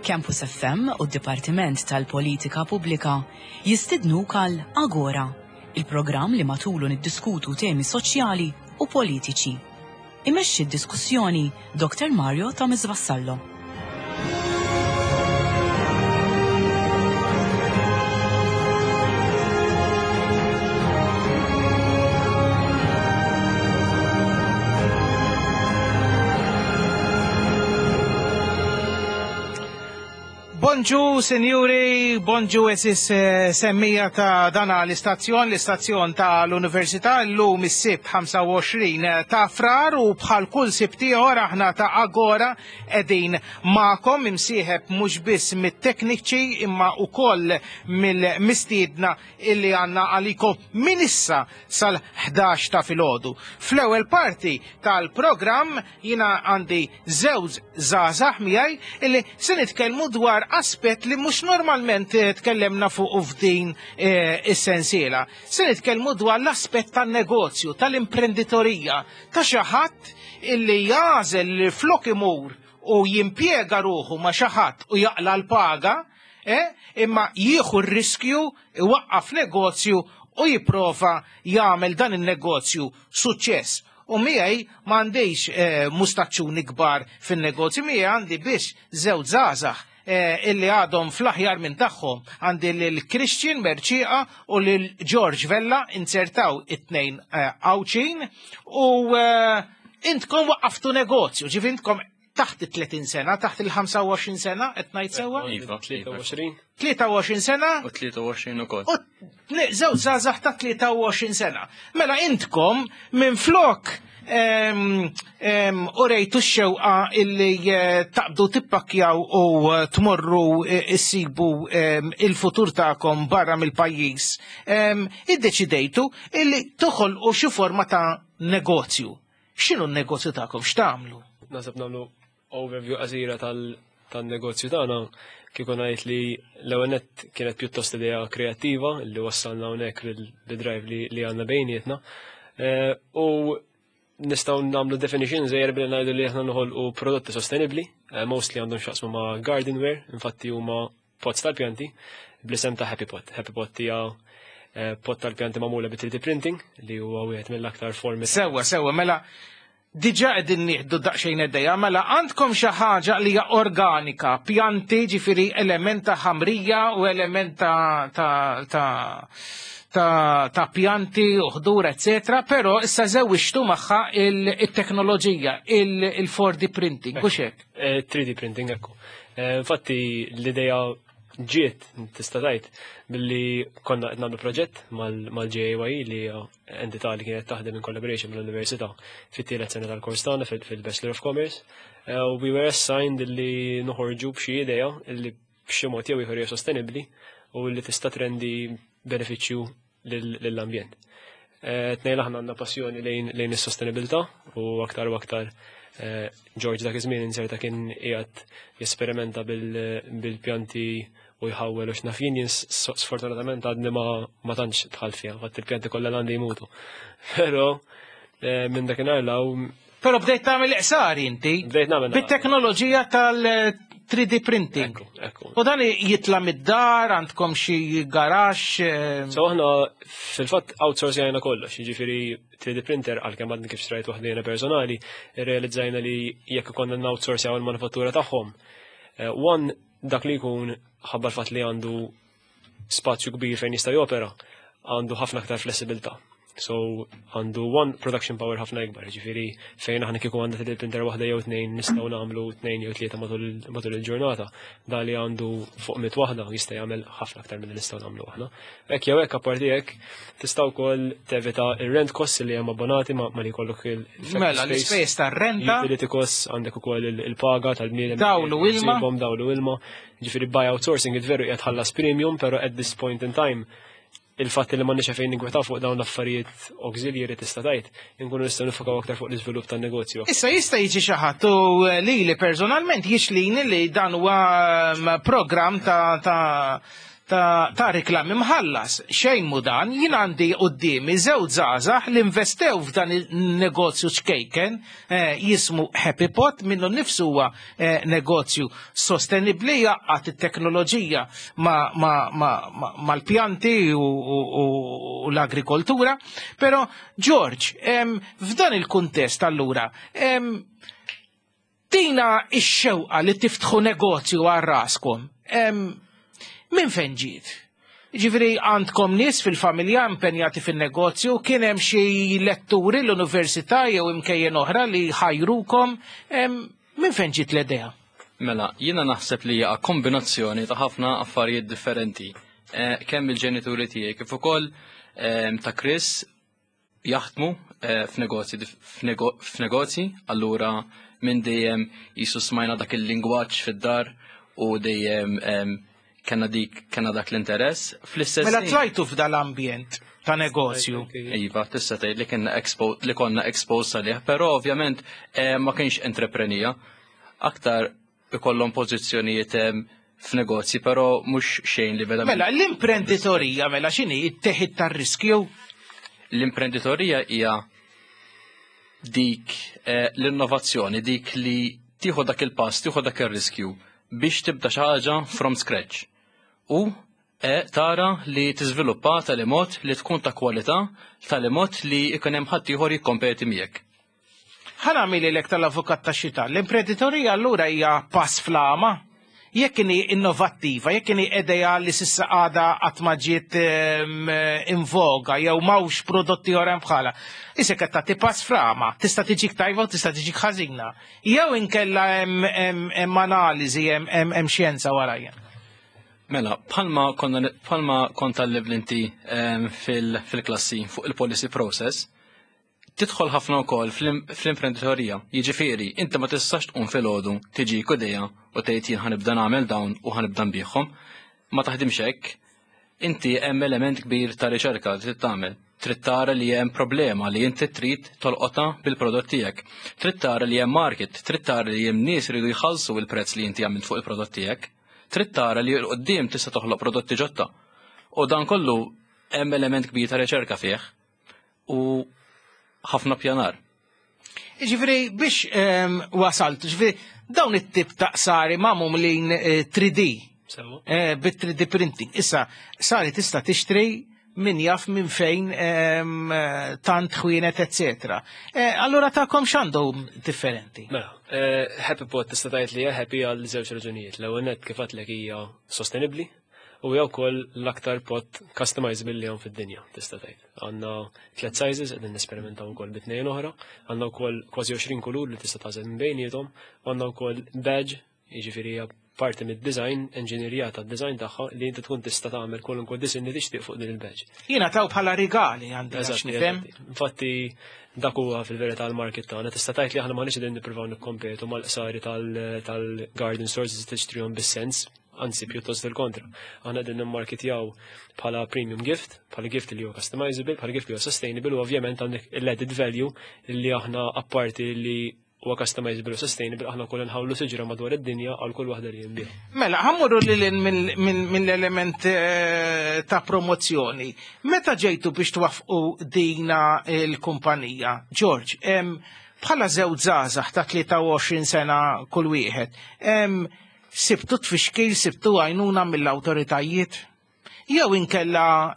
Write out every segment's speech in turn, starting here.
Campus FM u d-Dipartiment tal-Politika Pubblika jistidnuk għal Agora, il-programm li matulu niddiskutu temi soċjali u politiċi. Imexxi d-diskussjoni Dr. Mario Thomas Vassallo. Bonġu, sinjuri, bonġu eżis eh, semmija ta' dana l-istazzjon, l-istazzjon ta' l-Università, l-lum is-sibt 25 ta' frar u bħal kull sibt ieħor aħna ta' Agora qegħdin magħkom imsieħeb mhux biss mit-tekniċi imma wkoll mill-mistiedna illi għandna għalikom minn issa sal-11 ta' filgħodu. Fl-ewwel parti tal-programm Jiena għandi żewġ żgħażagħ miegħi illi se nitkellmu dwar aspett li mhux normalment eh, tkellemna fuq f'din eh, is-sensiela. Se nitkellmu dwar l-aspett tan-negozju, tal-imprenditorija, ta' xi ħadd illi jagħżel li flok imur u jimpjega ruħu ma' xi ħadd u jaqla l-paga, eh, imma jieħu r-riskju iwaqqaf negozju u jipprova jagħmel dan in-negozju suċċess. U miegħi m'għandix eh, mustaċċuni kbar fin-negozju, miegħi għandi biss żewġ żgħażagħ eh, illi għadhom fl-aħjar minn tagħhom. Għandi lil Christian Merċieqa u lil George Vella inzertaw it-tnejn eh, Għawdxin u intkom waqqaftu negozju, ġifi intkom taħt il-30 sena, taħt il-25 sena, qed ngħid sewwa? Iva, 23. 23 sena? U 23 ukoll. U żewġ żgħażagħ ta' 23 sena. Mela intkom minn flok u rejtu x-xewqa illi eh, taqbdu tippakkjaw u eh, tmorru eh, issibu il-futur tagħkom barra mill-pajjiż. Iddeċidejtu illi toħolqu xi forma ta' negozju. X'inhu n-negozju tagħkom? X'tagħmlu? Naħseb nagħmlu overview qasira tan-negozju tagħna kieku ngħid li l-ewwel nett kienet pjuttost idea kreattiva li wassalna hawnhekk bil-drive li għandna bejnietna. Eh, u nistgħu nagħmlu definition żejjer billi ngħidu li aħna noħolqu prodotti sostenibbli, eh, mostly għandhom x'jaqsmu ma' gardenware, infatti huma pots tal-pjanti bl-isem ta' Happy Pot. Happy Pot hija eh, pot tal-pjanti magħmula bi 3D printing li huwa wieħed mill-aktar formi. Sewwa, sewwa, mela diġà qegħdin nieħdu daqsxejn idea, mela għandkom xi ħaġa li hija organika, pjanti ġifieri element ta' ħamrija u element ta' ta' ta' ta', ta pjanti u ħdur, eccetera, però issa żewġtu magħha il-teknoloġija, il-4D printing, u hekk. 3D eh, printing, ekku. Eh, infatti l-idea ġiet tista' tgħid billi konna qed nagħmlu proġett mal-JAYE li hija entità li kienet taħdem in collaboration mal-Università fit-tielet sena tal-kors tagħna fil-Bachelor of Commerce. Eh, u we were assigned li noħorġu b'xi idea li b'xi mod jew ieħor hija sostenibbli u li tista' trendi benefiċċju lill-ambjent. Eh, tnejn aħna għandna passjoni lejn is-sostenibilità u aktar u aktar eh, George dak iż-żmien inserta kien qiegħed jesperimenta bil-pjanti u jħawwel u x'naf jien jien sfortunatament għadni ma tantx dħalt fiha, fatt il-pjanti kollha għandi jmutu. Però eh, minn dakinhar law Però bdejt tagħmel iqsar inti. Bdejt nagħmel. Bit-teknoloġija tal-3D printing. Ekku. U dan jitla mid-dar, għandkom xi garax. Eh, so aħna fil-fatt outsourcing kollox, jiġifieri 3D printer għalkemm għadni kif xtrajt waħdina personali, realizzajna li jekk konna n-outsourcjaw il-manufattura tagħhom. Eh, one dak li jkun ħabba l-fatt li għandu spazju kbir fejn jista' jopera, għandu ħafna aktar flessibilità. So għandu one production power ħafna ikbar, ġifieri fejn aħna kieku għandha 3D printer waħda jew tnejn nistgħu nagħmlu tnejn jew tlieta matul il-ġurnata. Da li għandu fuq 100 waħda jista' jagħmel ħafna aktar milli nistgħu nagħmlu aħna. Hekk jew hekk, apparti hekk, tista' wkoll tevita ir-rent costs li hemm abbonati ma li jkollok il Mela, l-ispejjeż tar-renta. Utility costs, għandek ukoll il-paga tal-bniedem. Dawlu ilma. Dawlu ilma. Ġifieri by outsourcing it veru qiegħed ħallas premium, però at this point in time il-fatt li m'għandniex fejn ninkwetaw fuq dawn l-affarijiet auxiliary, tista' tgħid, inkunu nistgħu nifokaw aktar fuq l-iżvilupp tan-negozju. Issa jista' jiġi xi ħadd u li personalment jixlini li dan huwa programm ta' reklami mħallas. Xejn mu dan, jien għandi qudiemi żewġ żgħażagħ li investew f'dan il-negozju ċkejken jismu Happy Pot, minnu nnifsu huwa negozju sostenibbli, jgħaqqad it-teknoloġija mal-pjanti u l-agrikoltura. Però George, f'dan il-kuntest allura, tina ix-xewqa li tiftħu negozju għal raskom, minn fejn ġiet? Ġifieri għandkom nies fil-familja impenjati fin-negozju, kien hemm xi letturi l-università jew imkejjen oħra li ħajrukom, minn fejn ġiet l-idea? Mela, jiena naħseb li hija kombinazzjoni ta' ħafna affarijiet differenti. Kemm il-ġenituri tiegħi kif ukoll ta' Chris jaħdmu f'negozji, allura minn dejjem jisu smajna dak il-lingwaġġ fid-dar u dejjem kellna dak l-interess. Fl-istess Mela tlajtu f'dal-ambjent ta' negozju. Iva, tista' tgħid li konna exposed għalih, però ovvjament ma kienx entreprenija. Aktar ikollhom pożizzjonijiet f'negozji, però mhux xejn li verament. Mela, l-imprenditorija, mela x'inhi, it-teħid tar-riskju? L-imprenditorija hija dik l-innovazzjoni, dik li tieħu dak il-pass, tieħu dak ir-riskju biex tibda xi ħaġa from scratch. U tara li tiżviluppa tali mod li tkun ta' kwalità, tali mod li jkun hemm ħadd ieħor jikkompeti miegħek. Ħa nagħmilhielek tal-avukat tax-xitan. L-imprenditorija allura hija pass fl-għama? Jekk inhi innovattiva, jekk inhi idea li s'issa għadha qatt ma ġiet in voga jew m'hawnx prodotti oħra bħala. Issa qed tagħti pass fl-għama, tista' tiġik tajba u tista' tiġik ħażina. Jew inkella hemm analiżi, hemm xjenza warajja. Mela, bħalma kont tgħallimt inti fil-klassi fuq il-policy process, tidħol ħafna wkoll fl-imprenditorija. Jiġifieri, inti ma tistax tqum filgħodu, tiġik idea u tgħid jien ħa nibda nagħmel dawn u ħa nibda nbigħhom. Ma taħdimx hekk. Inti hemm element kbir ta' riċerka li trid tagħmel. Trid tara li hemm problema li inti trid tolqotha bil-prodott tiegħek. Trid tara li hemm market, trid tara li hemm nies iridu jħallsu il-prezz li inti għamilt fuq il-prodott tiegħek. Trid tara li 'l quddiem tista' toħloq prodotti ġodda. U dan kollu hemm element kbir ta' riċerka fih u ħafna pjanar. Ġifieri biex wasalt, ġifieri dawn it-tip ta' qsari magħmulin 3D, bit-3D printing. Issa, qsari tista' tixtri min jaf minn fejn, tant ħwienet, eccetera. Allura tagħkom x'għandu differenti? Mela, Happy Pot tista' tgħid li hija happy għal żewġ raġunijiet. L-ewwel nett, kif għedtlek, hija sostenibbli u hija wkoll l-aktar pot customizable li hawn fid-dinja, tista' tgħid. Għandna tliet sizes, qegħdin nesperimentaw ukoll bi tnejn oħra, għandna wkoll kważi 20 kulur li tista' tagħżel minn bejniethom, għandna wkoll badge, jiġifieri hija parti mid-design, enġinierija tad-design tagħha li inti tkun tista' tagħmel kwalunkwe design li tixtieq fuq din il-badge. Jiena taw bħala rigali għandi għax nifhem. Infatti dak huwa fil-verità l-market tagħna. Tista' tgħid li aħna m'aħniex qegħdin nippruvaw nikkompetu mal-qsari tal-garden stores li tixtrihom bis-sens, anzi pjuttost il-kontra. Aħna qegħdin nimmarketjaw bħala premium gift, bħala gift li huwa customizable, bħala gift li huwa sustainable u ovvjament għandek l-added value li aħna apparti li huwa customizable u sustainable, aħna wkoll nħawlu siġra madwar id-dinja għal kull waħda li jinbigħ. Mela, ħa mmorru lil mill-element ta' promozzjoni. Meta ġejtu biex twaffqu dina il-kumpanija, George, bħala żewġ żgħażagħ ta' 23 sena kull wieħed, sibtu tfixkil, sibtu għajnuna mill-awtoritajiet? Jew inkella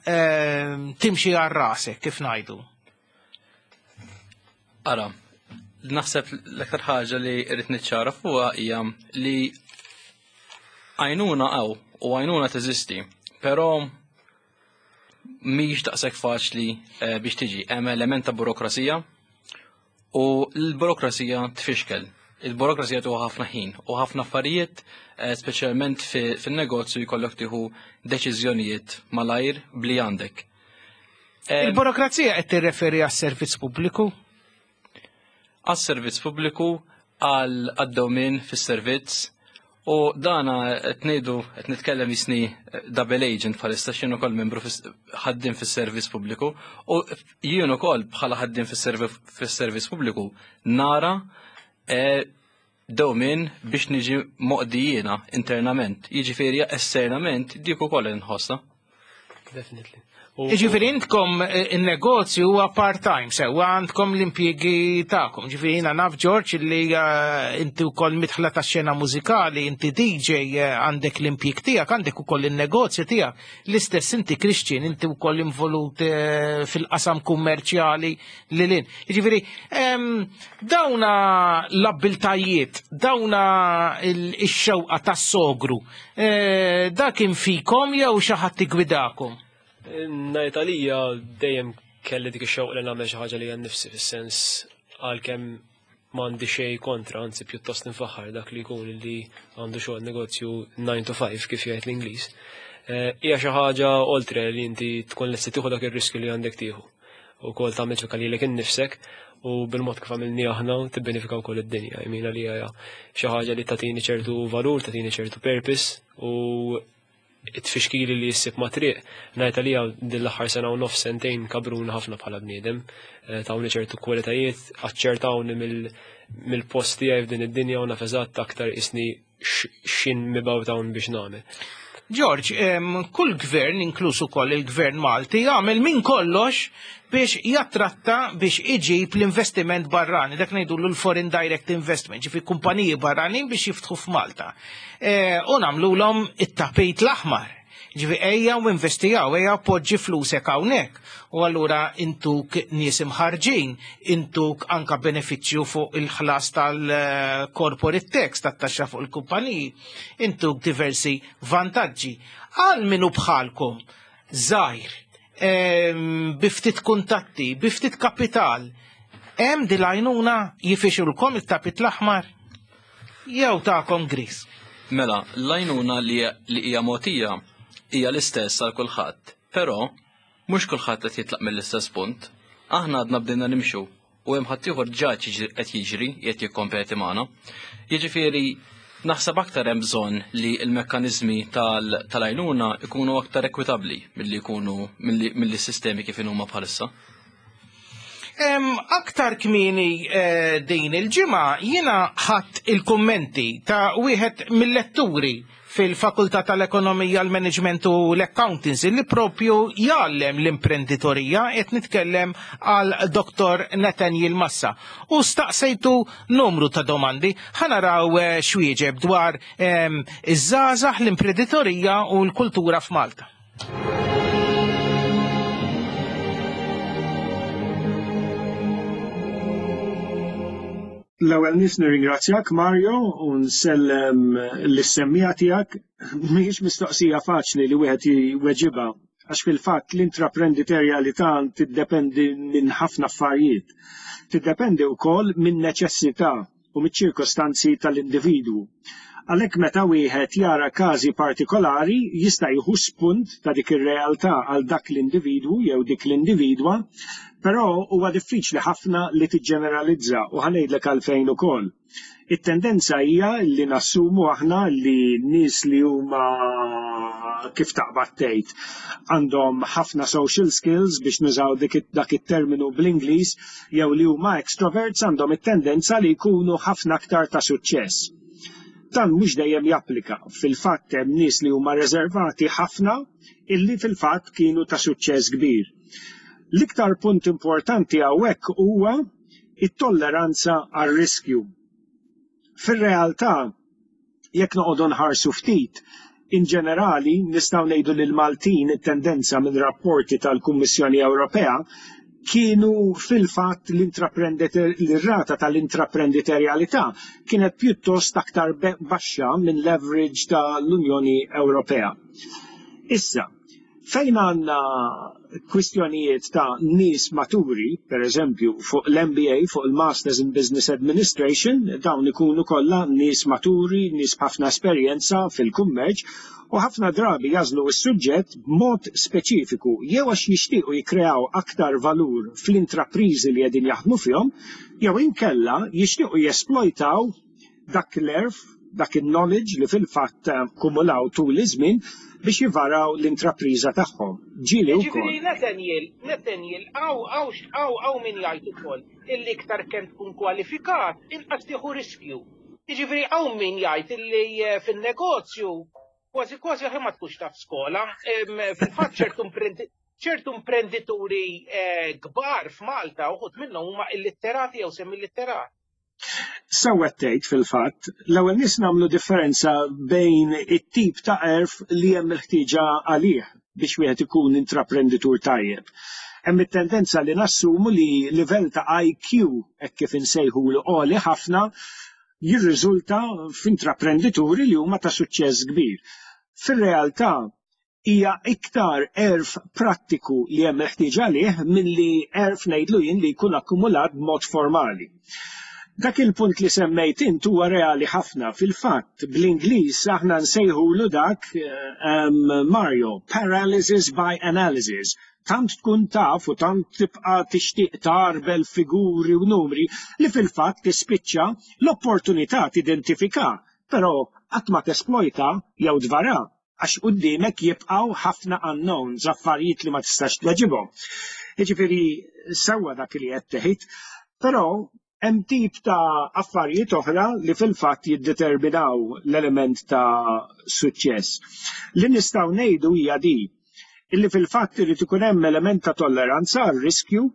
timxi għal rasek, kif ngħidu? Ara, naħseb l-aktar ħaġa li rrid niċċara fuqha hija li għajnuna hawn u għajnuna teżisti, però mhix daqshekk faċli eh, biex tiġi. Hemm element ta' burokrazija u l-burokrazija tfixkel. Il-burokrazija tuħu ħafna ħin u ħafna affarijiet, eh, speċjalment fin-negozju jkollok tieħu deċiżjonijiet malajr bli għandek. Il-burokrazija qed tirreferi għas-servizz pubbliku? Għas-servizz pubbliku, għal għad-dewmien fis-servizz u dana qed ngħidu qed nitkellem jisni double agent bħalissa x'jien ukoll membru ħaddiem fis-servizz pubbliku u jien ukoll bħala ħaddiem fis-servizz pubbliku nara e, dewmien biex niġi moqdi jiena internament. Jiġifieri esternament dik ukoll inħossha. Definitely. Ġifieri intkom eh, in-negozju huwa part-time, sewwa għandkom l-impjiegi tagħkom. Ġifieri jiena naf George li eh, inti wkoll midħla tax-xena mużikali, inti DJ eh, għandek l-impjieg tiegħek, għandek ukoll in-negozju tiegħek. L-istess inti Christian, inti wkoll involut fil-qasam kummerċjali li lin. Ġifieri dawna l-abbiltajiet, dawna x-xewqa tas-sogru, dak fikom jew xi ħadd igwidakom? Ngħid għalija dejjem kelli dik ix-xewqa li nagħmel xi ħaġa li nifsi fis-sens għalkemm m'għandi xejn kontra, anzi pjuttost nfaħħar dak li jkun li għandu xogħol negozju 9 to 5 kif jgħid l-Ingliż. Eh, hija xi ħaġa oltre li inti tkun lesti tieħu dak ir-riskju li għandek tieħu. Ukoll tagħmel ċekka lilek innifsek u bil-mod kif għamilni aħna tibbenefika wkoll id-dinja. Jmina li hija xi ħaġa li tagħtini ċertu valur, tagħtini ċertu purpose u it-tfixkili li jissib ma' triq, ngħid għalija din l-aħħar sena u nofs sentejn kabruna ħafna bħala bniedem, eh, tawni ċertu kwalitajiet, aċċertawni mill-post tiegħi f'din id-dinja u naf eżatt aktar isni xin mibgħut hawn biex nagħmel. George, kull gvern, inkluż ukoll il-gvern Malti, jagħmel minn kollox biex jattratta biex iġib l-investiment barrani, dak ngħidu l-foreign direct investment, ġifi kumpaniji barranin biex jiftħu f'Malta. E, u nagħmlulhom it-tapit l-aħmar. Ġifi ejja u investijaw, ejja poġġi flusek hawnhekk. U allura intuk nies imħarġin, intuk anka benefiċċju fuq il-ħlas tal-corporate tax, tat-taxxa fuq il-kumpaniji, intuk diversi vantaġġi. Għal minu bħalkom, żgħir, biftit kuntatti, biftit kapital, hemm dil-għajnuna jifixulkom it-tapit l-aħmar? Jew tagħkom gris? Mela, l-għajnuna li hija mogħtija hija l-istess għal kulħadd, però mhux kulħadd qed jitlaq mill-istess punt. Aħna għadna bdejna nimxu u hemm ħaddieħor ġa qed jiġri qed jikkompeti magħna. Jiġifieri naħseb aktar hemm bżonn li l-mekkaniżmi tal-għajnuna ikunu aktar ekwitabbli milli jkunu milli sistemi kif huma bħalissa. Aktar kmieni eh, din il-ġimgħa jiena ħadd il-kummenti ta' wieħed mill-letturi fil-Fakultà tal-Ekonomija, l-Management u l-Accountancy li propju jgħallem l-imprenditorija qed nitkellem għal Dr. Nathaniel Massa. U staqsejtu numru ta' domandi ħanaraw eh, xwieġeb dwar iż-żgħażagħ, l-imprenditorija u l-kultura f'Malta. L-ewwel nies nirringrazzjak Mario u nsellem lis-semmiegħa tiegħek. Mhijiex mistoqsija faċli li wieħed jweġibha għax fil-fatt l-intraprenditorjalità tiddependi minn ħafna affarijiet. Tiddependi wkoll minn neċessità u miċ-ċirkostanzi tal-individwu. Għalhekk meta wieħed jara każi partikolari jista' jieħu spunt ta' dik ir-realtà għal dak l-individwu jew dik l-individwa, però huwa diffiċli ħafna li tiġġeneralizza u ħa ngħidlek għalfejn ukoll. It-tendenza hija li nassumu aħna li nies li huma kif taqbad tgħid għandhom ħafna social skills biex nużaw dak it-terminu bl-Ingliż jew li huma extroverts għandhom it-tendenza li jkunu ħafna aktar ta' suċċess. Dan mhux dejjem japplika. Fil-fatt hemm nies li huma reservati ħafna illi fil-fatt kienu ta' suċċess kbir. L-iktar punt importanti hawnhekk huwa it-tolleranza għar-riskju. Fir-realtà, jekk noqogħdu nħarsu ftit, in ġenerali nistgħu ngħidu li l-Maltin it-tendenza minn rapporti tal-Kummissjoni Ewropea kienu fil-fatt l-rata tal-intraprenditorjalità kienet pjuttost aktar baxxa minn l-average tal-Unjoni Ewropea. Issa, Fejn għandna kwistjonijiet ta' nies maturi, per eżempju, fuq l-MBA, fuq il-Masters in Business Administration, dawn ikunu kollha nies maturi, nies b'ħafna esperjenza fil-kummerċ u ħafna drabi jagħżlu s-suġġett b'mod speċifiku jew għax jixtiequ jikkreaw aktar valur fl-intrapriżi li qegħdin jaħdmu fihom jew inkella jixtiequ jesplojtaw dak l-għerf, dak in-knowledge li fil-fatt akkumulaw tul iż-żmien biex jivaraw l-intrapriża tagħhom. Ġieli wkoll. Jiġifieri Nathaniel, Nathaniel, hawn hawn hawn hawn min jgħid ukoll illi iktar kemm tkun kwalifikat inqas tieħu riskju. Jiġifieri hawn min jgħid illi fin-negozju kważi kważi aħjar ma tkunx taf skola. Fil-fatt ċertu ċertu imprendituri kbar f'Malta uħud minnhom huma illitterati jew semillitterati. Sewwa qed tgħid fil-fatt, l-ewwel nies nagħmlu differenza bejn it-tip ta' għerf li hemm il-ħtieġa għalih biex wieħed ikun intraprenditur tajjeb. Hemm it-tendenza li nassumu li livell ta' IQ hekk kif insejħulu għoli ħafna jirriżulta f'intraprendituri li huma ta' suċċess kbir. Fir-realtà, hija iktar għerf prattiku li hemm il-ħtieġa għalih milli għerf ngħidlu jien li jkun akkumulat b'mod formali. Dak il-punt li semmejt int huwa reali ħafna. Fil-fatt, bl-Ingliż aħna nsejħulu dak Mario, paralysis by analysis. Tant tkun taf u tant tibqa' tixtieq tgħarbel figuri u numri li fil-fatt tispiċċa l-opportunità tidentifika, però qatt ma tesplojta jew tvara. Għax quddiemek jibqgħu ħafna unknowns, affarijiet li ma tistax tweġibhom. Jiġifieri sewwa dak li qed tgħid, però hemm tip ta' affarijiet oħra li fil-fatt jiddeterminaw l-element ta' suċċess. Li nistgħu ngħidu hija di, illi fil-fatt irid ikun hemm element ta' tolleranza għar-riskju.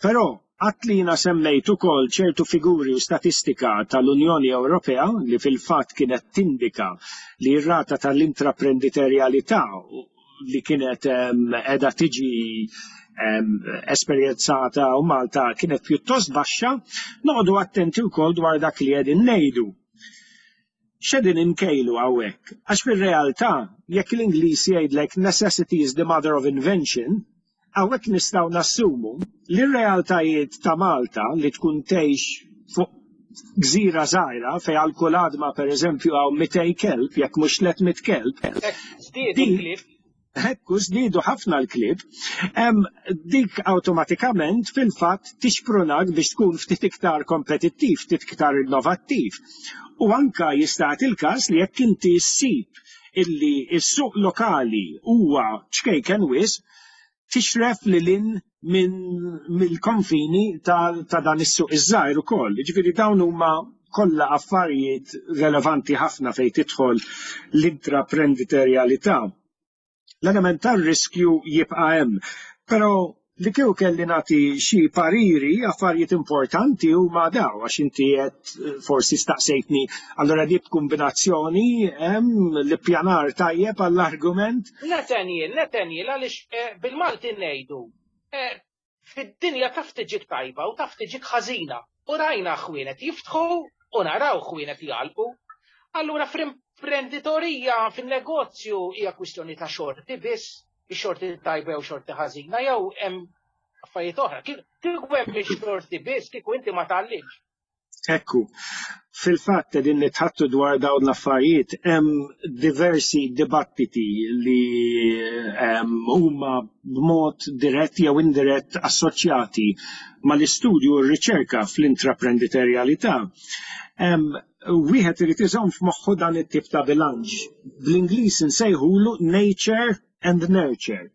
Però, għad li jiena semmejt ukoll ċertu figuri u statistika tal-Unjoni Ewropea li fil-fatt kienet tindika li r-rata tal-intraprenditerjalità li kienet qiegħda tiġi esperjenzata u Malta kienet pjuttost baxxa, noqogħdu attenti wkoll dwar dak li qegħdin ngħidu. X'qegħdin inkejlu hawnhekk? Għax fir-realtà, jekk l-Ingliż jgħidlek necessity is the mother of invention, Hawnhekk nistgħu nassumu li r-realtajiet ta' Malta li tkun tgħix fuq gżira żgħira fejn għal kull għadma pereżempju hawn 200 kelb jekk mhux 300 kelb. Żdiedu l-klieb. Ekku żdiedu ħafna l-klieb. Dik awtomatikament fil-fatt tixprunak biex tkun ftit iktar kompetittiv, ftit iktar innovattiv. U anka jista' jagħti l-każ li jekk inti ssib illi s-suq lokali huwa ċkejken wisq, tixref lil hinn minn mill-konfini ta' dan is-suq iż-żgħir ukoll. Jiġifieri dawn huma kollha affarijiet relevanti ħafna fejn tidħol l-intraprenditorjalità. L-element tar-riskju jibqa' hemm, però li kieku kelli nagħti xi pariri, affarijiet importanti huma daw għax inti qed forsi staqsejtni allura di b'kombinazzjoni hemm l-ippjanar tajjeb għall-argument. Nathaniel, Nathaniel għaliex eh, bil-Malti ngħidu eh, fid-dinja taf tiġik tajba u taf tiġik ħażina. U rajna ħwienet jiftħu u naraw ħwienet jgħalqu. Allura fl-imprenditorija, fin-negozju hija kwistjoni ta' xorti biss ix-xorti tajba jew xorti ħażina jew hemm affarijiet oħra. Kieku hemm ix-xorti biss, kieku inti ma tgħallimx. Ekku, fil-fatt qegħdin nitħattu dwar dawn l-affarijiet hemm diversi dibattiti li huma b'mod dirett jew indirett assoċjati mal-istudju u r-riċerka fl-intraprenditorjalità. Wieħed irid iżomm f'moħħu dan it-tip ta' bilanċ. Bl-Ingliż insejħulu nature and nurture.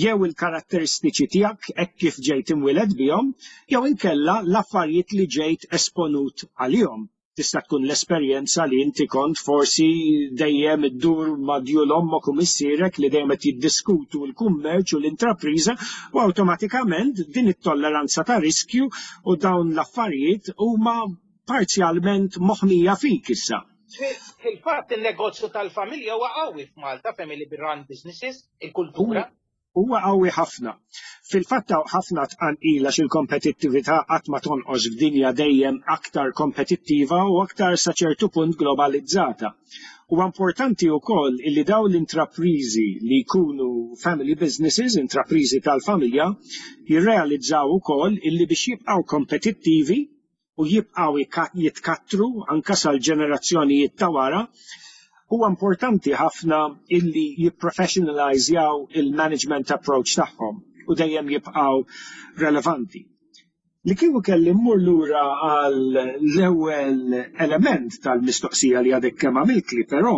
Jew il-karatteristiċi tiegħek hekk kif ġejt imwieled bihom, jew inkella l-affarijiet li ġejt esponut għalihom. Tista' tkun l-esperjenza li inti kont forsi dejjem iddur ma' djul ommok u missierek li dejjem qed jiddiskutu l-kummerċ u l-intrapriża u awtomatikament din it-tolleranza ta' riskju u dawn l-affarijiet huma parzjalment moħmija fik issa. Fil-fatt in-negozju tal-familja huwa qawwi f'Malta, family run businesses, il-kultura. Huwa qawwi ħafna. Fil-fatt hawn ħafna tqanqil għax il-kompetittività qatt ma tonqos f'dinja dejjem aktar kompetittiva u aktar sa ċertu punt globalizzata. Huwa importanti wkoll illi dawn l-intrapriżi li jkunu family businesses, intrapriżi tal-familja, jirrealizzaw ukoll illi biex jibqgħu kompetittivi u jibqgħu jitkattru anke sal-ġenerazzjonijiet ta' wara, huwa importanti ħafna illi jipprofessionalizzjaw il-management approach tagħhom u dejjem jibqgħu relevanti. Li kieku kelli mmur lura għal l-ewwel element tal-mistoqsija li għadek kemm għamiltli, però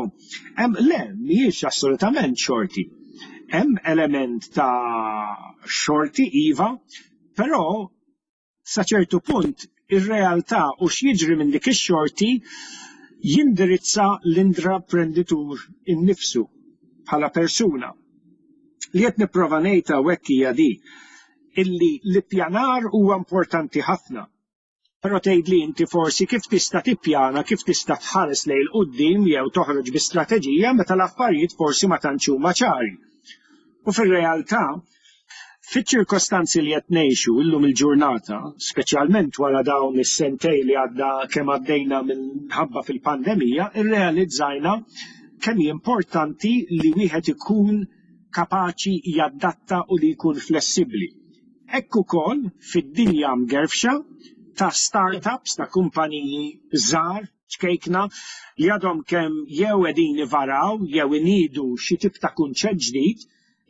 hemm le mhijiex assolutament xorti. Hemm element ta' xorti iva, però sa ċertu punt ir-realtà u x'jiġri minn dik ix-xorti jindirizza l-intraprenditur innifsu bħala persuna. Li qed nipprova ngħid hawnhekk hija di illi l-ippjanar huwa importanti ħafna. Però tgħidli inti forsi kif tista' tippjana, kif tista' tħares lejn 'il quddiem jew toħroġ bi strateġija meta l-affarijiet forsi ma tantx huma ċari. U fir-realtà, fiċ-ċirkostanzi li qed ngħixu illum il-ġurnata, speċjalment wara dawn is-sentejn li għadda kemm għaddejna minħabba fil-pandemija, irrealizzajna kemm hi importanti li wieħed ikun kapaċi jadatta u li jkun flessibbli. Hekk ukoll fid-dinja mgerfxa ta' startups, ta' kumpaniji żgħar, ċkejkna, li għadhom kemm jew qegħdin ivaraw jew iniedu xi tip ta' kunċett ġdid,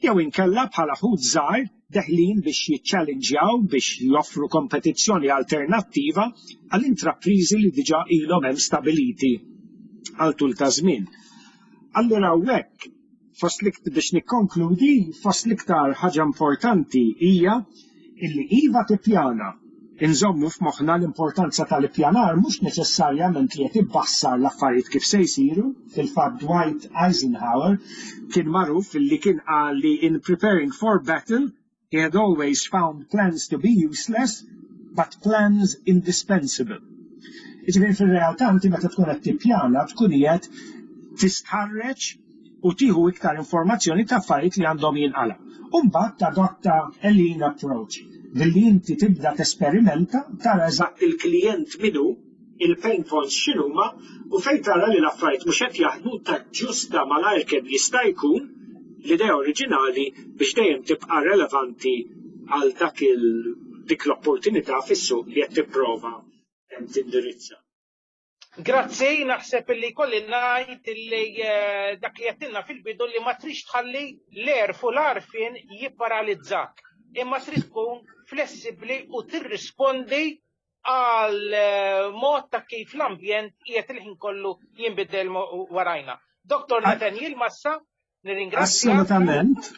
jew inkella bħala ħut żgħar deħlin biex jiċċallenġjaw biex joffru kompetizzjoni alternattiva għal intrapriżi li diġà ilhom hemm stabiliti għal tul ta' żmien. Allura hawnhekk fost biex nikkonkludi, fost l-iktar ħaġa importanti hija illi iva tippjana. Inżommu f'moħħna l-importanza tal-ippjanar mhux neċessarjament li qed ibbassar l-affarijiet kif se jsiru. Fil-fatt Dwight Eisenhower kien magħruf illi kien qal li in preparing for battle he had always found plans to be useless but plans indispensable. Jiġifieri fir-realtà inti meta tkun qed tippjana tkun qiegħed tistħarreġ u tieħu iktar informazzjoni ta' affarijiet li għandhom jinqala. U mbagħad tadotta a lean approach billi inti tibda tesperimenta tara eżatt il-klijent min hu, il-pain points x'inhuma u fejn tara li l-affarijiet mhux qed jaħdmu taġġusta malajr kemm jista' jkun l-idea oriġinali biex dejjem tibqa' relevanti għal dak il dik l-opportunità fis-suq li qed tipprova tindirizza. Grazzi, naħseb illi kolli ngħid illi dak li għedtilna fil-bidu li ma trix tħalli l-għerf u l-għarfien jipparalizzak, imma trid tkun flessibbli u tirrispondi għal mod ta' kif l-ambjent qiegħed il-ħin kollu jinbidel warajna. Dr. Nathaniel Massa, nirringrazzja. Assolutament.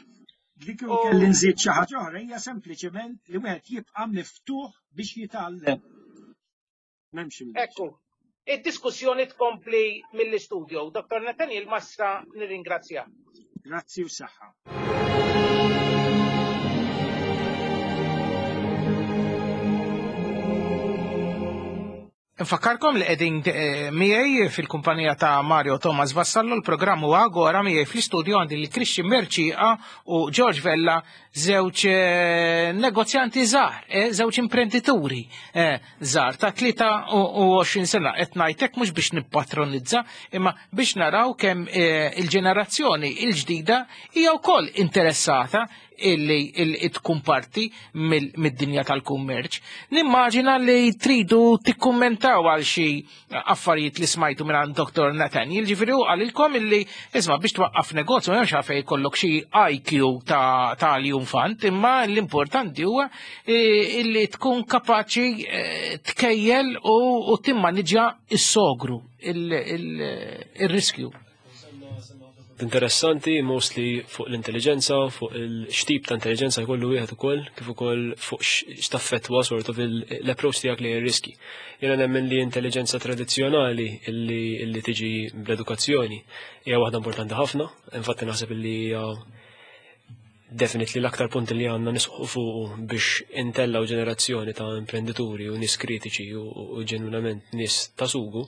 Li kieku kelli nżid xi ħaġa oħra hija sempliċement li wieħed jibqa' miftuħ biex jitgħallem. M'hemmx imdejx. Ekku, id-diskussjoni tkompli mill-istudio. Dr. Nathaniel Massa, nirringrazzja. Grazzi u saħħa. Nfakkarkom li qegħdin miegħi fil-kumpanija ta' Mario Thomas Vassallo, l-programm huwa Agora, miegħi fl-istudio għandi lil Christian Mercieca u George Vella, żewġ negozjanti żgħar, żewġ imprendituri żgħar ta' 23 sena. Qed ngħid hekk mhux biex nippatronizza, imma biex naraw kemm il-ġenerazzjoni l-ġdida hija wkoll interessata illi tkun parti mid-dinja tal-kummerċ. Nimmaġina li tridu tikkummentaw għal xi affarijiet li smajtu minn Dr. Nathaniel, ġifieri hu qalilkom illi isma' biex twaqqaf negozju m'hemmx għalfejn jkollok xi IQ ta' l-infant, imma l-importanti huwa illi tkun kapaċi tkejjel u timmaniġġja s-sogru, il-riskju. Interessanti, mostly fuq l-intelligenza, fuq il-xtip ta' intelligenza jkollu wieħed ukoll, kif ukoll fuq x'taffettwa sort of l-approach tiegħek lejn ir-riski. Jiena nemmen li intelligenza tradizzjonali illi tiġi bl-edukazzjoni hija waħda importanti ħafna, infatti naħseb illi hija definitely l-aktar punt li għandna nisħu fuq biex intellaw ġenerazzjoni ta' imprendituri u nies kritiċi u ġenwinament nies ta' sugu,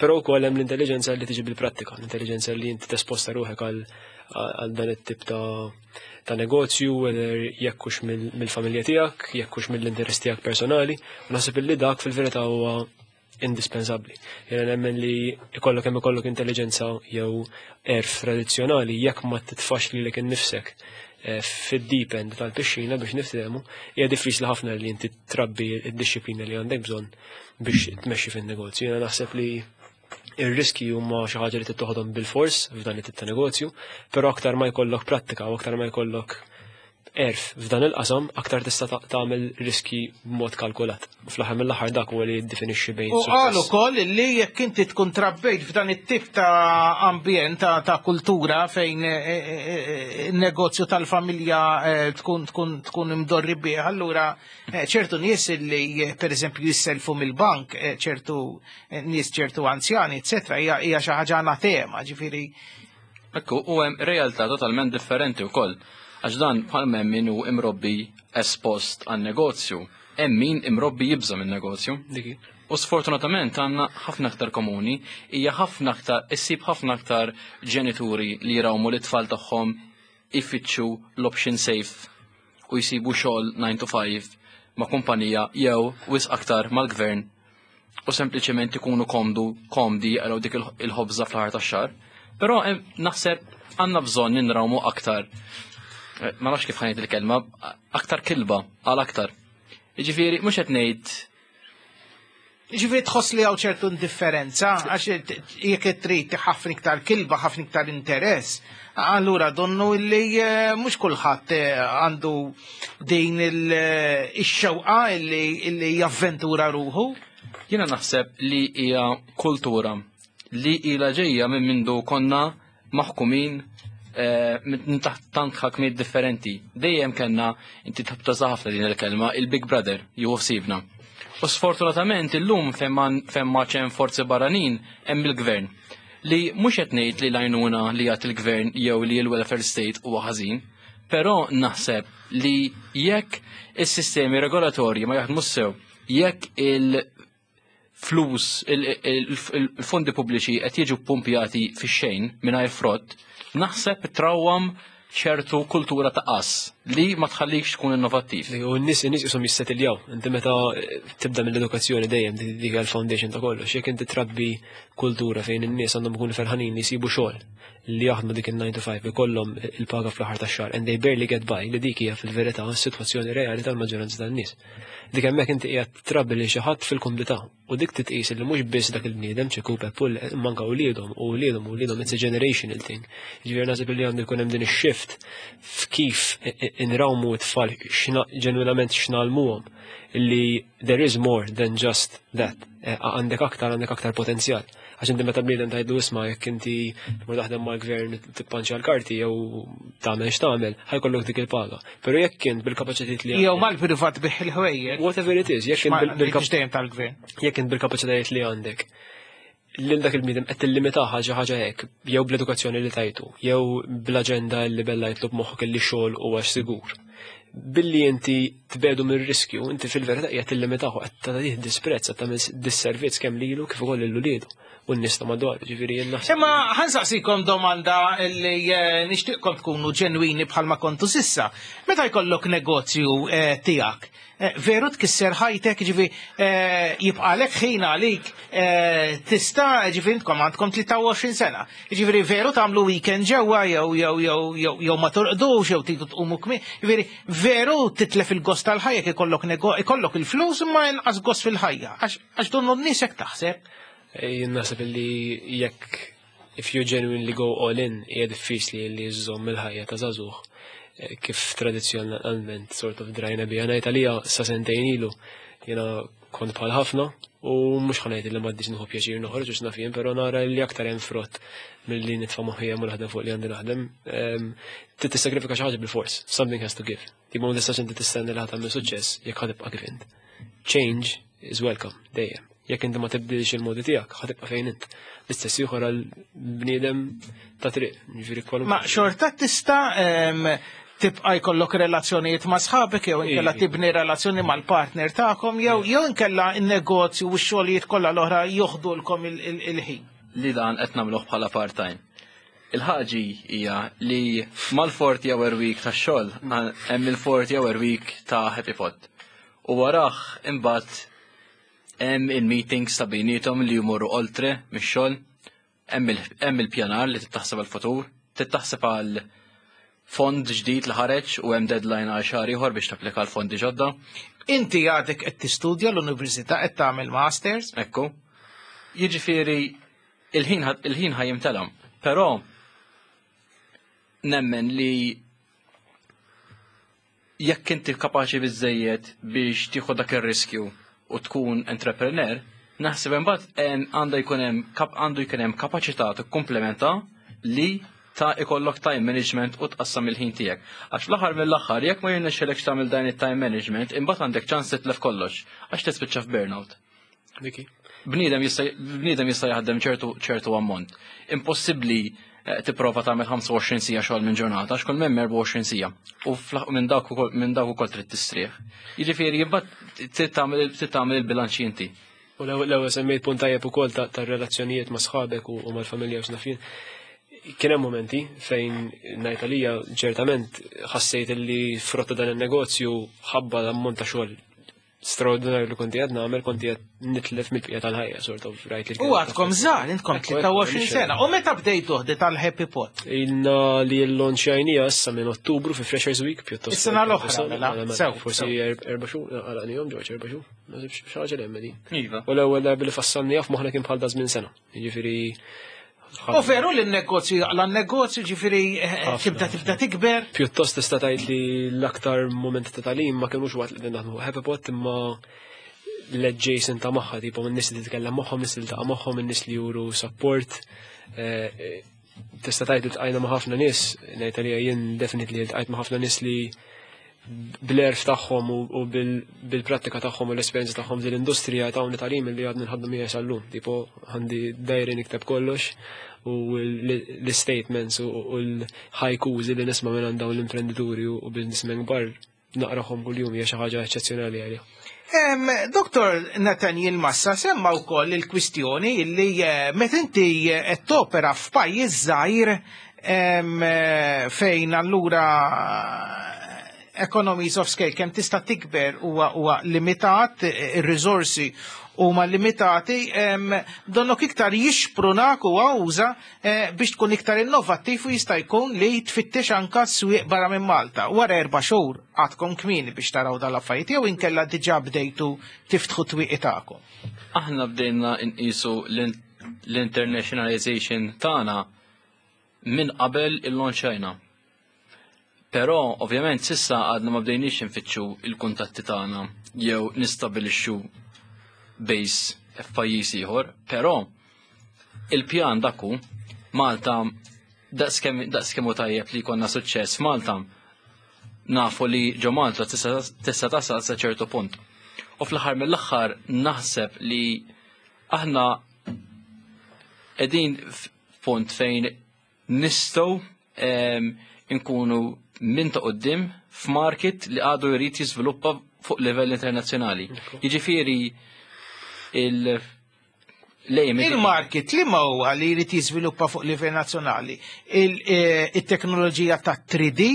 però wkoll hemm l-intelligenza li tiġi bil-prattika, l-intelligenza li inti tesposta ruħek għal dan it-tip ta' negozju, whether jekk hux mill-familja tiegħek, jekk hux mill-interess tiegħek personali, u naħseb illi dak fil-verità huwa indispensabbli. Jiena nemmen li ikollok hemm ikollok intelligenza jew għerf tradizzjonali, jekk ma titfax lilek innifsek fid-deep end tal-pixxina, biex niftehmu, hija diffiċli ħafna li inti trabbi id-dixxiplina li għandek bżonn biex tmexxi fin-negozju. Jiena naħseb li ir-riski huma xi ħaġa li tittoħodhom bil-fors f'dan it-tip ta' negozju, però aktar ma jkollok prattika u aktar ma jkollok għerf f'dan il-qasam, aktar tista' tagħmel riski b'mod kalkulat. Fl-aħħar mill-aħħar dak huwa li jiddefinixxi bejn U qal suċċess. Ukoll li jekk inti tkun trabbejt f'dan it-tip ta' ambjent ta' kultura fejn negozju tal-familja tkun imdorri bih, allura ċertu nies li pereżempju jisselfu mill-bank, ċertu nies, ċertu anzjani, eccetera, hija xi ħaġa anatema, ġifieri. Ekku, u hemm realtà totalment differenti wkoll. Għax dan bħal hemm min hu imrobbi espost għan negozju, hemm min imrobbi jibża minn negozju. Diki. U sfortunatament għandna ħafna aktar komuni, hija ħafna aktar, issib ħafna aktar ġenituri li jrawmu l-tfal tagħhom ifittxu l-option safe u jsibu xogħol 9 to 5 ma' kumpanija jew wisq aktar mal-gvern u sempliċement ikunu komdi jaqraw dik il-ħobża fl-aħħar tax-xahar. Però naħseb għandna bżonn ninrawmu aktar, ma nafx kif ħa ngħid il-kelma, aktar kilba għal aktar. Jiġifieri mhux qed ngħid Ġifieri tħoss li hawn ċertu indifferenza, għax jekk trid ħafna iktar kilba, ħafna iktar interess, allura donnu li mhux kulħadd għandu din ix-xewqa illi javventura ruħu. Jiena naħseb li hija kultura li ila ġejja minn mindu konna maħkumin minn taħt tant ħakmiet differenti. Dejjem kellna, inti tħobb ħafna din il-kelma, il-Big Brother jieħu ħsiebna. U sfortunatament illum fejn ma hemm forzi barranin hemm il-gvern. Li mhux qed ngħid li l-għajnuna li jagħti il-gvern jew li l-welfare state huwa ħażin, però naħseb li jekk is-sistemi regolatorji ma jaħdmu sew, jekk il-flus, il-fondi pubbliċi qed jiġu pumpjati fix-xejn mingħajr frott, naħseb trawwam ċertu kultura ta' qas li ma tħallikx tkun innovattiv. U n-nies jisom jissetiljaw. Inti meta tibda mill-edukazzjoni dejjem dik il-foundation ta' kollox. Jekk inti trabbi kultura fejn in-nies għandhom ikunu ferħanin li jsibu xogħol, li jaħdmu dik il-9 to 5, ikollhom il-paga fl-aħħar tax-xahar and they barely get by, li dik hija fil-verità s-sitwazzjoni reali tal-maġġoranza tan-nies. Dik hemmhekk inti qiegħed trabbi li xi ħadd fil-kumdità u dik titqis li mhux biss dak il-bniedem ċeku Peppull manka wliedhom u wliedhom u wliedhom, it's a generational thing. Ġifieri naħseb li għandu jkun hemm din ix-shift f'kif inrawmu t-tfal, ġenwinament x'ngħallmuhom li there is more than just that. Għandek aktar potenzjal. Għax inti meta bniedem tgħidlu, "Isma', jekk inti tmur taħdem mal-gvern tippanċja l-karti jew tagħmel x'tagħmel, ħa jkollok dik il-paga." Però jekk int bil-kapaċitajiet li Jew mal-privat bih il-ħwejjeġ. Whatever it is, jekk int dejjem tal-gvern. Jekk int bil-kapaċitajiet li għandek, lil dak il-bniedem qed tillimitah ħaġa ħaġa hekk, jew bl-edukazzjoni li tajtu, jew bl-aġenda li bella jitlob moħħok li xogħol huwa sigur. Billi inti tbedu mir-riskju, inti fil-verità qiegħed tillimitahu, qed tagħtih disprezz, qed tagħmel disservizz kemm lilu kif ukoll lil uliedu u n-nies ta' madwar, ġifieri jien naħseb. Imma ħa nsaqsikom domanda li nixtieqkom tkunu ġenwini bħalma kontu s'issa. Meta jkollok negozju tiegħek, veru tkisser ħajtek, ġifi jibqalek ħin għalik, tista', ġifi intkom għandkom 23 sena. Ġifieri veru tagħmlu weekend ġewwa jew ma torqdux jew tridu tqumu kmieni. Ġifieri veru titlef il-gost tal-ħajja jekk ikollok il-flus imma inqas gost fil-ħajja? Għax donnu n-nies hekk taħseb. Jien naħseb li jekk if you genuinely go all in, hija diffiċli li żżomm il-ħajja ta' żagħżugħ kif tradizzjonalment sort of drajna biha. Ngħid għalija, sa sentejn ilu jiena kont bħal ħafna u mhux ħa ngħid li m'għaddix nieħu pjaċir noħroġ u x'naf jien, però nara li aktar hemm frott milli nitfa' moħħi hemm u naħdem fuq li għandi naħdem. Trid tissagrifika xi ħaġa bil-fors, something has to give. Tipo ma tistax inti tistenni li ħa tagħmel suċċess jekk ħa tibqa' kif int. Change is welcome dejjem. Jekk inti ma tibdilx il-modi tiegħek, ħa tibqa' fejn int. L-istess ieħor għal bniedem ta' triq, ġifieri kwalunkwe. Ma xorta tista' tibqa' jkollok relazzjonijiet ma' sħabek jew inkella tibni relazzjoni mal-partner tagħkom jew inkella n-negozju u x-xogħlijiet kollha l-oħra joħdulkom il-ħin? Li dan qed nagħmluh bħala part-time. Il-ħaġi hija li mal-40 hour week tax-xogħol hemm il-40 hour week ta' Happy Pot. U warah imbagħad Hemm il-meetings ta' bejniethom li jmorru oltre mix-xogħol, hemm il-pjanar li titaħseb għal-futur, titaħseb għal fond ġdid li ħareġ u hemm deadline għal xahar ieħor biex tapplika l fondi ġodda. Inti għadek qed tistudja l-università, qed tagħmel masters. Ekku. Jiġifieri il-ħin ħa jimtela. Però nemmen li jekk inti kapaċi biżejjed biex tieħu dak ir-riskju u tkun entrepreneur, naħseb imbagħad għandu jkun hemm kapaċità tikkumplementa li ta' ikollok time management u tqassam il-ħin tiegħek. Għax fl-aħħar mill-aħħar, jekk ma jirnexxilekx tagħmel dan it-time management, imbagħad għandek ċans titlef kollox għax tispiċċa f'burnout. Diki. Bniedem jista' jaħdem ċertu ammont. Impossibbli tipprova tagħmel 25 siegħa xogħol minn ġurnata għax kull hemm 24 siegħa. U minn dak ukoll trid tistrieħ. Jiġifieri imbagħad trid tagħmel il-bilanċ inti. U l-ewwel semmejt punt tajjeb ukoll tar-relazzjonijiet ma' sħabek u mal-familja u x'naf jien. Kien hemm momenti fejn ngħid għalija ċertament ħassejt li frotta dan il-negozju, ħabba l-ammont ta' xogħol straordinarju li konti qed nagħmel, konti qed nitlef mill-bqija tal-ħajja, sort of, rajt li U għadkom żgħar, intkom 23 sena. U meta bdejtu tal-Happy Pot? Ilna li l-launchajnija issa minn Ottubru fi Freshers Week pjuttost. Is-sena l-oħra, mela. Sew. Forsi 4 xhur, għalaqnihom ġorġ 4 xhur. Naħseb xi ħaġa li hemm din. Iva. U l-ewwel darba li fassalni f'moħħna kien bħal da żmien sena. Jiġifieri U veru li n-negozju jaqla n-negozju, ġifieri tibda tikber? Pjuttost tista' tgħid li l-aktar momenti ta' tagħlim ma kinux waqt li qegħdin naħdmu Happy Pot, imma l-adjacent ta' magħha, tipo n-nies li titkellem magħhom, nies li tiltaqa' magħhom, in-nies li juru support. Tista' tgħid li ltqajna ma' ħafna nies, ngħid għalija jien definitely ltqajt ma' ħafna nies li bl-għerf tagħhom u bil-prattika tagħhom u l-esperjenza tagħhom din l-industrija tawni tagħlim li għadni nħaddmu miegħi sal-lum. Tipo għandi diary nikteb kollox u l-statements u l-haikus li nisma' minn dawn l-imprenditori u businessmen kbar naqrahom kuljum, hija xi ħaġa eċċezzjonali għalija. Dr. Nathaniel Massa semma wkoll il-kwistjoni li meta inti qed topera f'pajjiż żgħir fejn allura economies of scale, kemm tista' tikber huwa limitat, ir-riżorsi huma limitati, donnok iktar jixprunak u għawża biex tkun iktar innovattiv u jista' jkun li tfittex anka swieq barra minn Malta. Wara 4 xhur għadkom kmieni biex taraw dal-affarijiet jew inkella diġà bdejtu tiftħu twieqi tagħkom? Aħna bdejna nqisu l-internationalization tagħna minn qabel il-launchajna. Però, ovvjament, s'issa għadna ma bdejniex nfittxu il-kuntatti tagħna jew nistabilixxu base f'pajjiż ieħor, però il-pjan dak hu. Malta daqskemm hu tajjeb li jkollna suċċess Malta, nafu li ġo Malta tista' tasal sa ċertu punt. U fl-aħħar mill-aħħar naħseb li aħna qegħdin f'punt fejn nistgħu nkunu minn ta' quddiem f'market li għadu jrid jiżviluppa fuq livell internazzjonali. Jiġifieri il lejn Il-market li ma huwa li jrid jiżviluppa fuq livell nazzjonali, il-teknoloġija ta' 3D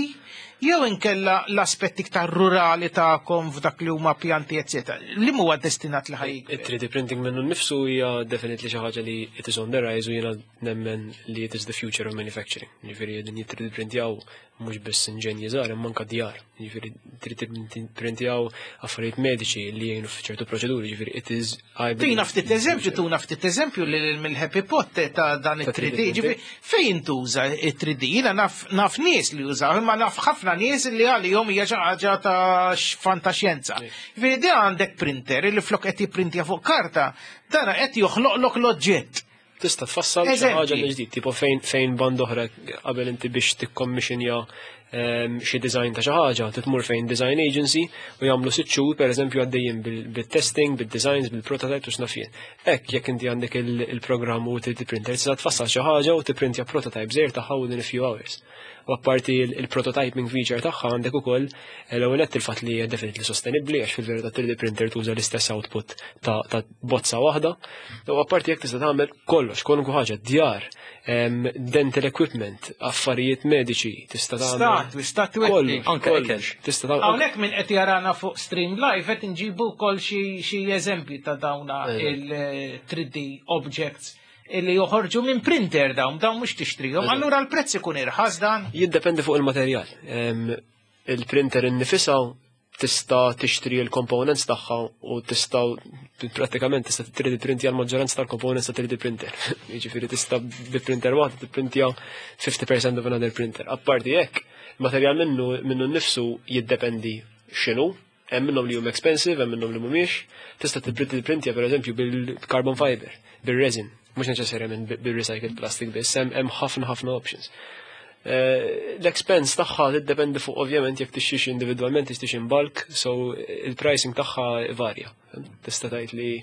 jew inkella l-aspetti iktar rurali tagħkom f'dak li huma pjanti, eccetera? Li huwa destinat li ħa jikber? Il-3D printing minnu nnifsu hija definitely xi ħaġa li it is on the rise u jiena nemmen li it is the future of manufacturing. Ġifieri din 3D printjaw mhux biss inġenji żgħar imma anke djar. Ġifieri 3D printjaw affarijiet mediċi li jgħinu f'ċertu proċeduri, ġifieri it is I believe Tina ftit eżempju li mill-Happy Pot ta' dan Ta' il-3D. 3D printing. Ġifieri, fejn tuża il-3D? Jiena naf nies li jużaw, imma naf ħafna nies li għalihom hija xi ħaġa ta' fantaxjenza. Ġifieri di għandek printer li flok qed jipprintja fuq karta, dana qed joħloqlok l-oġġett. Tista' tfassal xi Eżempji. ħaġa mill ġdid, tipo fejn band oħra qabel inti biex tikkommissionja xi design ta' xi ħaġa, titmur fejn design agency u jagħmlu 6 xhur pereżempju għaddejjin bil-testing, bil-designs, bil-prototype u x'naf jien. Hekk jekk inti għandek il-programm u 3D printer, tista' tfassal xi ħaġa u tipprintja prototype żgħir tagħha within a few hours. U apparti il-prototyping feature tagħha għandek ukoll l-ewwel nett il-fatt li hija definitely sostenibbli, għax fil-verità 3D printer tuża l-istess output ta' bozza waħda. U apparti jekk tista' tagħmel kollox, kwalunkwe ħaġa, djar, dental equipment, affarijiet mediċi, tista' tagħmel. Statwi, statwetti. Anke ikel. Tista' tagħmel. Hawnhekk minn qed jarana fuq Stream Live qed inġibu wkoll xi eżempji ta' dawna il-3D objects illi joħorġu minn printer dawn, dawn mhux tixtrihom. Allura l-prezz ikun irħas dan? Jiddependi fuq il-materjal. Il-printer innifisha tista' tixtri l-components tagħha u tista' prattikament tista' 3D printja l-maġġoranza tal-components ta' 3D printer. Jiġifieri tista' bi printer waħda tipprintja 50% of another printer. Apparti hekk, materjal minnu minnu nnifsu jiddependi x'inhu, hemm minnhom li huma expensive, hemm minnhom li mhumiex. Tista' tipprintja pereżempju bil-carbon fiber, bil-resin, mhux neċessarjament bil-recycled plastic biss, hemm ħafna ħafna options. L-expense tagħha tiddependi fuq ovvjament jekk tixtrix individwalment, tixtrix in bulk, so il-pricing tagħha varja. Tista' tgħid li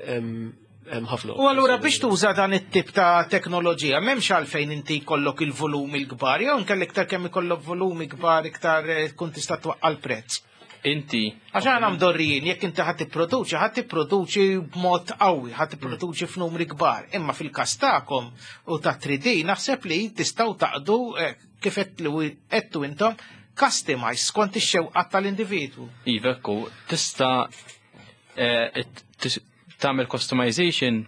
hemm ħafna. U allura biex tuża dan it-tip ta' teknoloġija, m'hemmx għalfejn inti jkollok il-volumi l-kbar, jew inkella iktar kemm ikollok volumi kbar iktar tkun tista' twaqqa' l-prezz. Inti. Għax aħna mdorrijin, jekk inti ħadd tipproduċi, ħadd tipproduċi b'mod qawwi, ħadd tipproduċi f'numri kbar. Imma fil-każ tagħkom u ta' 3D naħseb li tistgħu taqdu kif għedtu intom customize skont ix-xewqat tal-individwu. Iva, ekku, tista' tagħmel customization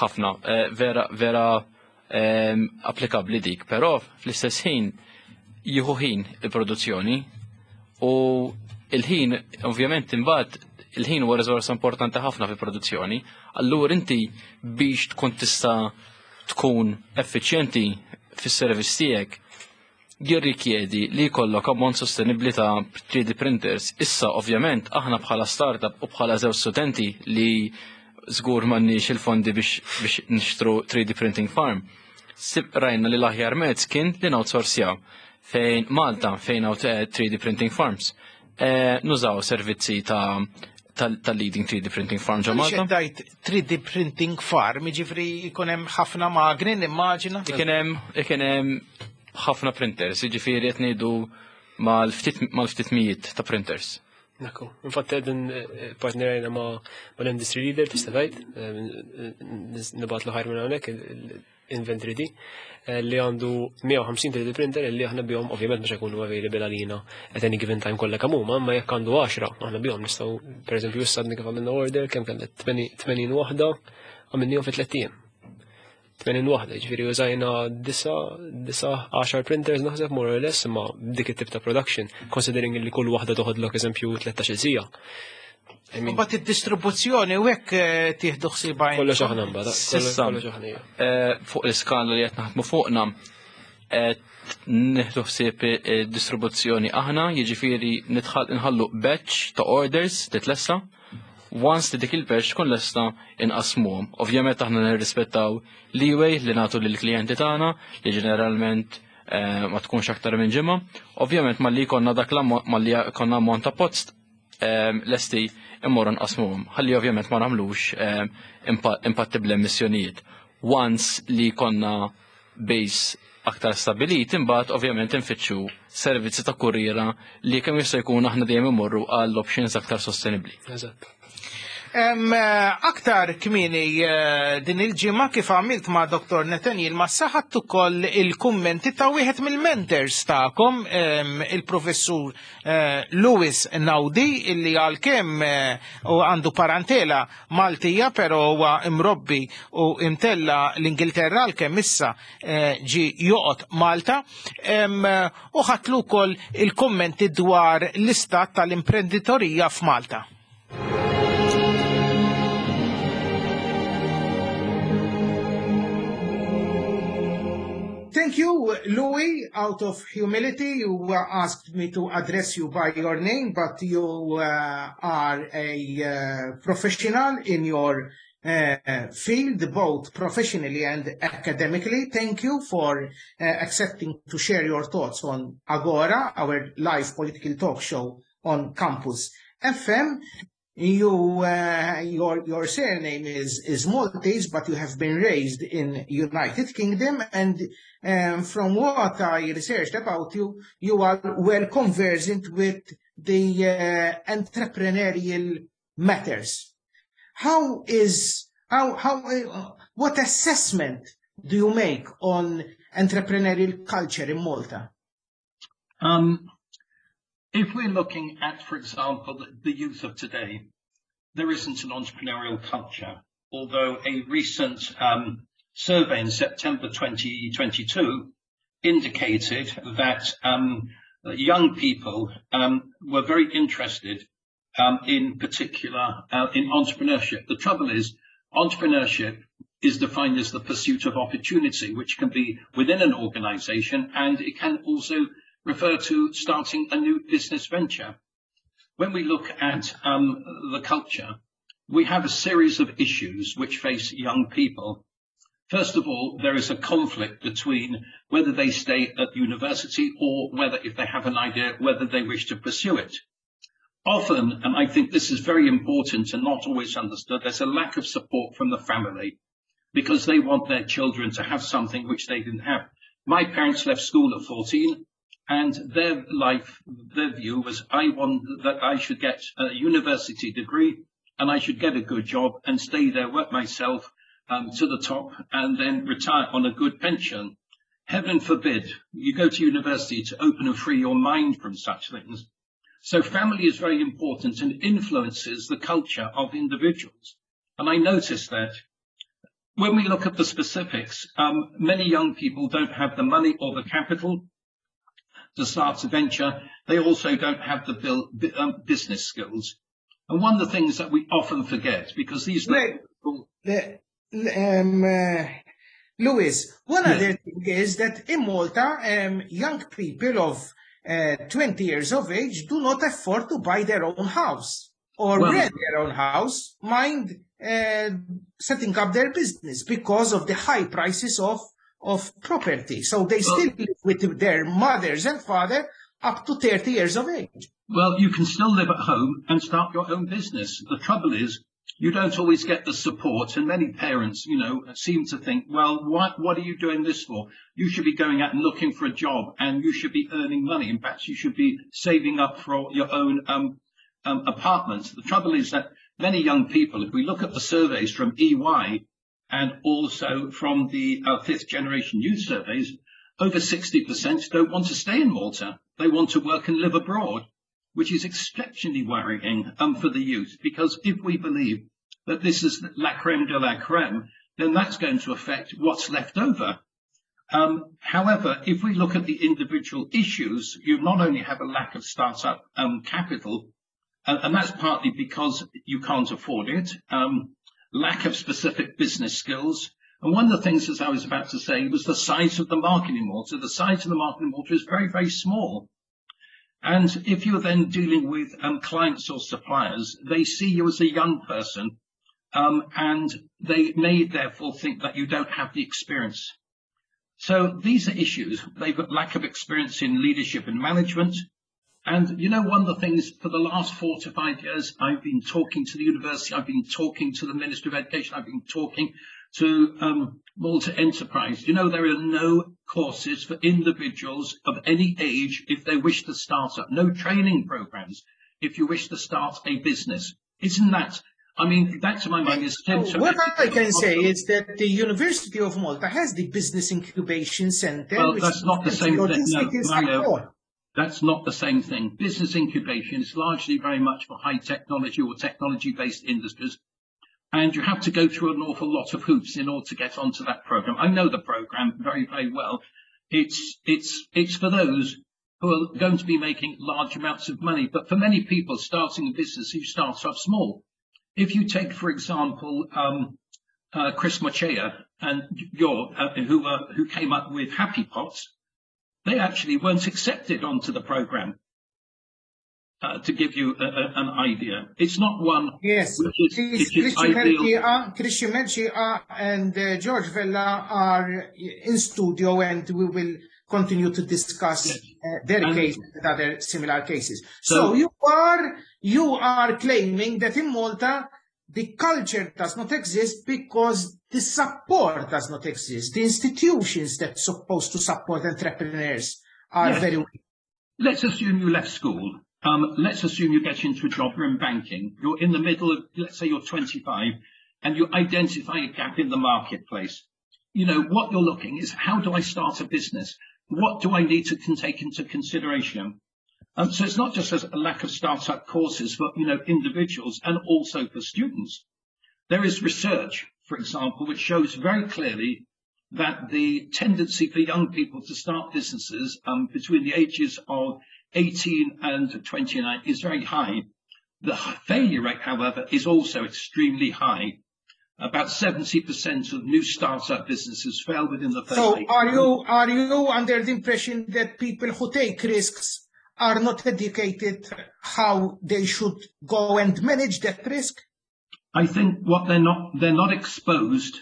ħafna, vera, vera applikabbli dik, però fl-istess ħin jieħu ħin il-produzzjoni u il-ħin, ovvjament, imbagħad il-ħin huwa riżorsa importanti ħafna fil-produzzjoni, allura inti biex tkun tista' tkun effiċjenti fis-servizz tiegħek jirrikjedi li jkollok ammont sostenibbli ta' 3D printers. Issa ovvjament aħna bħala startup u bħala żewġ studenti li żgur m'għandniex il-fondi biex nixtru 3D printing farm. Sib rajna li l-aħjar mezz kien li noutsourcjaw fejn Malta fejn hawn 3D printing farms. Nużaw servizzi ta' tal-leading 3D printing farm ġo Malta. Għaliex qed 3D printing farm, jiġifieri jkun hemm ħafna magni nimmaġina? Ikun hemm ħafna printers, jiġifieri qed ngħidu mal-ftit mijiet ta' printers. Nakku. Infatti qegħdin partnerajna ma' l-industry leader tista' tgħid, nibgħatlu ħajr minn hawnhekk Invent 3D, li għandu 150 3D printer li aħna bihom ovvjament mhux ikunu available għalina at any given time kollha kemm huma, imma jekk għandu 10 aħna bihom nistgħu pereżempju issa għadni kif għamilna order kemm kellna 80 waħda għamilnihom fi tliet ijiem. 80 waħda, jiġifieri użajna disa, 10 printers naħseb more or less, imma dik it-tip ta' production, considering li kull waħda toħodlok eżempju 13 siegħa. I mean, Mbagħad id-distribuzzjoni u hekk tieħdu ħsiebha Kollox aħna mbagħad, Sissa. kollox aħna. Ija. Fuq l-iskala li qed naħdmu fuqna qed nieħdu ħsieb id-distribuzzjoni aħna, jiġifieri nħallu batch ta' orders titlessa. Once li dik il-batch tkun lesta inqasmuhom. Ovvjament aħna nirrispettaw leeway li nagħtu lill-klijenti tagħna li ġeneralment ma tkunx aktar minn ġimgħa. Ovvjament malli jkollna dak l-ammont, malli jkollna ammont ta' post lesti immorru nqasmuhom. Ħalli ovvjament ma nagħmlux impatti bl-emissjonijiet. Once li jkollna base aktar stabilit, imbagħad ovvjament infittxu servizzi ta' kurriera li kemm jista' jkun aħna dejjem imorru għall options aktar sostenibbli. Eżatt. Aktar kmieni din il-ġimgħa kif għamilt ma' Dr. Nathaniel Massa ħadt ukoll il-kummenti ta' wieħed mill-mentors tagħkom, il-professur Louis Naudi, illi għalkemm u għandu parentela Maltija, però huwa imrobbi u imtella l-Ingilterra għalkemm issa ġi joqgħod Malta, u ħadtlu wkoll il-kummenti dwar l-istat tal-imprenditorija f'Malta. Thank you, Louis. Out of humility, you asked me to address you by your name, but you are a professional in your field, both professionally and academically. Thank you for accepting to share your thoughts on Agora, our live political talk show on Campus FM. Your surname is Maltese, but you have been raised in United Kingdom, and from what I researched about you, you are well conversant with the entrepreneurial matters. What assessment do you make on entrepreneurial culture in Malta? If we're looking at, for example, the youth of today, there isn't an entrepreneurial culture, although a recent survey in September 2022 indicated that young people were very interested in particular in entrepreneurship. The trouble is, entrepreneurship is defined as the pursuit of opportunity, which can be within an organization, and it can also refer to starting a new business venture. When we look at the culture, we have a series of issues which face young people. First of all, there is a conflict between whether they stay at university or whether, if they have an idea, whether they wish to pursue it. Often, and I think this is very important and not always understood, there's a lack of support from the family because they want their children to have something which they didn't have. My parents left school at 14, and their life, their view was, I want that I should get a university degree and I should get a good job and stay there, work myself to the top, and then retire on a good pension. Heaven forbid you go to university to open and free your mind from such things. So family is very important and influences the culture of individuals. And I noticed that when we look at the specifics, many young people don't have the money or the capital to start a venture. They also don't have the business skills. And one of the things that we often forget, because these... Louis, one other thing is that in Malta, young people of 20 years of age do not afford to buy their own house or rent their own house, mind setting up their business because of the high prices of property. So they still live with their mothers and father up to 30 years of age. Well, you can still live at home and start your own business. The trouble is, you don't always get the support, and many parents, you know, seem to think, well, what are you doing this for? You should be going out and looking for a job, and you should be earning money. In fact, you should be saving up for your own apartment. The trouble is that many young people, if we look at the surveys from EY and also from the Fifth Generation Youth surveys, over 60% don't want to stay in Malta. They want to work and live abroad, which is exceptionally worrying for the youth, because if we believe that this is la creme de la creme, then that's going to affect what's left over. However, if we look at the individual issues, you not only have a lack of startup capital, and that's partly because you can't afford it, lack of specific business skills. And one of the things, as I was about to say, was the size of the market in Malta. The size of the market in Malta is very, very small. And if you're then dealing with clients or suppliers, they see you as a young person, and they may therefore think that you don't have the experience. So these are issues. They've got lack of experience in leadership and management. And, you know, one of the things for the last 4 to 5 years, I've been talking to the university, I've been talking to the Ministry of Education, I've been talking to Malta Enterprise. You know, there are no courses for individuals of any age if they wish to start up, no training programs if you wish to start a business. Isn't that, I mean, that to my mind is... What I can say is that the University of Malta has the Business Incubation Center. Well, that's not the same thing. No, Mario, that's not the same thing. Business incubation is largely very much for high technology or technology-based industries. And you have to go through an awful lot of hoops in order to get onto that program. I know the program very, very well. It's for those who are going to be making large amounts of money. But for many people starting a business, you start off small. If you take, for example, Chris Mochea and who came up with Happy Pots, they actually weren't accepted onto the program. To give you an idea. It's not one. Yes, Christian Mercieca and George Vella are in studio, and we will continue to discuss their case and other similar cases. So you are claiming that in Malta the culture does not exist because the support does not exist. The institutions that are supposed to support entrepreneurs are very weak. Let's assume you left school. Let's assume you get into a job, you're in banking, you're in the middle of, let's say you're 25, and you identify a gap in the marketplace. You know, what you're looking is, how do I start a business? What do I need to take into consideration? So it's not just a lack of startup courses for individuals and also for students. There is research, for example, which shows very clearly that the tendency for young people to start businesses between the ages of 18 and 29 is very high. The failure rate, however, is also extremely high. About 70% of new startup businesses fail within the first So eight are you under the impression that people who take risks are not educated how they should go and manage that risk? I think what they're not exposed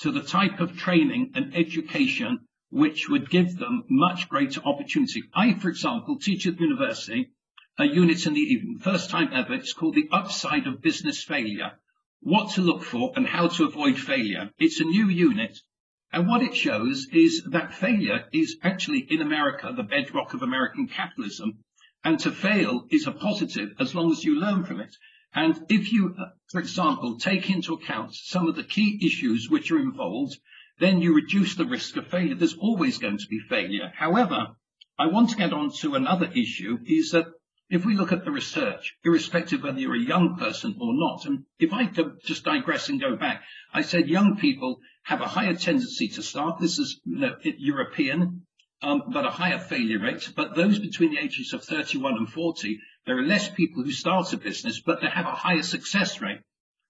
to the type of training and education which would give them much greater opportunity. I, for example, teach at university a unit in the evening, first time ever. It's called The Upside of Business Failure: What to Look For and How to Avoid Failure. It's a new unit. And what it shows is that failure is actually in America the bedrock of American capitalism. And to fail is a positive as long as you learn from it. And if you, for example, take into account some of the key issues which are involved, then you reduce the risk of failure. There's always going to be failure. However, I want to get on to another issue, is that if we look at the research, irrespective whether you're a young person or not, and if I could just digress and go back, I said young people have a higher tendency to start. This is European, but a higher failure rate. But those between the ages of 31 and 40, there are less people who start a business, but they have a higher success rate.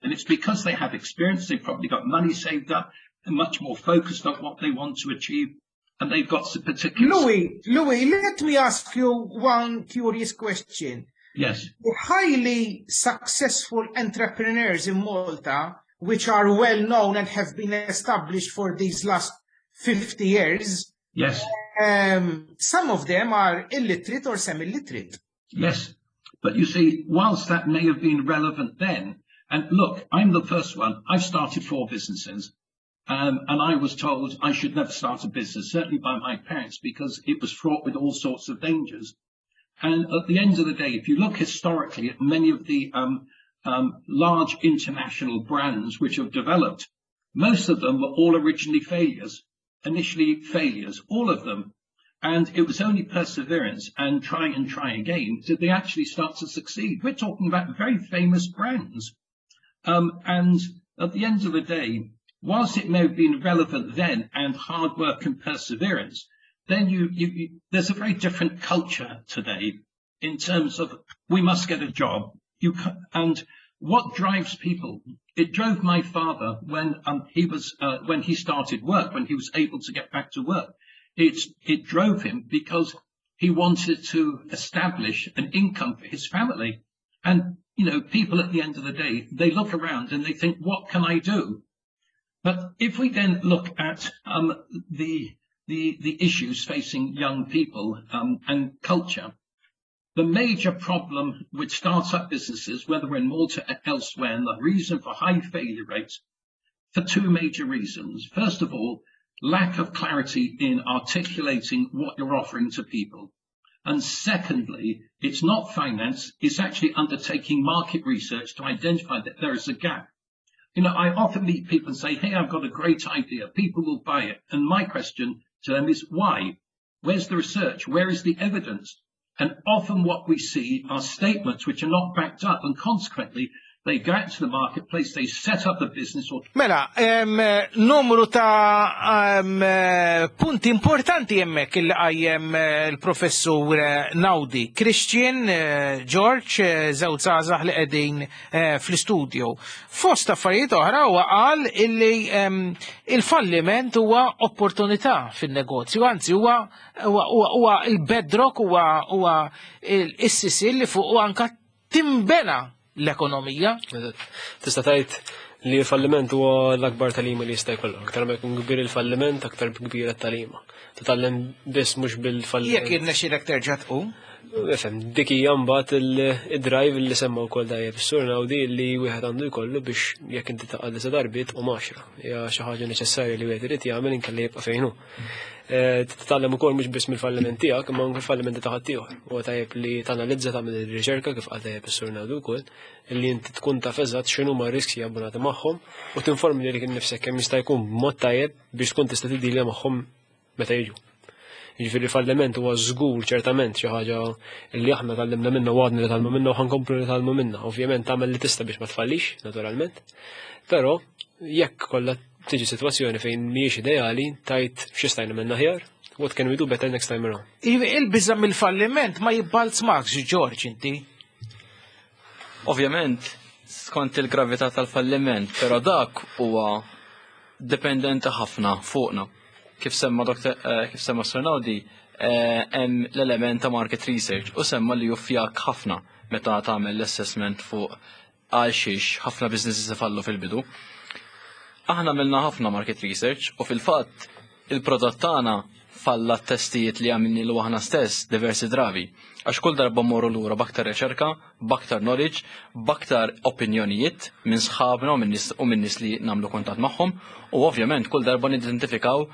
And it's because they have experience, they've probably got money saved up, and much more focused on what they want to achieve, and they've got some particular... Louis, let me ask you one curious question. Yes. The highly successful entrepreneurs in Malta, which are well known and have been established for these last 50 years, some of them are illiterate or semi-literate. Yes, but you see, whilst that may have been relevant then, and look, I'm the first one, I've started 4 businesses, and I was told I should never start a business, certainly by my parents, because it was fraught with all sorts of dangers. And at the end of the day, if you look historically at many of the large international brands which have developed, most of them were all originally failures, initially failures, all of them. And it was only perseverance and try and try again did they actually start to succeed. We're talking about very famous brands. And at the end of the day, whilst it may have been relevant then and hard work and perseverance, then there's a very different culture today in terms of we must get a job. And what drives people? It drove my father when he started work, when he was able to get back to work. It drove him because he wanted to establish an income for his family. And people at the end of the day, they look around and they think, what can I do? But if we then look at the issues facing young people and culture, the major problem with startup businesses, whether we're in Malta or elsewhere, and the reason for high failure rates, for 2 major reasons. First of all, lack of clarity in articulating what you're offering to people. And secondly, it's not finance, it's actually undertaking market research to identify that there is a gap. I often meet people and say, hey, I've got a great idea, people will buy it. And my question to them is, why? Where's the research? Where is the evidence? And often what we see are statements which are not backed up, and consequently, they go out to the marketplace, they set up a business. Or Mela, numru ta' punti importanti hemmhekk il qajjem il-professur Naudi. Christian, George, żewġ żgħażagħ li qegħdin fl-istudio. Fost affarijiet oħra huwa qal illi il-falliment huwa opportunità fin-negozju, anzi huwa il-bedrock, huwa is-sisil li fuq anka timbena l-ekonomija. Tista' tgħid li l-falliment huwa l-akbar tagħlima li jista' jkollok. Aktar ma jkun kbir il-falliment, aktar kbira t-tagħlima. Titgħallem biss mhux bil-falliment. Jekk irnexxielek terġa' tqum? Ifhem, dik hija mbagħad id-drive li semma wkoll dajjeb is-sur Naudi li wieħed għandu jkollu biex jekk inti taqa' disa darbiet u 10. Hija xi ħaġa neċessarja li wieħed irid jagħmel inkella jibqa' fejn hu. Titgħallem ukoll mhux biss mill-falliment tiegħek, imma anke l-fallimenti ta' ħaddieħor. Huwa tajjeb li tanalizza, tagħmel ir-riċerka kif qal tajjeb is-sur Naudi wkoll, li inti tkun taf eżatt x'inhu ma riski abbonati magħhom u tinformi lilek innifsek kemm jista' jkun b'mod tajjeb biex tkun tista' tiddilja magħhom meta jiġu. Jiġifieri falliment huwa żgur ċertament xi ħaġa li aħna tgħallimna minna u għadna nitgħallmu minna u ħa nkomplu nitgħallmu minna. Ovvjament tagħmel li tista' biex ma tfallix, naturalment. Però jekk kollha tiġi sitwazzjoni fejn mhijiex ideali, tajt x'istajna minna aħjar, what can we do better next time around? Il-biża' mill-falliment ma jibbalzmakx, George, inti. Ovvjament, skont il-gravità tal-falliment, però dak huwa dipendenti ħafna fuqna. Kif semma Dr. Kif semma Sir Naudi, hemm l-element ta' market research u semma li juffjak ħafna meta tagħmel l-assessment fuq għal xiex ħafna businesses ifallu fil-bidu. Aħna għamilna ħafna market research u fil-fatt il-prodott tagħna falla t-testijiet li għamilnielu aħna stess diversi drabi. Għax kull darba morru lura b'aktar riċerka, b'aktar knowledge, b'aktar opinjonijiet minn sħabna u minn nies li nagħmlu kuntatt magħhom u ovvjament kull darba nidentifikaw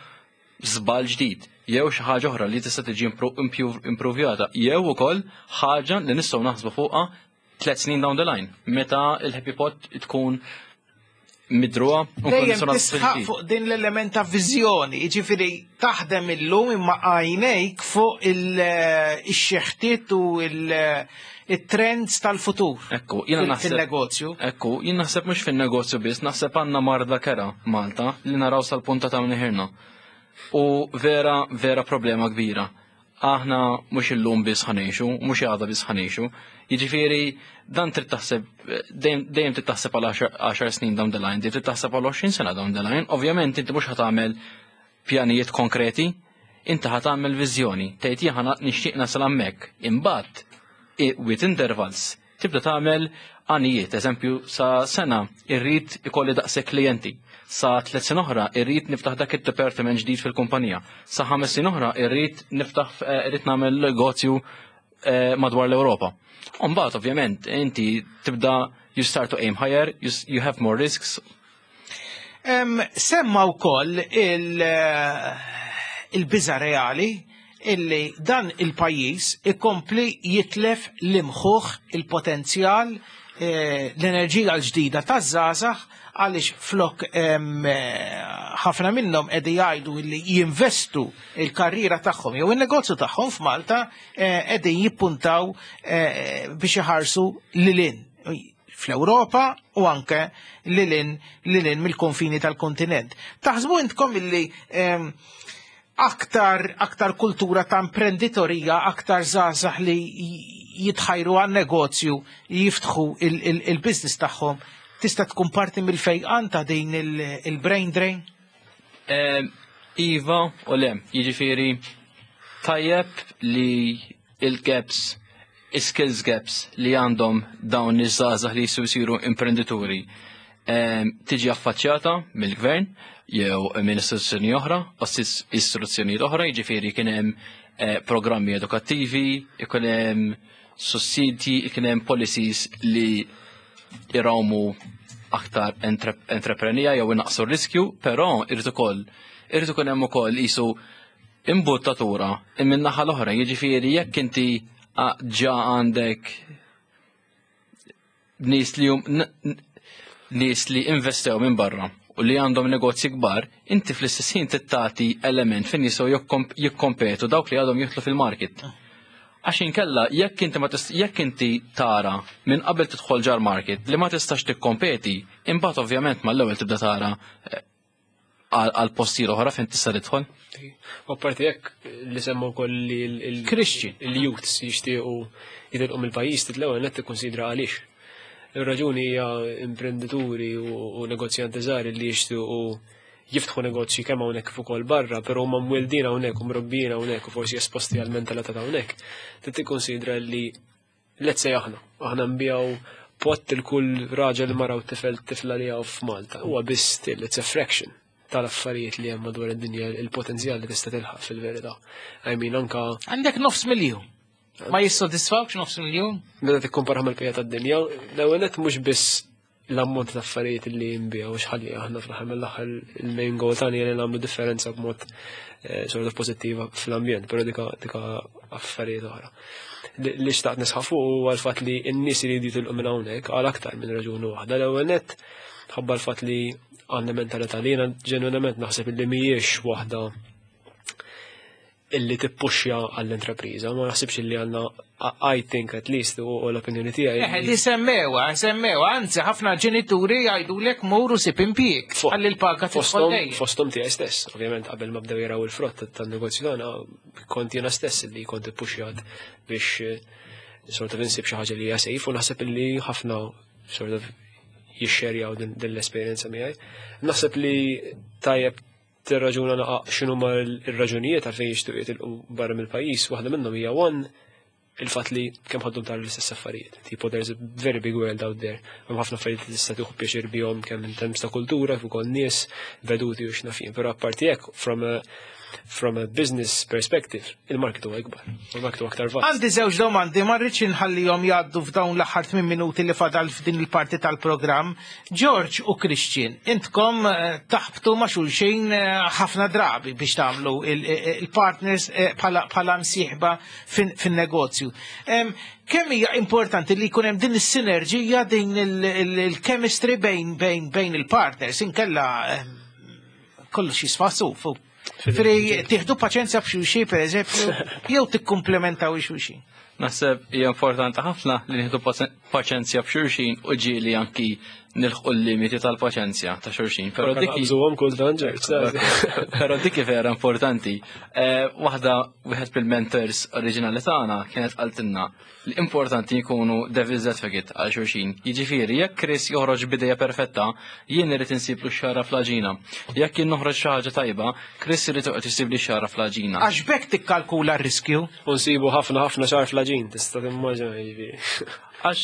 żball ġdid jew xi ħaġa oħra li tista' tiġi improvjata jew ukoll ħaġa li nistgħu naħsbu fuqha 3 snin down the line meta il-Happy Pot tkun midruha u Dejjem tisħaq fuq din l-element ta' viżjoni, jiġifieri taħdem illum imma għajnejk fuq il-xeħtiet u il-trends tal-futur. Ekku, jiena naħseb. Fil-negozju. Ekku, jien naħseb mhux fin-negozju biss, naħseb għandna marda kerha Malta li naraw sal-punta ta' mniħirna. U vera, vera problema kbira. Aħna mhux illum biss ħa ngħixu, mhux għada biss ħa ngħixu. Jiġifieri dan trid taħseb dejjem trid taħseb għal 10 snin down the line, dejjem trid taħseb għal 20 sena down the line. Ovvjament inti mhux ħa tagħmel pjanijiet konkreti, inti ħa tagħmel viżjoni, tgħid jien nixtieq nasal hemmhekk. Imbagħad with intervals tibda tagħmel għanijiet, eżempju sa sena irrid ikolli daqshekk klijenti, sa 3 snin oħra irrid niftaħ dak id-department ġdid fil-kumpanija, sa 5 snin oħra irrid niftaħ irrid nagħmel negozju madwar l-Ewropa. Mbagħad ovvjament inti tibda you start to aim higher, you have more risks. Semma wkoll il-biża reali illi dan il-pajjiż ikompli jitlef l-imħuħ, il-potenzjal, l-enerġija l-ġdida taż-żgħażagħ għaliex flok ħafna minnhom qegħdin jgħidu illi jinvestu il-karriera tagħhom jew in-negozju tagħhom f'Malta qegħdin jippuntaw biex iħarsu lilin fl-Ewropa u anke lilin mill-konfini tal-kontinent. Taħsbu intkom illi aktar kultura ta' imprenditorija, aktar żgħażagħ li jitħajru għan negozju, jiftħu il-business tagħhom, tista' tkun parti mill-fejqan ta' din il-brain drain? Iva u le, jiġifieri tajjeb li il-gaps, skills gaps li għandhom dawn iż-żgħażagħ li jistgħu jsiru imprenditori tiġi affaċċjata mill-gvern jew minn istituzzjoni oħra, istituzzjonijiet oħra, jiġifieri kien hemm programmi edukattivi, ikun hemm sussidji, ikun hemm policies li irawmu aktar entreprenija jew inaqsu r-riskju, però irid ukoll hemm ukoll qisu imbuttatura minn naħa l-oħra, jiġifieri jekk inti ġa għandek nies li investew minn barra u li għandhom negozji kbar, inti fl-istess ħin tittati element fejn jistgħu jikkompetu dawk li għadhom jidħlu fil-market. Għax inkella jekk inti tara minn qabel tidħol ġar market li ma tistax tikkompeti, imbagħad ovvjament mal-ewwel tibda tara għal postijiet oħra fejn tista' tidħol. U apparti jekk li semmu wkoll li Christian. il-youths jixtiequ jitilqu mill-pajjiż titlew net tikkonsidra għaliex. Ir-raġuni hija imprendituri u negozjanti żgħar li jixtiequ jiftħu negozji kemm hawnhekk kif ukoll barra, però huma mwieldin hawnhekk u mrobbijin hawnhekk u forsi esposti għal mentalità ta' hawnhekk. Trid tikkonsidra li let's say aħna nbigħu pot il kull raġel, mara u tifel tifla li hawn f'Malta. Huwa biss still it's a fraction tal-affarijiet li hemm madwar id-dinja, il-potenzjal li tista' tilħaq fil-verità. I mean, anka Għandek nofs miljun. Ma jissodisfawx nofs miljun? Meta tikkumpara mal-bqija tad-dinja, l-ewwel nett mhux biss l-ammont ta' affarijiet li jinbiegħu u xħalli aħna fl-aħħar mill-aħħar il-main goal tagħna li nagħmlu differenza b'mod sort of pożittiva fl-ambjent, però dika affarijiet oħra. Li xtaqt nisħaq fuq huwa l-fatt li n-nies iridu jitilqu minn hawnhekk għal aktar minn raġuni waħda. L-ewwel nett ħabba l-fatt li għandna mentalità li jiena ġenwinament naħseb li mhijiex waħda. Illi tippuxja għall-intrapriża, ma naħsibx illi għandna, I think at least, u l-opinjoni tiegħi. Eh, li semmewa, semmewa, anzi ħafna ġenituri jgħidulek muru sib impjieg għalli l-paga fosthom fosthom tiegħi stess, ovvjament qabel ma bdew jaraw il-frott tan-negozju tagħna, kont jiena stess li kont ippuxjat biex sort of insib xi ħaġa li hija safe u naħseb illi ħafna sort of jixxerjaw din l-esperjenza miegħi. Naħseb li tajjeb tirraġuna naqa' x'inhuma r-raġunijiet għalfejn jixtiequ jitilqu barra mill-pajjiż, waħda minnhom hija one il-fatt li kemm ħaddum tara l-istess affarijiet. Tipo there's a very big world out there. Hemm ħafna affarijiet li tista' tieħu pjaċir bihom kemm in terms ta' kultura, kif ukoll nies, veduti u x'naf jien. Però apparti hekk from a from a business perspective, il-market huwa ikbar, il-market huwa aktar vast. Għandi żewġ domandi, ma rridx inħallihom jgħaddu f'dawn l-aħħar 8 minuti li fadal f'din il-parti tal-programm. George u Christian, intkom taħbtu ma' xulxin ħafna drabi biex tagħmlu il-partners bħala msieħba fin-negozju. Kemm hija importanti li jkun hemm din is-sinerġija, din il-chemistry bejn il-partners, inkella kollox jisfa' suf. Fri tieħdu paċenzja b'xulxin pereżempju, jew tikkumplementaw xulxin. Naħseb hija importanti ħafna li nieħdu paċenzja b'xulxin u ġieli anki nilħqu l-limiti tal-paċenzja ta' xulxin. Però dik naqbżuhom kultant, Ġorġ. Però dik vera importanti. Waħda wieħed mill-mentors oriġinali tagħna kienet qaltilna li importanti jkunu devil's advocate għal xulxin. Jiġifieri jekk Chris joħroġ b'ideja perfetta, jien irid insiblu x-xagħra fl-għaġina. Jekk jien noħroġ xi ħaġa tajba, Chris irid joqgħod isibli x-xagħra fl-għaġina. Għax b'hekk tikkalkula r-riskju. U nsibu ħafna ħafna xagħar fl-għaġin, tista' timmaġina jiġifieri. Għax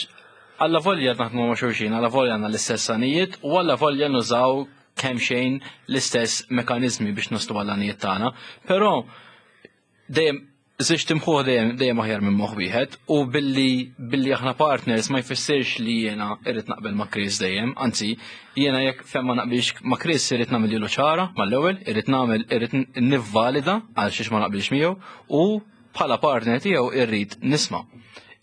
alla volja naħdmu ma' xulxin, alla volja għandna l-istess għanijiet u alla volja nużaw kemm xejn l-istess mekanizmi biex naslu għall-għanijiet tagħna, però dejjem żewġt imħuħ dejjem dejjem aħjar minn moħħ wieħed u billi billi aħna partners ma jfissirx li jiena irrid naqbel ma' Chris dejjem, anzi jiena jekk fejn ma naqbilx ma' Chris irrid nagħmel ċara mal-ewwel, irrid nagħmel irrid nivvalida għal xiex ma naqbilx miegħu u bħala partner tiegħu irrid nisma'.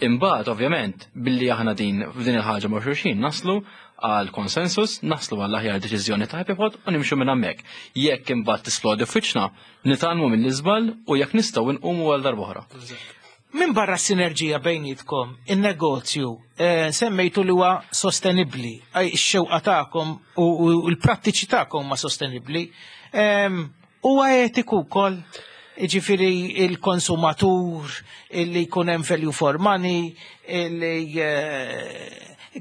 Imbagħad ovvjament billi aħna din f'din il-ħaġa ma' xulxin naslu għal konsensus, naslu għall aħjar deċiżjoni ta' Happy Pot u nimxu minn hemmhekk. Jekk imbagħad tisplodi f'wiċċna, nitgħallmu mill-iżball u jekk nistgħu nqumu għal darb'oħra. Min barra s-sinerġija bejnietkom, in-negozju, semmejtu li huwa sostenibbli, ix-xewqa tagħkom u l-prattiċi tagħkom huma sostenibbli. Huwa etiku wkoll, jiġifieri il-konsumatur, illi jkun hemm value for money, illi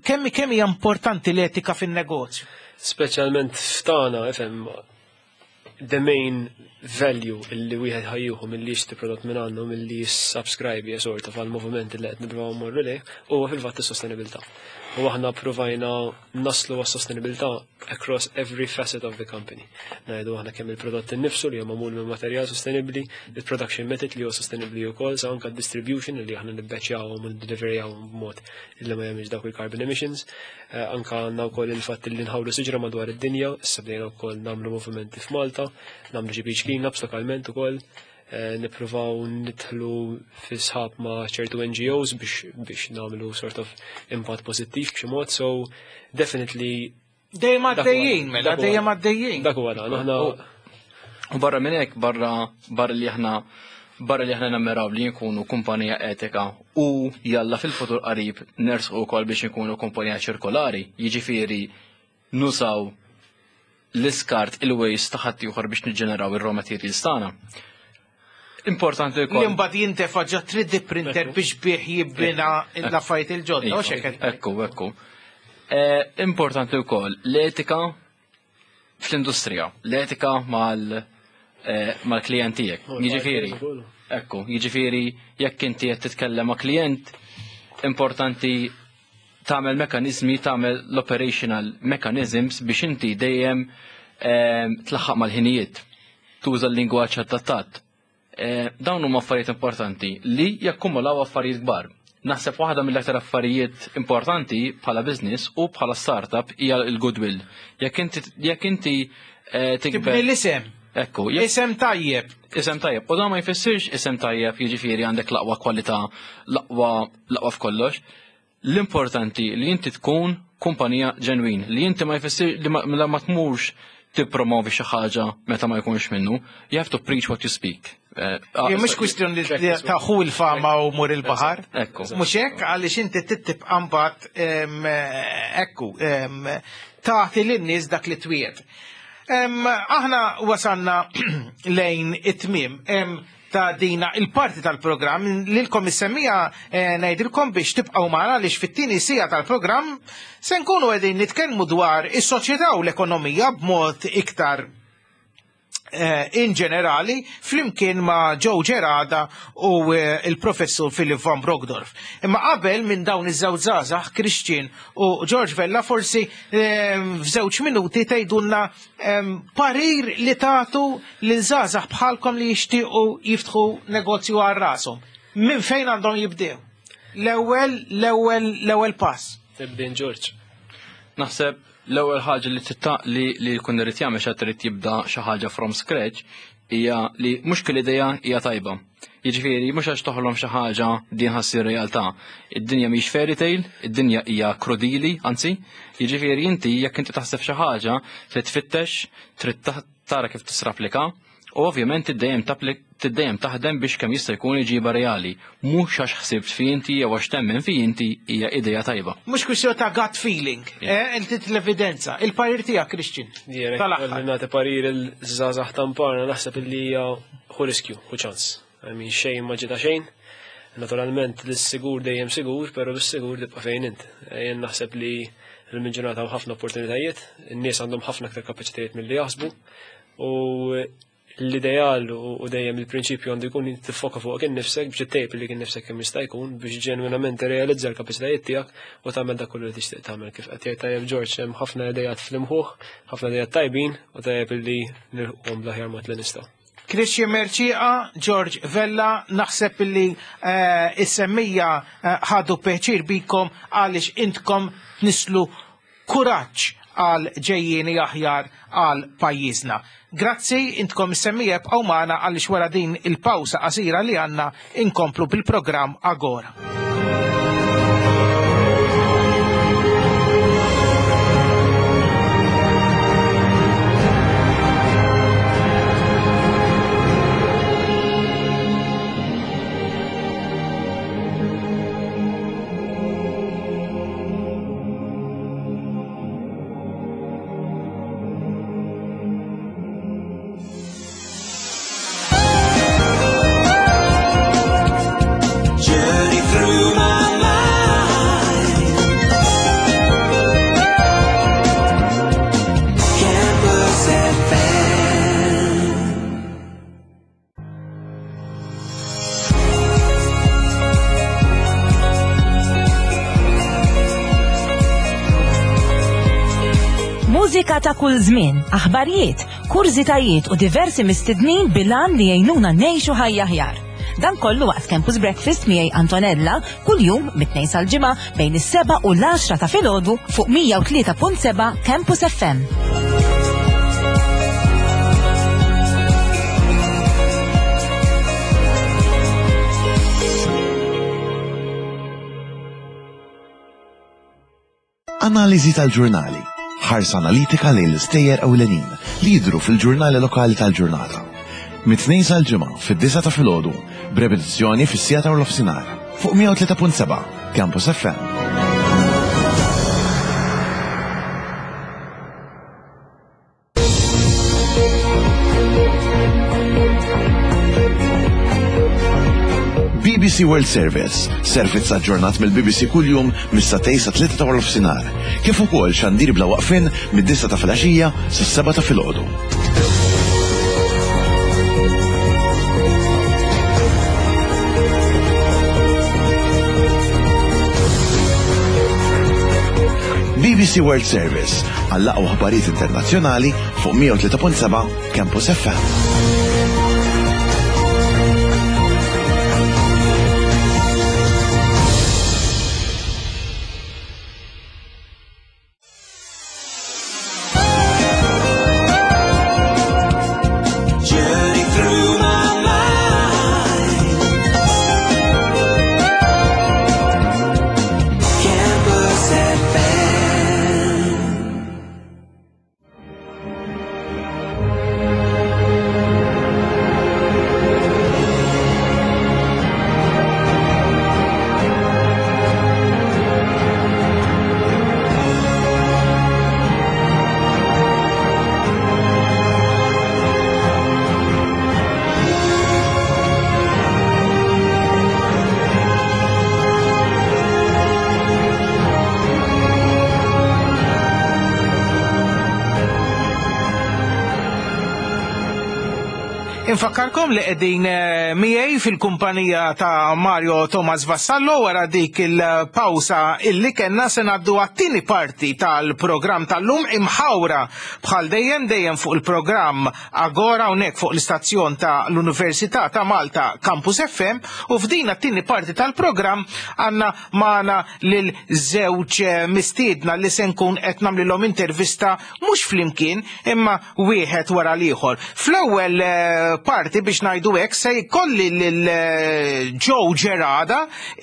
kemm kemm hija importanti l-etika fin-negozju? Speċjalment f'tagħna, ifhem, the main value illi wieħed ħa jieħu milli jixtri prodott minn għandna u milli jissubscribe sort of għal-moviment li qed nippruvaw mmorru lejh huwa fil-fatt is-sostenibilità. U aħna provajna naslu għas-sostenibilità across every facet of the company. Ngħidu aħna kemm il-prodott innifsu li huwa magħmul minn materjal sostenibbli, il-production method li huwa sostenibbli wkoll, sa anke distribution li aħna nibbeċjawhom u ndeliverjawhom b'mod li ma jagħmilx dawk il-carbon emissions. Anka għandna wkoll il-fatt li nħawlu siġra madwar id-dinja, issa bdejna wkoll nagħmlu movimenti f'Malta, nagħmlu xi beach cleanups lokalment ukoll, nippruvaw nidħlu fi sħab ma' ċertu NGOs biex nagħmlu sort of impatt pożittiv b'xi mod, so definitely Dejjem għaddejjin, mela, dejjem għaddejjin. Dak huwa dan, aħna U barra minn hekk, barra li aħna nammiraw li nkunu kumpanija etika u jalla fil-futur qarib nersqu wkoll biex nkunu kumpanija ċirkolari, jiġifieri nużaw l-iskart, il-waste ta' ħaddieħor biex niġġeneraw ir-raw materials tagħna. Importanti Li wkoll. mbagħad jintefa' ġo 3D printer biex bih jibbina l-affarijiet il-ġodda, u x'hekk qed Ekku. Importanti wkoll l-etika fl-industrija, l-etika mal-klient tiegħek. Jiġifieri, ekku, jiġifieri jekk inti qed titkellem ma' klient, importanti tagħmel mekanizmi, tagħmel l-operational mechanisms biex inti dejjem tlaħħaq mal-ħinijiet, tuża l-lingwaġġ adattat. Dawn huma affarijiet importanti li jakkumulaw affarijiet kbar. Naħseb waħda mill-aktar affarijiet importanti bħala business u bħala startup hija l-goodwill. Jekk inti tikber Tibni l-isem. Ekku, Isem tajjeb. Isem tajjeb. U dan ma jfissirx isem tajjeb jiġifieri għandek l-aqwa kwalità, l-aqwa f'kollox. L-importanti li inti tkun kumpanija ġenwin, li inti ma jfissir li ma tmurx tippromovi xi ħaġa meta ma jkunx minnu. You have to preach what you speak. Mhux kwistjoni li taħu l-fama u mur il-baħar. Ekku. Mhux hekk għaliex inti tibqa' mbagħad ekku tagħti lin-nies dak li twiet. Aħna wasalna lejn it-tmiem ta' dina il-parti tal-programm lilkom is-semmija ngħidilkom biex tibqgħu magħna għaliex fit-tieni siegħa tal-programm se nkunu qegħdin nitkellmu dwar is-soċjetà u l-ekonomija b'mod iktar in ġenerali flimkien ma' Joe Gerada u il-professur Philip van Brockdorff. Imma qabel minn dawn iż-żewġ żgħażagħ, Christian u George Vella, forsi f'żewġ minuti tgħidulna parir li tagħtu lil żgħażagħ bħalkom li jixtiequ jiftħu negozju għal rashom. Minn fejn għandhom jibdew? L-ewwel pass. Tibdin George. Naħseb l-ewwel ħaġa li titta li jkun irid jagħmel xi trid jibda xi ħaġa from scratch hija li mhux kull idea hija tajba. Jiġifieri mhux għax toħlom xi ħaġa din ħassir realtà. Id-dinja mhix fairy tale, id-dinja hija krudili, anzi, jiġifieri inti jekk inti taħseb xi ħaġa trid tfittex, trid tara kif tisrapplika, u ovvjament tiddejjem taħdem biex kemm jista' jkun iġiba reali. Mhux għax ħsibt fi inti jew għax temmen fi inti hija idea tajba. Mhux kwistjoni ta' gut feeling, inti l-evidenza. Il-parir tiegħek, Christian. Jien hekk Tal-aħħar. li nagħti parir il-żgħażagħ tamparna naħseb illi hija ħu riskju, ħu ċans. Xejn ma ġita xejn. Naturalment l-sigur dejjem sigur, però bis-sigur tibqa' fejn int. Jien naħseb li l-ġurnata hawn ħafna opportunitajiet, in-nies għandhom ħafna aktar kapaċitajiet milli jaħsbu, u l-ideal u dejjem il-prinċipju għandu jkun tiffoka fuq innifsek biex ittejjeb li kien nifsek kemm jista' jkun biex ġenwinament tirrealizza l-kapaċitajiet tiegħek u tagħmel dak kollu li tixtieq tagħmel. Kif qed jgħid tajjeb George, hemm ħafna idejat fl-imħuħ, ħafna idejat tajbin u tajjeb illi nilħquhom bl-aħjar mod li nistgħu. Christian Mercieca, George Vella, naħseb illi is-semmija ħadu pjaċir bikom għaliex intkom tnislu kuraġġ għal ġejjieni aħjar għal pajjiżna. Grazzi, intkom is-semmija ibqgħu magħna għaliex wara din il-pawsa qasira li għandna inkomplu bil-programm Agora. Journey through my mind. Campus FM. Mużika ta' kull żmien, aħbarijiet, kurżitajiet u diversi mistednin bilan li jgħinuna ngħixu ħajja aħjar. Dan kollu waqt Campus Breakfast miegħi Antonella kuljum mit-tnejn sal-ġimgħa bejn is-7 u l-10 ta' filgħodu fuq 103.7 Campus FM. Analiżi tal-ġurnali. Ħarsa analitika lejn l-istejjer ewlenin li jidhru fil-ġurnali lokali tal-ġurnata. Mit-tnejn sal-ġimgħa fid-9 ta' filgħodu, b'repetizzjoni fis-siegħa ta' nofsinhar fuq 103.7 Campus FM. BBC World Service, servizz aġġornat mill-BBC kuljum mis-satej sa tlieta ta' nofsinhar, kif ukoll xandir bla waqfien mid-9 ta' filgħaxija sas-7 ta' filgħodu. BBC World Service għall-aqwa aħbarijiet internazzjonali fuq 103.7 Campus FM. Journey through my mind. Campus FM. Infakkarkom li qegħdin eh, miegħi fil-kumpanija ta' Mario Thomas Vassallo wara dik il-pawsa illi kellna se ngħaddu għat-tieni parti tal-programm tal-lum imħawra bħal dejjem dejjem fuq il-programm Agora hawnhekk fuq l-istazzjon ta' l-Università ta' Malta Campus FM u f'din għat-tieni parti tal-programm għandna magħna lil żewġ eh, mistiedna li se nkun qed nagħmlilhom intervista mhux flimkien imma wieħed wara l-ieħor. Fl-ewwel eh, parti biex ngħidu hekk se jkolli lil eh, Joe Gerada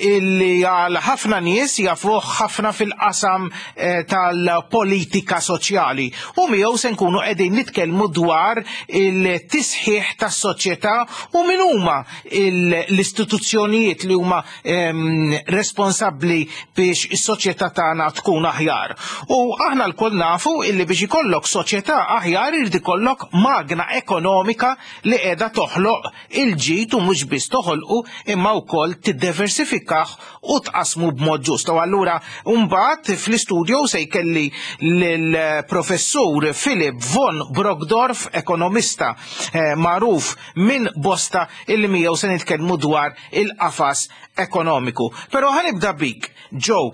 illi għal ħafna nies jafuh ħafna fil-qasam eh, tal-politika soċjali u miegħu se nkunu qegħdin nitkellmu dwar il-tisħiħ tas-soċjetà u min huma l-istituzzjonijiet li huma ehm, responsabbli biex is-soċjetà tagħna tkun aħjar. U aħna lkoll nafu illi biex ikollok soċjetà aħjar irid ikollok magna ekonomika li qiegħda toħloq il-ġid u mhux biss toħolqu imma wkoll tiddiversifikah u tqasmu b'mod ġust. U allura mbagħad fl-istudio se jkelli lill-professur Philip von Brockdorf, ekonomista eh, magħruf minn bosta illi miegħu se nitkellmu dwar il-qafas ekonomiku. Però ħanibda bik, Joe,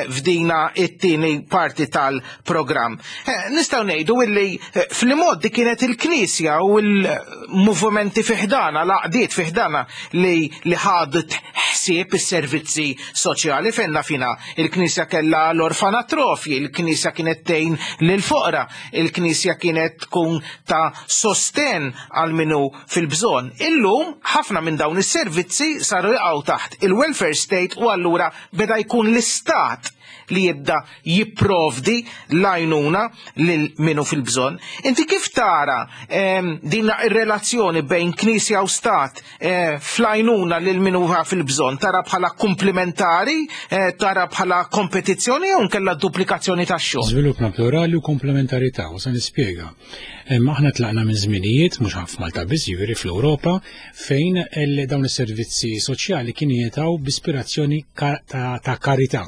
f'dina it-tieni parti tal-programm. Eh, nistgħu ngħidu illi eh, fl-imoddi kienet il-Knisja u l-movimenti fiħdana, l-għaqdiet fiħdana li li ħadet ħsieb is-servizzi soċjali fejn fina il-Knisja kellha l-orfanatrofji, il-Knisja kienet tgħin lil-foqra, il-Knisja kienet tkun ta' sosten għal minu fil-bżonn. Illum ħafna minn dawn is-servizzi saru jaqgħu taħt il-welfare state u allura beda jkun l-istat li jibda jipprovdi l-għajnuna lil minu fil-bżonn. Inti kif tara ehm, din ir-relazzjoni bejn knisja u stat eh, fl-għajnuna lil minu fil-bżonn? Tara bħala komplementari, eh, tara bħala kompetizzjoni jew nkella duplikazzjoni tax-xogħol? Żvilupp naturali u komplementarità u se nispjega. Aħna tlaqna minn żminijiet, mhux f'Malta biss, jiġifieri fl-Ewropa, fejn dawn is-servizzi soċjali kienu jingħataw b'ispirazzjoni ta' karità.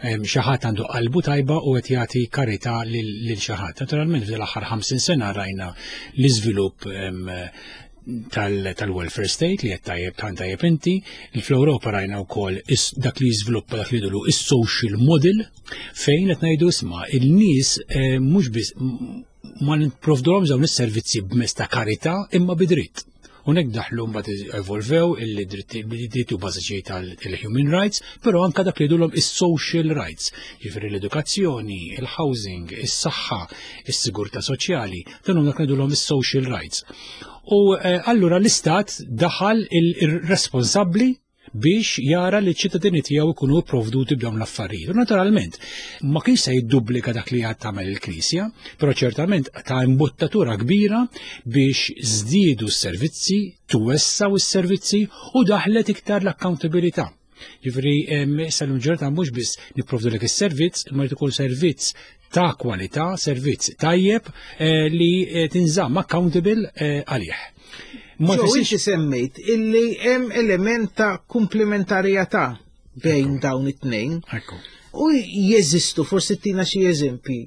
Xi ħadd għandu qalbu tajba u qed jagħti karità lil xi ħadd. Naturalment f'din l-aħħar 50 sena rajna l-iżvilupp tal-welfare state li qed tajjeb tant tajjeb inti, fl-Ewropa rajna wkoll dak li jiżviluppa dak li jidulu is-social model fejn qed ngħidu isma' il-nies eh, mhux biss ma nipprovduhom dawn is-servizzi b'mezz ta' karità imma bidritt. Unek daħlu mbagħad evolvew il-drittijiet bażiċi tal-human rights, però anka dak li jgħidulhom is-social rights, jiġifieri l-edukazzjoni, il-housing, is-saħħa, is-sigurtà soċjali, dan huma dak li jgħidulhom is-social rights. U eh, allura l-istat daħal il-responsabbli biex jara li ċ-ċittadini tiegħu jkunu pprovduti b'dawn l-affarijiet. U naturalment, ma kienx se jiddublika dak li għad tagħmel il-Knisja, però ċertament ta' imbuttatura kbira biex żdiedu s-servizzi, twessaw is-servizzi u daħlet iktar l-accountabilità. Ġifieri issa l-ġurnata mhux biss nipprovdu lek is-servizz, imma jrid ikun servizz ta' kwalità, servizz tajjeb eh, li eh, tinżamm accountable eh, għalih. Ma inti semmejt illi hemm element ta' komplementarjetà bejn dawn it-tnejn. U jeżistu forsi tina xi eżempji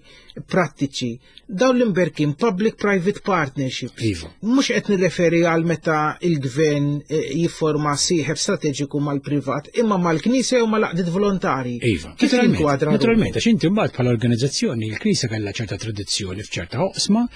prattiċi dawn l-imberkin public-private partnerships. Iva. Mhux qed nirreferi għal meta il-gvern eh, jifforma sieħeb strateġiku mal-privat, imma mal-Knisja u mal-għaqdiet volontari. Iva. Kif jinkwadra? Naturalment, għax inti mbagħad bħala organizzazzjoni il-Knisja kellha ċerta tradizzjoni f'ċerta oqsma,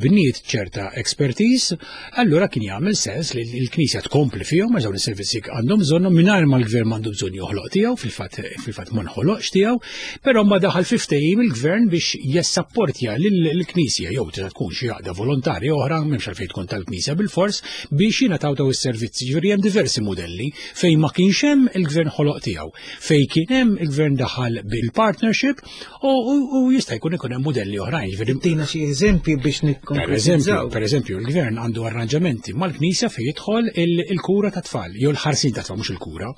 bniet ċerta expertise, allura kien jagħmel sens li l-Knisja tkompli fihom għax dawn is-servizzi għandhom bżonnhom mingħajr ma l-gvern m'għandu bżonn joħloq tiegħu, fil-fatt fil-fatt ma nħoloqx tiegħu, però ma daħal fi ftehim il-gvern biex jessapportja lill-Knisja jew tista' tkun xi għaqda volontarja oħra m'hemmx għalfejn tkun tal-Knisja bilfors biex jingħataw daw is-servizzi. Ġifieri hemm diversi mudelli fejn ma kienx hemm il-gvern ħoloq tiegħu, fejn kien hemm il-gvern daħal bil-partnership U jista' jkun ikun hemm mudelli oħrajn. Jiġifieri Tina xi eżempji biex nikkonkretizzaw. Per eżempju, il-gvern għandu arranġamenti mal-Knisja fejn jidħol il-kura ta' tfal, jew l-ħarsin ta' tfal, mhux il-kura.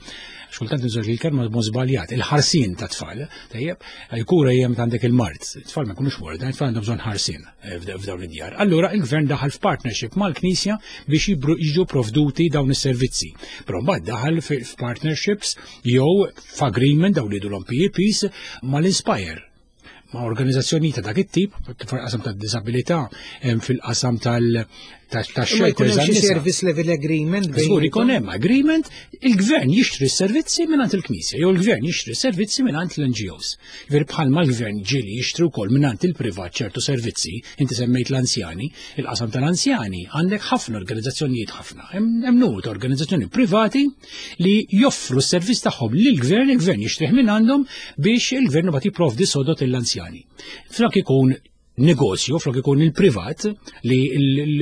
Xkultant nżur il-kelma b'mod żbaljat, il-ħarsin ta' tfal, tajjeb, il-kura hija meta għandek il-mard, tfal ma jkunux morda, tfal għandhom bżonn ħarsin eh, f'dawn id-djar. Allura il-gvern daħal f'partnership mal-Knisja biex jiġu provduti dawn is-servizzi. Però mbagħad daħal f'partnerships jew f'agreement dawn li jgħidulhom PEPs mal-Inspire ma' organizzazzjoni ta' dak it-tip, fil-qasam ta' disabilità, fil-qasam ta' shelters għal service level agreement. Żgur ikun hemm agreement, il-gvern jixtri s-servizzi mingħand il-Knisja jew il-gvern jixtri s-servizzi mingħand l-NGOs. Ver bħalma l-gvern ġieli jixtri wkoll mingħand il-privat ċertu servizzi, inti semmejt l-anzjani, il-qasam tal-anzjani għandek ħafna organizzazzjonijiet ħafna, hemm numru ta' organizzazzjoni privati li joffru s-servizz tagħhom lill-gvern, il-gvern jixtrih minn għandhom biex il-gvern imbagħad jipprovdi sodot lill-anzjani. Flok ikun negozju, flok ikun il-privat, li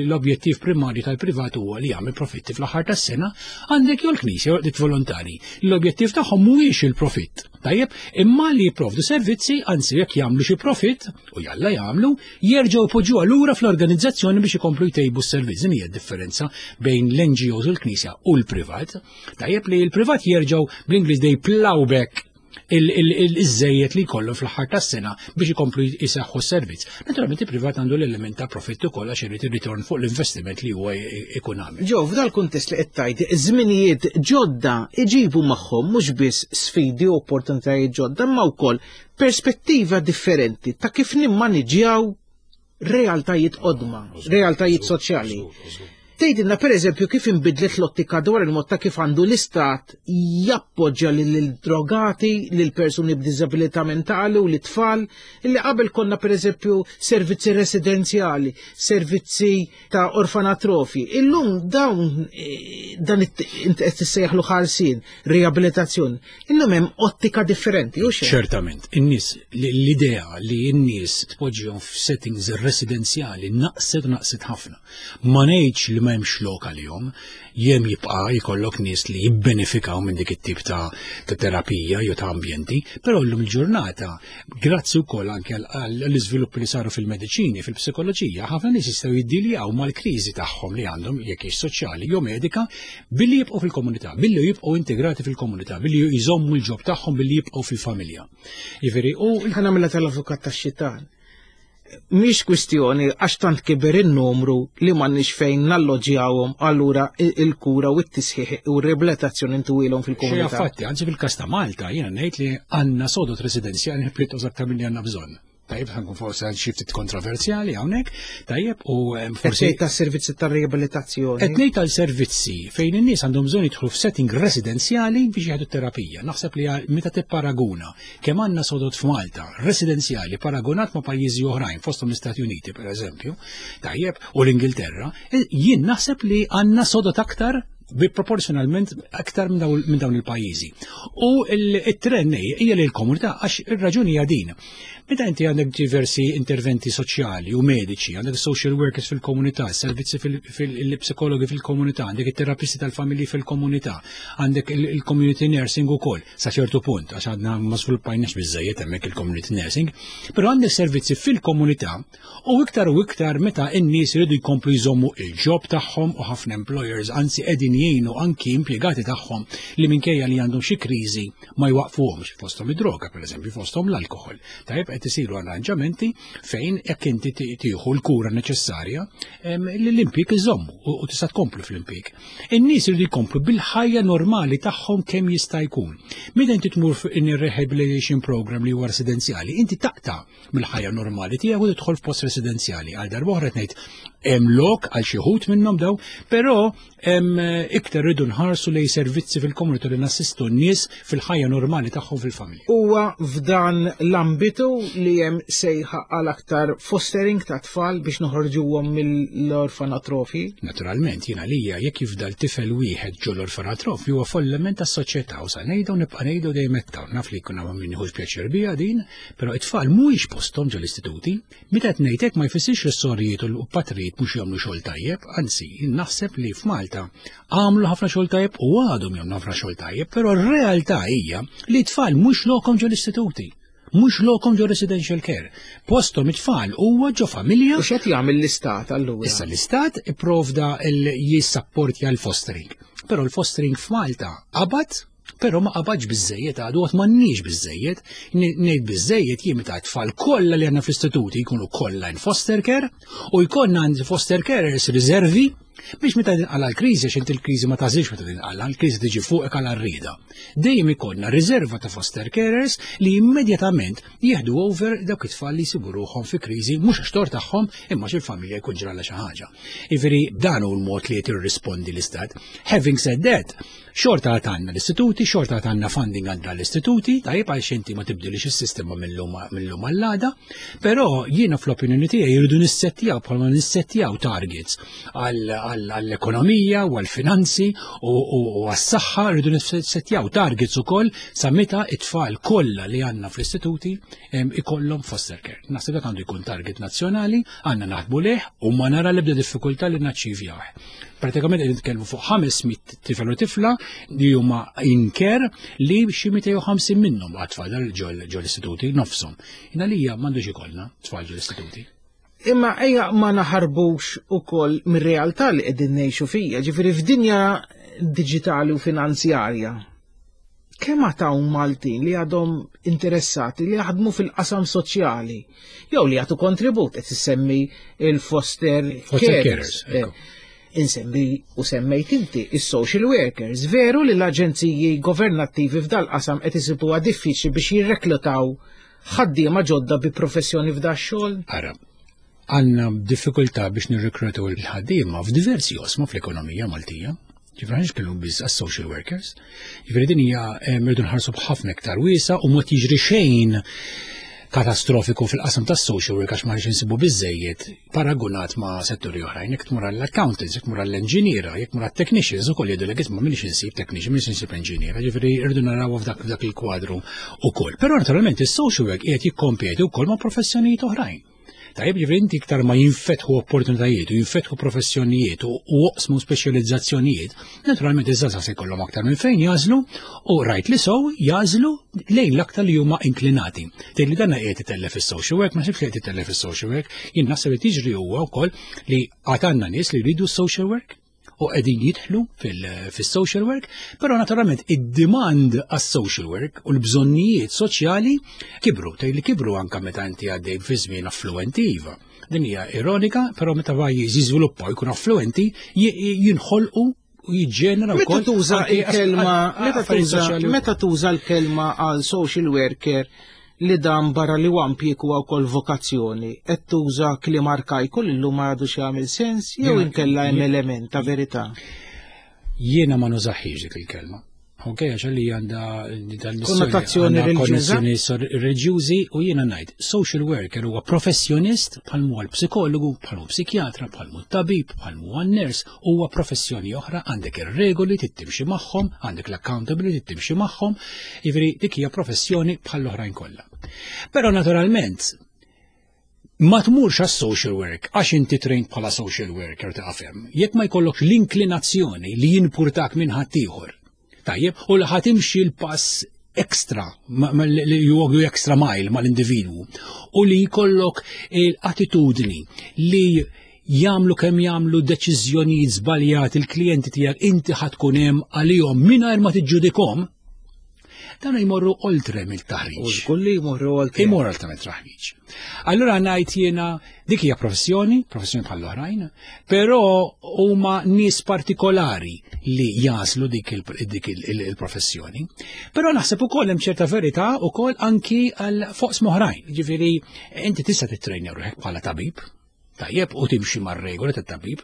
l-objettiv primarju tal-privat huwa li jagħmel profitti fl-aħħar tas-sena, għandek jew l-knisja jew dik volontari. L-objettiv tagħhom mhuwiex il-profitt. Tajjeb, imma li jipprovdu servizzi, anzi jekk jagħmlu xi profitt, u jalla jagħmlu, jerġgħu jpoġġuha lura fl-organizzazzjoni biex ikomplu jtejbu s-servizz. Din hija d-differenza bejn l-NGOs u l-Knisja u l-privat. Tajjeb li l-privat jerġgħu bl-Ingliż they plow back iż-żejjed li jkollu fl-aħħar tas-sena biex ikomplu jseħħu s-servizz. Naturalment il-privat għandu l-element ta' profitt ukoll għax irid ir-ritorn fuq l-investiment li huwa ikun għamel. Ġo, f'dal kuntest li qed tgħid, żminijiet ġodda iġibu magħhom mhux biss sfidi u opportunitajiet ġodda, imma wkoll perspettiva differenti ta' kif nimmaniġjaw realtajiet qodma, realtajiet soċjali. Tgħidilna pereżempju kif inbidlet l-ottika dwar il-mod ta' kif għandu l-istat jappoġġja lil-drogati, lil persuni b'diżabilità mentali u lit-tfal, illi qabel konna pereżempju servizzi residenzjali, servizzi ta' orfanatrofi. Illum dawn eh, dan int qed tissejjaħlu ħarsien, riabilitazzjoni. Illum hemm ottika differenti, u xejn. Ċertament, in-nies l-idea li n-nies tpoġġihom f'settings residenzjali naqset naqset ħafna. Ma ngħidx li ma hemmx lok għalihom, jem jibqa' jkollok nies li jibbenefikaw minn dik it-tip ta' terapija jew ta' ambjenti, però llum il-ġurnata, grazzi wkoll anke għall-iżviluppi li saru fil-mediċini, fil-psikoloġija, ħafna nies jistgħu jiddiljaw mal-kriżi tagħhom li għandhom jekk hix soċjali jew medika billi jibqgħu fil-komunità, billi jibqgħu integrati fil-komunità, billi jżommu l-ġob tagħhom, billi jibqgħu fil-familja. Jiġifieri u Ħa nagħmilha tal-avukat tax-xitan. Mhix kwistjoni għax tant kiber in-numru li m'għandniex fejn nalloġjawhom allura il-kura u t-tisħiħ u r-riabilitazzjoni ntuwilhom fil-komunità. Xi fatti, anzi fil-każ ta' Malta jiena ngħid li għandna sodot residenzjali pjuttost aktar milli għandna bżonn. Tajjeb, ħankun forsi għal xi ftit kontroversjali hawnhekk, tajjeb u forsi. Qed tas-servizzi tar-riabilitazzjoni. Qed ngħid tal-servizzi fejn in-nies għandhom bżonn jidħlu f'setting residenzjali biex jieħdu terapija. Naħseb li meta tipparaguna kemm għandna sodot f'Malta residenzjali paragunat ma' pajjiżi oħrajn fosthom l-Istati Uniti pereżempju, tajjeb, u l-Ingilterra, e, jien naħseb li għandna sodot aktar bi proporzjonalment aktar minn dawn il-pajjiżi. U il-trend hija li l-komunità għax ir-raġuni hija din. Meta inti għandek diversi interventi soċjali u mediċi, għandek social workers fil-komunità, servizzi fil-psikologi fil-komunità, għandek it-terapisti tal-familji fil-komunità, għandek il-community nursing ukoll, sa ċertu punt, għax għadna ma sviluppajniex biżejjed hemmhekk il-community nursing, però għandek servizzi fil-komunità u iktar u iktar meta n-nies iridu jkomplu jżommu il-ġob tagħhom u ħafna employers anzi qegħdin jgħinu anki impjegati tagħhom li minkejja li għandhom xi kriżi ma jwaqfuhomx fosthom id-droga pereżempju fosthom l-alkoħol. Tajjeb qed isiru arranġamenti fejn jekk inti tieħu l-kura neċessarja l-impjieg iżommu u tista' tkomplu fl-impjieg. In-nies iridu jkomplu bil-ħajja normali tagħhom kemm jista' jkun. Meta inti tmur in rehabilitation program li huwa residenzjali, inti taqta' mill-ħajja normali tiegħek u tidħol f'post residenzjali. Għal darba oħra ngħid hemm lok għal xi wħud minnhom daw, però iktar rridu nħarsu lej servizzi fil-komunità li nassistu n-nies fil-ħajja normali tagħhom fil-familja. Huwa f'dan l-ambitu li hemm sejħa għal aktar fostering ta' tfal biex noħorġuhom mill-orfanatrofi? Naturalment, jiena lija jekk jifdal tifel wieħed ġol orfanatrofi huwa falliment tas-soċjetà u sa ngħidu nibqa' ngħidu dejjem hekk naf li jkun hawn min jieħu pjaċir biha din, però it-tfal mhuwiex posthom ġol-istituti. Meta qed ngħid hekk ma jfissirx li s-sorijiet u l-patrijiet mhux jagħmlu xogħol tajjeb, anzi, naħseb li f'Malta għamlu ħafna xogħol tajjeb u għadhom jagħmlu ħafna xogħol tajjeb, però r-realtà hija li t-tfal mhux lokhom ġol-istituti, mhux lokhom ġo residential care. Posthom it-tfal huwa ġo familja. U x'qed jagħmel l-istat allura? Issa l-istat ipprovda jissapportja l-fostering. Però l-fostering f'Malta qabad Però ma qabadx biżejjed għadu għad m'għandniex biżejjed. Ngħid biżejjed jien meta tfal kollha li għandna fl-istituti jkunu kollha in foster care u jkollna għand foster carers riservi. Biex meta tinqala l-kriżi, għax inti l-kriżi ma tażilx meta tinqala, l-kriżi tiġi fuqek għal arrieda. Dejjem ikollna riserva ta' foster carers li immedjatament jieħdu over dawk it-tfal li jsibu ruħhom fi kriżi mhux għax tort tagħhom imma xi l-familja jkun ġralha xi ħaġa. Jiġifieri dan hu l-mod li qed jirrispondi l-istat. Having said that, Xorta għad għandna l-istituti, xorta għad għandna funding għandna l-istituti, tajjeb għal xinti ma tibdilix is-sistema mill-lum għall-għada, però jiena fl-opinjoni tiegħi jridu nissettjaw bħalma nissettjaw targets għall-ekonomija u għall-finanzi u għas-saħħa rridu nissettjaw targets ukoll sa meta it-tfal kollha li għandna fl-istituti ikollhom foster care. Naħseb dak għandu jkun target nazzjonali, għandna naħdmu leh u ma nara l-ebda diffikultà li naċċivjawh. Pratikament qed nitkellmu fuq 500 tifel u tifla li huma in care li xi 250 minnhom għad tfal ġol istituti nofshom. Jina li hija m'għandux ikollna tfal ġol istituti. Imma ejja ma naħarbux ukoll mir-realtà li qegħdin ngħixu fija, ġifieri f'dinja diġitali u finanzjarja. Kemm għad hawn Maltin li għadhom interessati li jaħdmu fil-qasam soċjali jew li jagħtu kontribut qed issemmi il-foster carers. Eh, insemmi u semmejt inti is-social workers. Veru li l-aġenziji governattivi f'dal-qasam qed isibuha diffiċli biex jirreklutaw ħaddiema ġodda bi professjoni f'da xogħol? Ara, għandna diffikultà biex nirrekrutaw il-ħaddiema f'diversi osma fl-ekonomija Maltija. Ġifri ħanx kellu biss għas-social workers. Ġifri din hija eh, mirdu nħarsu b'ħafna iktar wiesa u mod jiġri xejn katastrofiku fil-qasam tas social work għax ma rridx insibu biżejjed paragunat ma' setturi oħrajn. Jekk tmur għall-accountants, jekk tmur għall-enġiniera, jekk tmur għall-technicians ukoll jgħidu lek isma' minix insib technician, minix insib enġiniera, ġifieri rridu naraw f'dak f'dak il-kwadru ukoll. Però naturalment is-social work qiegħed jikkompeti wkoll ma' professjonijiet oħrajn. Tajjeb ġifieri inti iktar ma jinfetħu opportunitajiet u jinfetħu professjonijiet u oqsmu speċjalizzazzjonijiet, naturalment iż-żgħażagħ se jkollhom aktar minn fejn jażlu u rajt li sow jażlu lejn l-aktar li huma inklinati. Tgħid li dan qiegħed itellef is-social work, ma sibx li qed itellef is-social work, jien naħseb li tiġri huwa wkoll li għad għandna nies li jridu s-social work u qegħdin jidħlu fis-social work, però naturalment id-demand għas-social work u l-bżonnijiet soċjali kibru, tgħid li kibru anka meta inti għaddej fi żmien affluenti iva. Din hija ironika, però meta pajjiż jiżviluppa u jkun affluenti jinħolqu u jiġġenera Meta tuża il-kelma meta tuża l-kelma għal social worker li dan barra li huwa impjieg huwa wkoll vokazzjoni, qed tuża kliem arkajku li llum ma għadux jagħmel sens jew inkella hemm element ta' verità? Jiena ma nużaħiex dik il-kelma. Ok, għax li għandha konnotazzjoni reliġjuża. Reliġjużi u jiena ngħid social worker huwa professjonist bħal huwa l-psikologu, bħal hu psikjatra, bħal hu tabib, bħal huwa nurse, huwa professjoni oħra, għandek ir-regoli trid timxi magħhom, għandek l-accountability trid timxi magħhom, jiġifieri dik hija professjoni bħall-oħrajn kollha. Però naturalment ma tmurx għas social work għax inti trained bħala social worker ta' hemm. Jekk ma jkollokx l-inklinazzjoni li jinpurtak minn ħaddieħor. Tajjeb, u li ħatimxi l-pass extra, li you walk the extra mile mal-individwu, u li jkollok l-attitudni li jagħmlu kemm jagħmlu deċiżjonijiet żbaljati il-klijenti tiegħek inti ħa tkun hemm għalihom mingħajr ma tiġġudikhom, dan jmorru oltre mill-taħriġ. U żgur li jmorru oltre. Jmorru oltre mill-taħriġ. Allura ngħid jiena dik hija professjoni, professjoni bħal oħrajn, però huma nies partikolari li jaslu dik il-professjoni. Però naħseb ukoll hemm ċerta verità ukoll anki għal foqs oħrajn. Ġifieri inti tista' titrejna ruħek bħala tabib, tajjeb u timxi mar-regoli tat-tabib,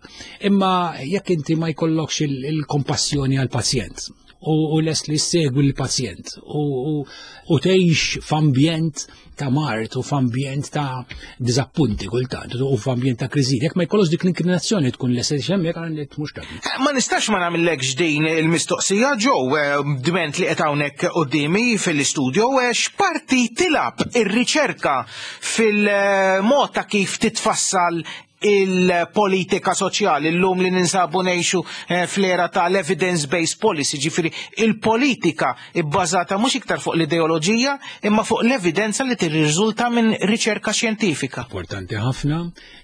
imma jekk inti ma jkollokx il-kompassjoni għall-pazjent u lest li segwi l-pazjent u tgħix f'ambjent ta' mart u f'ambjent ta' diżappunti kultant u f'ambjent ta' kriżi. Jekk ma jkollokx dik l-inklinazzjoni tkun lest li hemmhekk għal li mhux tabib. Eh, ma nistax ma nagħmillekx din il-mistoqsija ġew eh, dment li qed hawnhekk quddiemi fil-istudio eh, x'parti tilab ir-riċerka fil-mod ta' kif titfassal il-politika soċjali llum li ninsabu ngħixu eh, fl-era tal-evidence-based policy, ġifieri il-politika bbażata mhux iktar fuq l-ideoloġija imma fuq l-evidenza li tirriżulta minn riċerka xjentifika. Importanti ħafna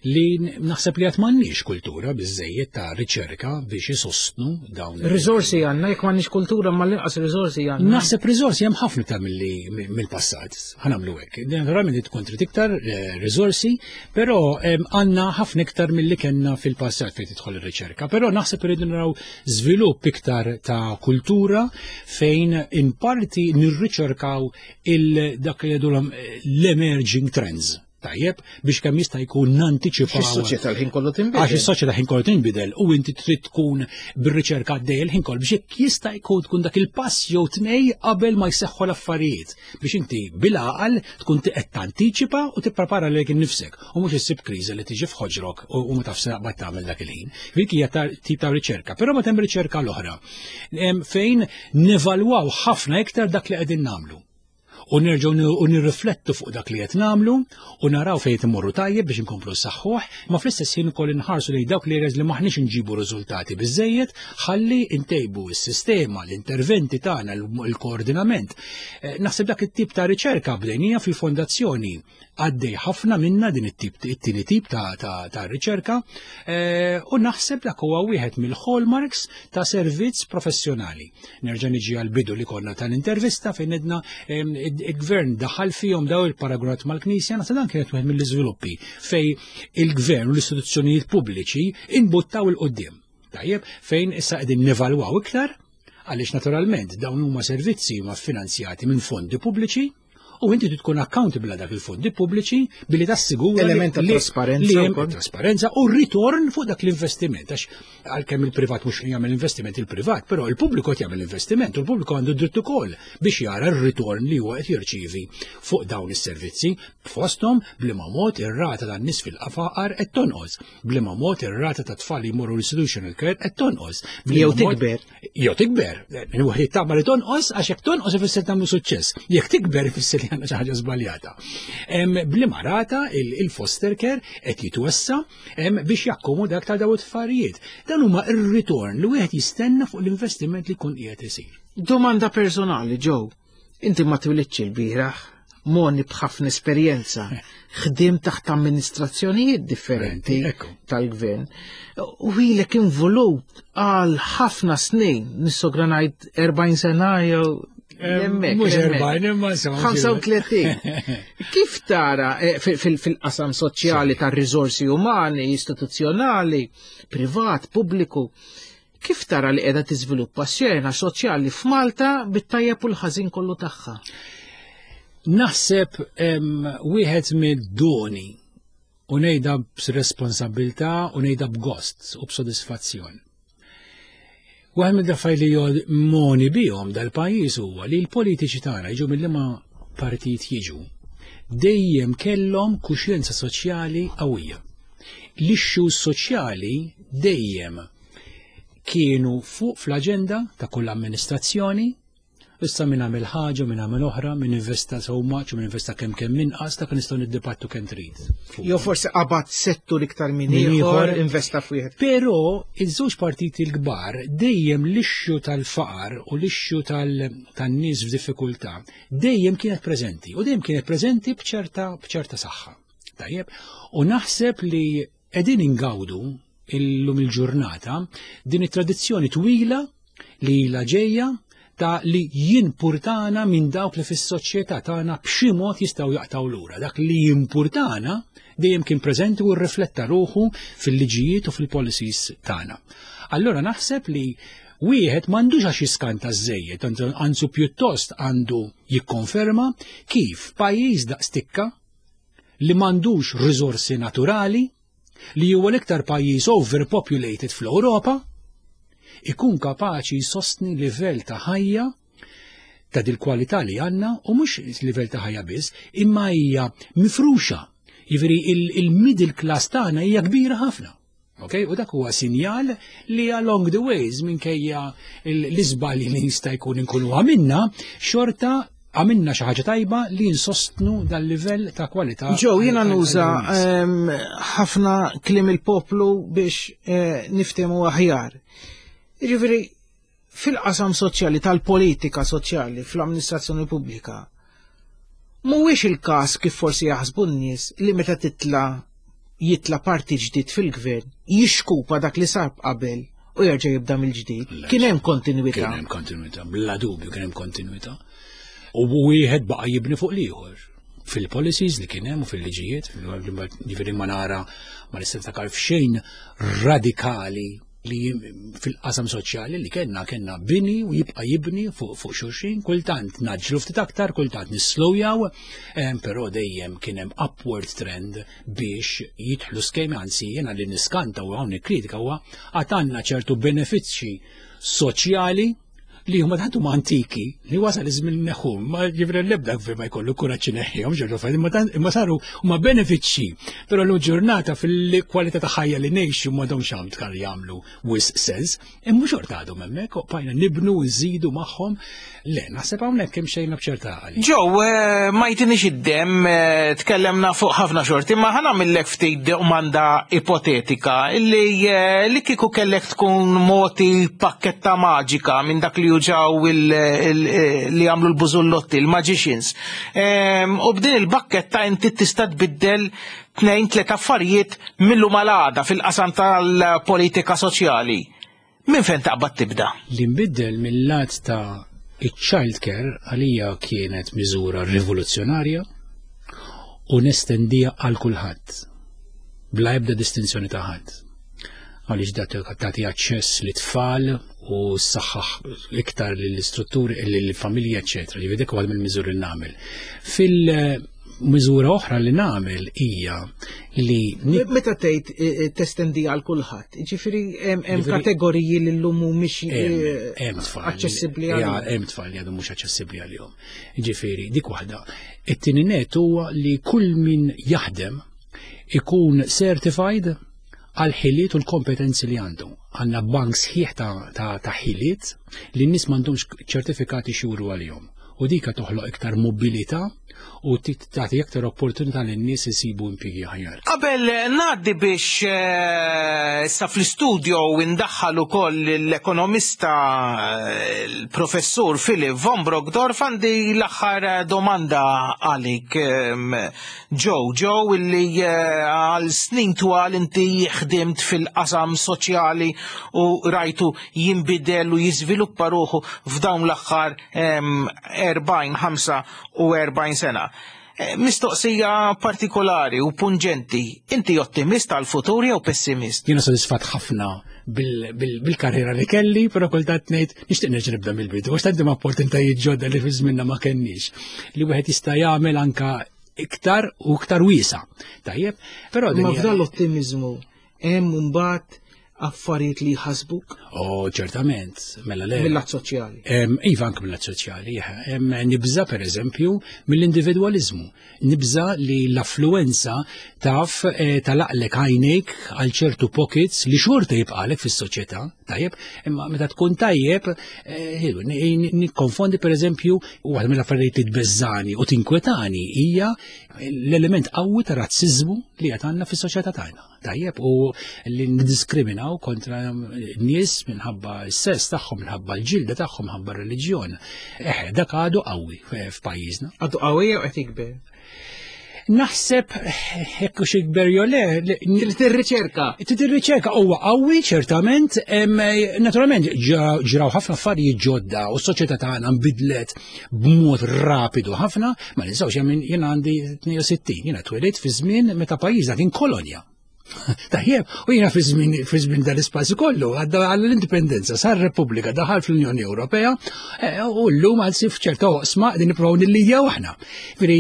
li naħseb li għad m'għandniex kultura biżejjed ta' riċerka biex isostnu dawn. Riżorsi għandna, jekk m'għandniex kultura ma l-inqas riżorsi għandna. Naħseb riżorsi hemm ħafna ta' milli mill-passat, ħanamlu hekk. Naturalment tkun trid iktar eh, riżorsi, però għandna ħafna ħafna iktar milli kellna fil-passat fejn tidħol ir-riċerka, però naħseb irridu naraw żvilupp iktar ta' kultura fejn in parti nirriċerkaw il-dak li jgħidulhom l-emerging trends. Tajjeb, biex kemm jista' jkun nantiċipaw. Is-soċjetà l-ħin kollu tinbidel. Għax is-soċjetà ħin kollu tinbidel u inti trid tkun bir-riċerka għaddej il-ħin kollu biex jekk jista' jkun tkun dak il-pass jew tnej qabel ma jseħħu l-affarijiet biex inti bil-għaqal tkun qed tantiċipa u tipprepara lilek innifsek u mhux issib kriżi li tiġi f'ħoġrok u ma tafx naqbad tagħmel dak il-ħin. Dik hija tip ta' riċerka, però ma hemm riċerka l-oħra fejn nevalwaw ħafna iktar dak li qegħdin nagħmlu u nerġgħu u nirriflettu fuq dak li qed nagħmlu u naraw fejn qed immorru tajjeb biex inkomplu nsaħħuh, ma fl-istess ħin ukoll inħarsu lejn dawk l-areas li m'aħniex inġibu riżultati biżejjed ħalli ntejbu s-sistema, l-interventi tagħna, il-koordinament. Eh, naħseb dak it-tip ta' riċerka bdejnija fil-fondazzjoni għaddej ħafna minna din it-tip it-tieni tip ta', ta, ta riċerka eh, u naħseb dak huwa wieħed mill-hallmarks ta' servizz professjonali. Nerġa' niġi għal bidu li konna tal-intervista fejn edna il-gvern daħal fihom daw il-paragraf mal-Knisja, naħseb dan kienet wieħed mill-iżviluppi fej il-gvern u l-istituzzjonijiet pubbliċi imbuttaw il-qudiem. Tajjeb, fejn issa qegħdin nevalwaw iktar għaliex naturalment dawn huma servizzi huma finanzjati minn fondi pubbliċi u inti tkun accountable għal dak il-fondi pubbliċi billi tassigura element ta' trasparenza trasparenza u ritorn fuq dak l-investiment għax għalkemm il-privat mhux jagħmel investiment il-privat, però il-pubbliku qed jagħmel investiment u l-pubbliku għandu dritt ukoll biex jara r-ritorn li huwa qed jirċievi fuq dawn is-servizzi fosthom b'liema mod ir-rata tan-nies fil-qafaqar qed tonqos, b'liema mod ir-rata ta' tfal li jmorru l-institutional care qed tonqos. Jew tikber. Jew tikber, wieħed jittama li tonqos għax jekk tonqos ifisser tagħmlu suċċess. Jekk tikber ifisser li għandna xi ħaġa żbaljata. Bliema rata il-foster care qed jitwessa biex jakkomoda aktar dawn it-tfarijiet. Dan huma r-ritorn li wieħed jistenna fuq l-investiment li jkun qiegħed isir. Domanda personali, Joe. Inti ma twilidx il-bieraħ, moni b'ħafna esperjenza, ħdim taħt amministrazzjonijiet differenti tal-gvern. U ilek involut għal ħafna snin, nissogra ngħid 40 sena jew Mhux 40 imma 35. Kif tara eh, fil-qasam soċjali tar-riżorsi umani, istituzzjonali, privat, pubbliku, Kif tara li qiegħda tiżviluppa x-xena soċjali f'Malta bit-tajjeb u l-ħażin kollu tagħha? Naħseb wieħed mid-doni u ngħidha b'responsabilità u ngħidha b'gost u b'sodisfazzjon. Waħed mid-affarijiet li jod moni bihom dal-pajjiż huwa li l-politiċi tagħna jiġu mill-liema partit jiġu dejjem kellhom kuxjenza soċjali qawwija. L-issues soċjali dejjem kienu fuq fl-aġenda ta' kull amministrazzjoni, issa min għamel ħaġa, min għamel oħra, min investa so much, min investa kemm kemm inqas, dak nistgħu niddibattu kemm trid. Jew forsi qabad settur iktar minn ieħor, investa f'wieħed. Però iż-żewġ partiti l-kbar dejjem l-issue tal-faqar u l-issue tan-nies f'diffikultà dejjem kienet preżenti u dejjem kienet preżenti b'ċerta b'ċerta saħħa. Tajjeb, u naħseb li qegħdin ingawdu illum il-ġurnata din it-tradizzjoni twila li ilha ġejja ta' li jimpurtana minn dawk li fis-soċjetà tagħna b'xi mod jistgħu jaqtgħu lura. Dak li jimpurtana dejjem kien preżenti u rrifletta ruħu fil-liġijiet u fil-policies tagħna. Allura naħseb li wieħed m'għandux għax jiskanta żejjed, anzu pjuttost għandu jikkonferma kif pajjiż daqstikka li m'għandux riżorsi naturali, li huwa l-iktar pajjiż overpopulated fl-Ewropa, ikun kapaċi jsostni livell ta' ħajja ta' dil-kwalità li għandna u mhux livell ta' ħajja biss, imma hija mifruxa. Jiġifieri il-middle class tagħna hija kbira ħafna. Okay? U dak huwa sinjal li along the ways minkejja l-iżbalji li jista' jkun inkunu għamilna, xorta għamilna xi ħaġa tajba li nsostnu dal-livell ta' kwalità. Ġew jiena nuża ehm, ħafna kliem il-poplu biex eh, niftehmu aħjar. Jiġifieri fil-qasam soċjali tal-politika soċjali fl-amministrazzjoni pubblika, mhuwiex il-każ kif forsi jaħsbu n-nies li meta titla' jitla' parti ġdid fil-gvern jixkupa dak li sar qabel u jerġa' jibda mill-ġdid. Kien hemm kontinwità. Kien hemm kontinwità, bla dubju kien hemm kontinwità. U wieħed baqa' jibni fuq l-ieħor. fil-policies li kien hemm u fil-liġijiet, ġifieri ma nara ma nista' niftakar f'xejn radikali li fil-qasam soċjali li kellna kellna bini u jibqa' jibni fuq fuq xulxin, kultant naġġlu ftit aktar, kultant nislowjaw, però dejjem kien hemm upward trend biex jidħlu skemi anzi jiena li niskanta u hawn kritika huwa għad għandna ċertu benefiċċji soċjali li huma tant huma antiki li wasal iż-żmien neħħum, ma ġifri l-ebda gvern ma jkollu kuraġġ ineħħihom ġorġu fajn, imma saru huma benefiċċji, però l ġurnata fil-kwalità ta' ħajja li ngħixu m'għadhomx għam tkar jagħmlu wisq sens, imma xorta għadhom hemmhekk u bqajna nibnu u nżidu magħhom. Le, naħseb hawnhekk hemm xejn b'ċerta għali. Ġew, eh, ma jtinix id-dem, eh, tkellemna fuq ħafna xorti, ma ħana millek ftit domanda ipotetika illi eh, li kieku kellek tkun moti pakketta maġika minn dak li juġaw li għamlu l-bużullotti, il-magicians. Ehm, u b'din il-bakketta inti tista' tbiddel tnejn tliet affarijiet millu malada fil-qasam tal-politika soċjali. Minn fejn taqbad tibda? Li nbiddel mill-lat ta' iċ-child care għalija kienet miżura rivoluzzjonarja u nestendija għal kulħadd bla ebda distinzjoni ta' ħadd. Għaliex dat tagħti aċċess li tfal u saħħaħ iktar lill-istrutturi, lill-familji, eċetera. Ġifieri dik waħda mill-miżuri li nagħmel. Fil- Miżura oħra li nagħmel hija li Meta tgħid eh, eh, testendi għal kulħadd, ġifieri hemm kategoriji li llum mhumiex eh, aċċessibbli għalihom. Hemm tfal li għadhom mhux aċċessibbli għalihom. Ġifieri dik waħda. It-tieni net huwa li kull min jaħdem ikun certified għal ħiliet u l-kompetenzi li għandu. Għandna bank sħiħ ta' ħiliet li n-nies m'għandhomx ċertifikati xuru għalihom. U dika toħloq iktar mobilità u tagħti iktar opportunità lin nies isibu impjiegi aħjar. Qabel ngħaddi biex eh, issa fl-istudio indaħħal ukoll l-ekonomista eh, l-professur Philip von Brockdorf għandi l-aħħar domanda għalik ehm, Joe, Joe illi eh, għal snin twal inti ħdimt fil-qasam soċjali u rajtu jinbidel u jiżviluppa ruħu f'dawn l-aħħar 40, 45 sena. Eh, mistoqsija partikolari u pungenti, inti ottimist għal futur jew pessimist? Jiena sodisfat ħafna bil-karriera li kelli, però kultant ngħid nixtieq nerġa' nibda mill-bidu, għax tant opportunitajiet ġodda li fi żminna ma kenniex li wieħed jista' jagħmel anka iktar u iktar wiesa. Tajjeb, però ma f'dan l-ottimizmu hemm mbagħad affarijiet li jħasbuk? Oh, ċertament, mela le. Mill-lat soċjali. Iva anke mill-lat soċjali. Nibża per eżempju mill-individwaliżmu. Nibża li l-affluenza taf eh, talaqlek għajnejk għal ċertu pockets li xorta jibqalek fis-soċjetà, tajjeb, imma meta tkun tajjeb, eh, nikkonfondi per eżempju, waħda mill-affarijiet li tbeżżani u tinkwetani hija l-element qawwi ta' razziżmu li qed għandna fis-soċjetà tagħna. Tajjeb u li niddiskriminaw kontra nies minħabba s-sess tagħhom, minħabba l-ġilda tagħhom, minħabba r-reliġjon. Eh, dak għadu qawwi f'pajjiżna. Għadu qawwi jew qed jikber? Naħseb hekk hux ikber jew le. Trid tirriċerka. Trid tirriċerka huwa qawwi ċertament, naturalment ġraw ħafna affarijiet ġodda u s-soċjetà tagħna nbidlet b'mod rapidu ħafna, ma ninsawx jien għandi 62, jiena twelidt fi żmien meta pajjiżna kien kolonja. Tajjeb, u jiena fi żmien dal-ispazju kollu, għadda għall-indipendenza, sar Repubblika, daħal fl-Unjoni Ewropea, eh, u llum għal sif ċerta oqsma din nippruvaw nillidjaw aħna. Veri,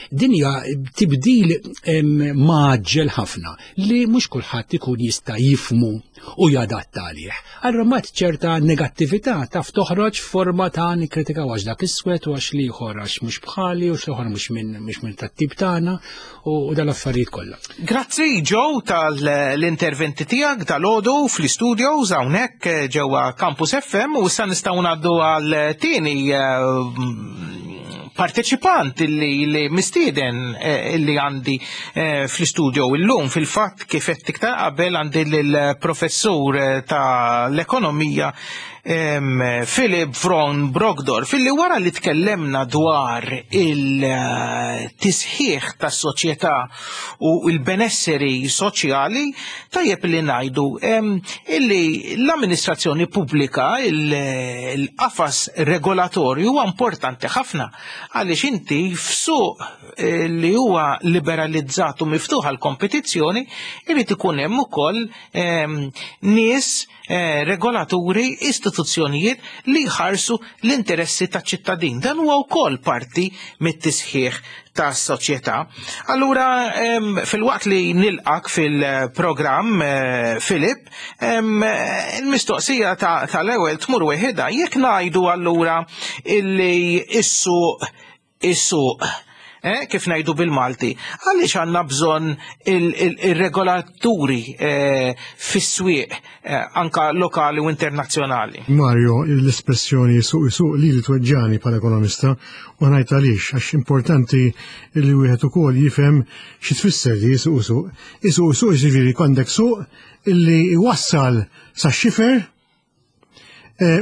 din hija tibdil maġġel ħafna li mhux kulħadd ikun jista' jifmu u jadatta għalih. Allura mat ċerta negattività taf toħroġ forma ta' nikkritikaw għax dak iswed u għax l-ieħor għax mhux bħali u x'l-ieħor mhux minn mhux minn tat-tip tagħna u dal-affarijiet kollha. Grazzi Joe tal-interventi tiegħek dal-għodu fl-istudios hawnhekk eh, ġewwa Campus FM u issa nistgħu ngħaddu għal tieni eh, parteċipant li, li mistieden eh, li għandi fl-istudio illum fil-fatt kif qed iktar qabel għandi lill-professur tal-ekonomija. Philip Von Brogdorf, illi wara li tkellemna dwar il-tisħiħ tas-soċjetà u l-benesseri soċjali, tajjeb li ngħidu illi l-amministrazzjoni pubblika, il-qafas regolatorju huwa importanti ħafna għaliex inti f'suq eh, li huwa liberalizzat u miftuħ għal kompetizzjoni irid ikun hemm ukoll nies eh, regolaturi, istituzzjonijiet li jħarsu l-interessi taċ-ċittadin. Dan huwa wkoll parti mit-tisħiħ tas-soċjetà. Allura fil-waqt li nilqak fil-programm eh, Filip, il-mistoqsija tal-ewwel tmur weħida jekk ngħidu allura illi is-suq is-suq eh, kif ngħidu bil-Malti, għaliex għandna bżonn il-regolaturi eh, fis-swieq eh, anka lokali u internazzjonali. Mario, l-espressjoni suq suq li li tweġġani bħala ekonomista u ngħid għaliex għax importanti li wieħed ukoll jifhem xi tfisser li suq suq. Isuq suq jiġifieri għandek suq illi iwassal sa xifer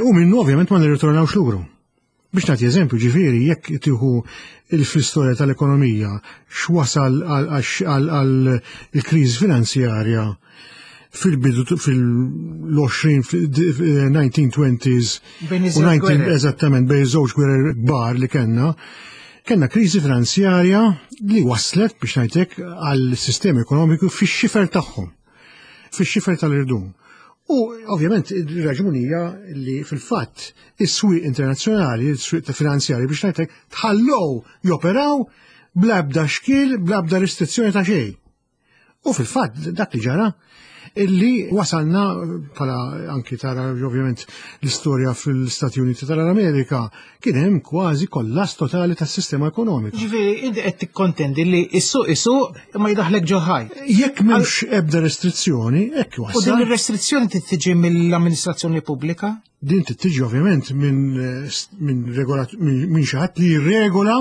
u minnu ovvjament ma nirritornawx luru. Biex nagħti eżempju, ġifieri jekk tieħu fl-istorja tal-ekonomija x'wasal għal il-kriżi finanzjarja fil-bidu fil-20 1920s u 19 eżattament bejn żewġ gwerer kbar li kellna, kellna kriżi finanzjarja li waslet biex ngħidlek għal sistema ekonomiku fix-xifer tagħhom fix-xifer tal-irdum. U ovvjament ir-raġuni hija li fil-fatt is-swieq internazzjonali, is-swieq ta' finanzjari biex ngħidlek tħallew joperaw bla ebda xkiel, bla ebda restrizzjoni ta' xejn. U fil-fatt dak li ġara illi wasalna bħala anki tara ovvjament l-istorja fil-Stati Uniti tal-Amerika kien hemm kważi kollass totali tas-sistema ekonomika. Ġifieri inti qed tikkontendi li s-suq isuq imma jdaħlek ġo ħajt. Jekk m'hemmx ebda restrizzjoni, hekk U din ir-restrizzjoni trid tiġi mill-amministrazzjoni pubblika? Din trid tiġi ovvjament minn minn regolat minn xi ħadd li jirregola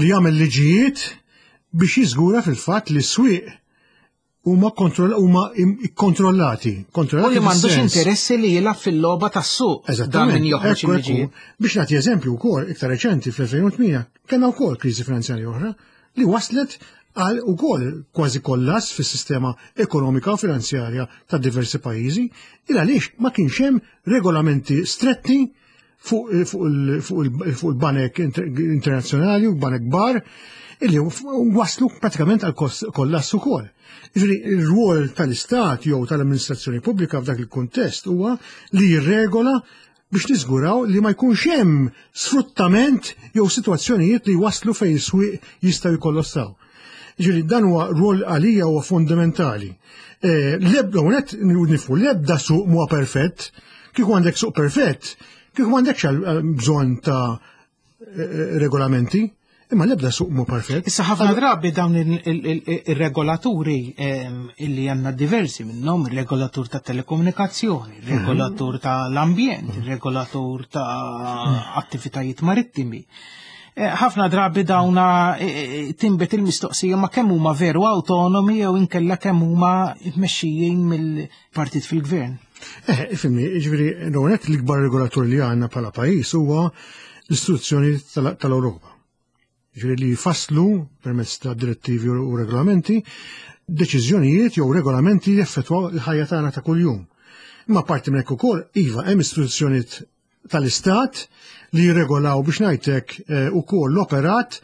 li jagħmel liġijiet biex jiżgura fil-fatt li s-swieq huma huma kontrollati. U li m'għandux interessi li jilgħab fil-logħba tas-suq. Dan min joħroġ il-liġijiet. Biex nagħti eżempju wkoll iktar reċenti fl-2008 kellna wkoll kriżi finanzjarja oħra li waslet għal ukoll kważi kollass fis-sistema ekonomika u finanzjarja ta' diversi pajjiżi il għaliex ma kienx hemm regolamenti stretti fuq il-banek internazzjonali u banek kbar illi waslu pratikament għal kollass ukoll. Jiġifieri ir-rwol tal-Istat jew tal-amministrazzjoni pubblika f'dak il-kuntest huwa li jirregola biex niżguraw li ma jkunx hemm sfruttament jew sitwazzjonijiet li waslu fejn is-swieq jistgħu jkollossaw. Ġifieri dan huwa rwol għalija huwa fundamentali. Eh, l-ebda unet nifu l-ebda suq huwa perfett, kieku għandek suq perfett, kieku m'għandekx eh, bżonn ta' eh, regolamenti, imma l-ebda suq mu perfett. Issa ħafna drabi dawn ir-regolaturi ehm, illi għandna diversi minnhom, ir-regolatur ta' telekomunikazzjoni, ir-regolatur mhm. tal-ambjent, mhm. ir-regolatur ta' mhm. attivitajiet marittimi. Eh, ħafna drabi dawna eh, eh, timbet il-mistoqsija ma kemm huma veru autonomi jew inkella kemm huma mexxijin mill-partit fil-gvern. Eh, ifimni, ġifieri l l-ikbar regolatur li għandna bħala pajjiż huwa l-istituzzjoni tal-Ewropa. Ġifieri li jfasslu permezz ta' direttivi u regolamenti deċiżjonijiet jew regolamenti li jaffettwaw il-ħajja tagħna ta' kuljum. Imma parti minn hekk ukoll, iva, hemm istituzzjonijiet tal-Istat li jirregolaw biex ngħidlek eh, ukoll l-operat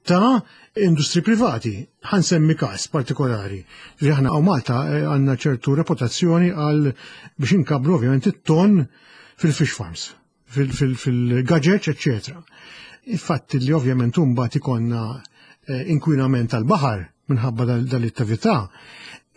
ta' industri privati. Ħansemmi każ partikolari. Li aħna hawn Malta eh, għandna ċertu reputazzjoni għal biex inkabru ovvjament it-ton fil-fish farms, fil-gaġeġ, eccetera. Il-fatt li ovvjament mbagħad ikonna eh, inkwinament tal-baħar minħabba dal-attività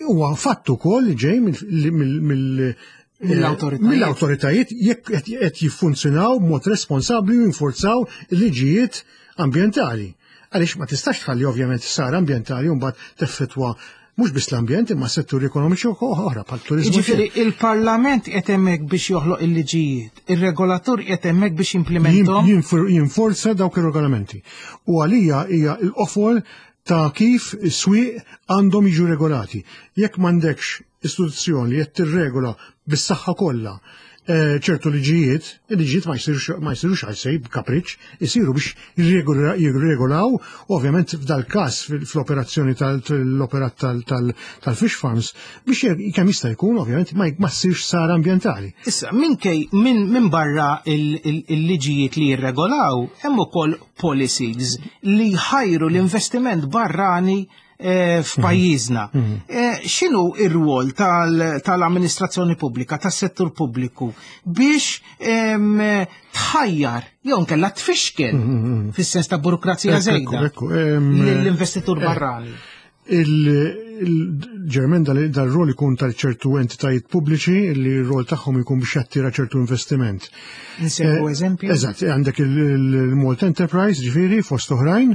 huwa fatt ukoll li ġej mill mill-awtoritajiet jekk qed jiffunzjonaw b'mod responsabbli u jinforzaw il-liġijiet ambjentali. Għaliex ma tistax tħalli ovvjament sara ambjentali u mbagħad teffettwa mhux biss l-ambjent imma setturi ekonomiċi oħra bħal turiżmu. Jiġifieri il-Parlament qed hemmhekk biex joħloq il-liġijiet, ir-regolatur qiegħed hemmhekk biex jimplementhom. Jinforza dawk ir-regolamenti. U għalija hija l-qofol ta' kif is-swieq għandhom jiġu regolati. Jekk m'għandekx istituzzjoni li qed tirregola bis-saħħa kollha. ċertu liġijiet, il-liġijiet ma jsirux għal b'kapriċ, isiru biex jirregolaw, ovvjament f'dal-każ fl-operazzjoni tal-operat tal-fish farms, biex kemm jista' jkun ovvjament ma ssirx sara ambjentali. Issa, minkej minn barra il-liġijiet li jirregolaw, hemm ukoll policies li jħajru l-investiment barrani f'pajjiżna. X'inhu ir-rwol tal-amministrazzjoni pubblika, tas-settur pubbliku biex tħajjar jew nkella tfixkel fis-sens ta' burokrazija żejda l-investitur barrani? Il-ġermen dal-rol ikun tal-ċertu entitajiet pubbliċi li r-rol tagħhom ikun biex jattira ċertu investiment. Nsemmu eżempju? Eżatt, għandek il-Malta Enterprise, ġifieri, fost oħrajn,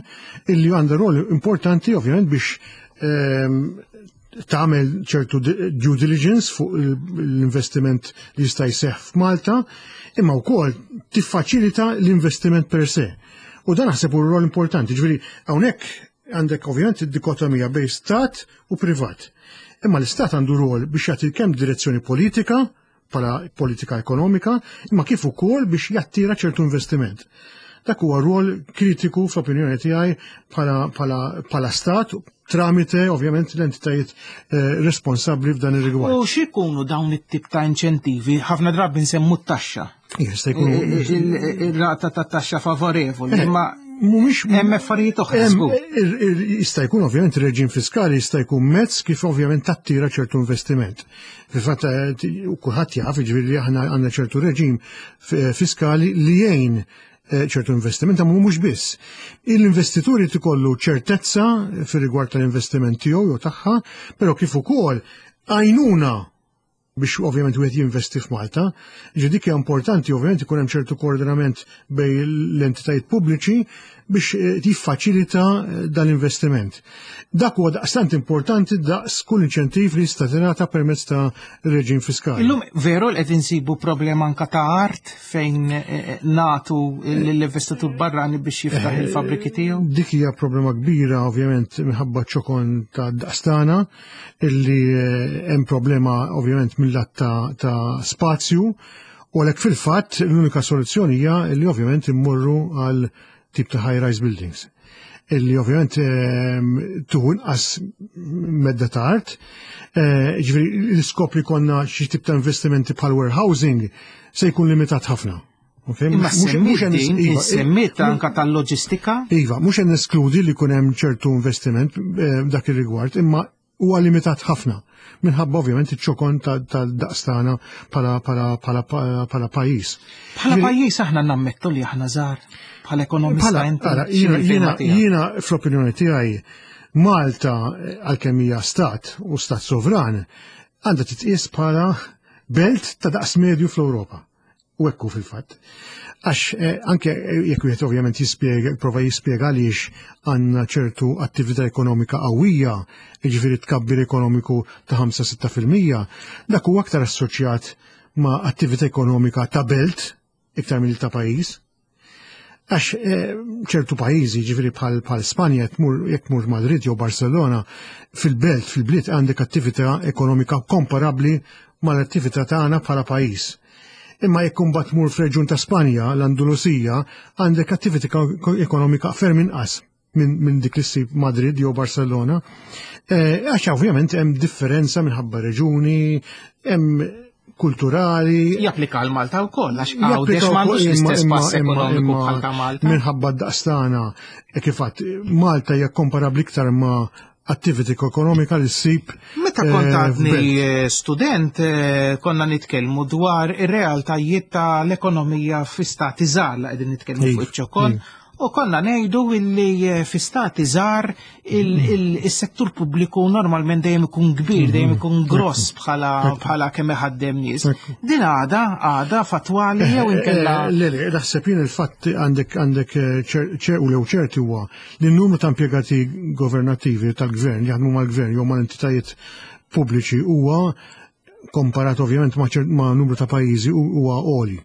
illi għandha rol importanti ovvjament biex tagħmel ċertu due diligence fuq l-investiment li jista' jseħħ f'Malta, imma wkoll tiffaċilita l-investiment per se. U dan naħseb hu rol importanti, ġifieri hawnhekk għandek ovvjament id-dikotomija bejn stat u privat. Imma l-istat għandu rol biex jagħti kemm direzzjoni politika, bħala politika ekonomika, imma kif ukoll biex jattira ċertu investiment. Dak huwa rol kritiku fl-opinjoni tiegħi bħala stat tramite ovvjament l-entitajiet responsabbli f'dan ir-rigward. U x'ikunu dawn it-tip ta' inċentivi? Ħafna drabi nsemmu t-taxxa. Jista' jkun Ir-rata ta' taxxa favorevoli, imma mhumiex hemm affarijiet oħra żgur. Jista' jkun ovvjament ir-reġim fiskali jista' jkun mezz kif ovvjament tattira ċertu investiment. Fil-fatt kulħadd jaf, jiġifieri li aħna għandna ċertu reġim fiskali li jgħin ċertu investiment, ma mhux biss. L-investituri tikollu ċertezza fir-rigward tal-investiment tiegħu jew tagħha, però kif ukoll għajnuna biex ovvjament wieħed jinvesti f'Malta. Ġi dik hija importanti ovvjament ikun hemm ċertu koordinament bejn l-entitajiet pubbliċi biex jiffaċilita dan l-investiment. Dak huwa daqstant importanti daqs kull inċentiv li jista' tingħata permezz ta' reġim fiskali. Illum veru li qed insibu problema anka ta' art fejn natu l-investitur barrani biex jiftaħ il-fabriki tiegħu? Dik hija problema kbira ovvjament minħabba ċokon ta' daqstana illi hemm problema ovvjament mill-lat ta' spazju u għalhekk fil-fatt l-unika soluzzjoni hija li ovvjament immorru għal tip ta' high-rise buildings illi ovvjament tuħu inqas medda ta' art. Ġifieri l-iskop li konna xi tip ta' investimenti bħal warehousing se jkun limitat ħafna. Okay? Imma semmiet din, semmiet anka tal-loġistika? Iva, mhux qed neskludi li jkun hemm ċertu investiment dak ir-rigward, imma huwa limitat ħafna minħabba ovvjament iċ-ċokon tal-daqstana bħala pajjiż. Bħala pajjiż aħna nammettu li aħna żgħar bħala ekonomista inti. Jiena fl-opinjoni tiegħi Malta għalkemm hija stat u stat sovran għandha titqies bħala belt ta' daqs medju fl-Ewropa. U ekku fil-fatt. Għax anke jekk wieħed ovvjament jispjega, prova jispjega għaliex għandna ċertu attività ekonomika qawwija, jiġifieri tkabbir ekonomiku ta' 5-6%, dak huwa aktar assoċjat ma' attività ekonomika ta' belt iktar mill ta' pajjiż. Għax ċertu pajjiżi, jiġifieri bħal Spanja, jekk tmur Madrid jew Barcelona, fil-belt, fil-bliet għandek attività ekonomika komparabbli mal-attività tagħna bħala pajjiż. Imma jekk imbagħad tmur f'reġjun ta' Spanja, l-Andalusija, għandek attività ekonomika ferm inqas minn dik li ssib Madrid jew Barcelona. Għax ovvjament hemm differenza minħabba reġuni, hemm kulturali. Japplika għal Malta wkoll, għax Japplika Għawdex m'għandux wkoll, l-istess pass ekonomiku bħal ta' Malta. Minħabba d-daqstana, kif għadt, Malta hija komparabbli iktar ma' attività ekonomika li ssib, Meta kont għadni f'belt. student, konna nitkellmu dwar ir-realtajiet tal-ekonomija fi stati żgħar li qegħdin nitkellmu fuq iċ-ċokon. U konna ngħidu illi fi stati żgħar is-settur pubbliku normalment dejjem ikun kbir, dejjem ikun gross bħala kemm iħaddem nies. Din għada fatwali jew inkella Le, le, naħseb jien il-fatt għandek u lew ċerti huwa li n-numru ta' impjegati governattivi tal-gvern li jaħdmu mal-gvern jew mal-entitajiet pubbliċi huwa komparat ovvjament ma' numru ta' pajjiżi huwa għoli.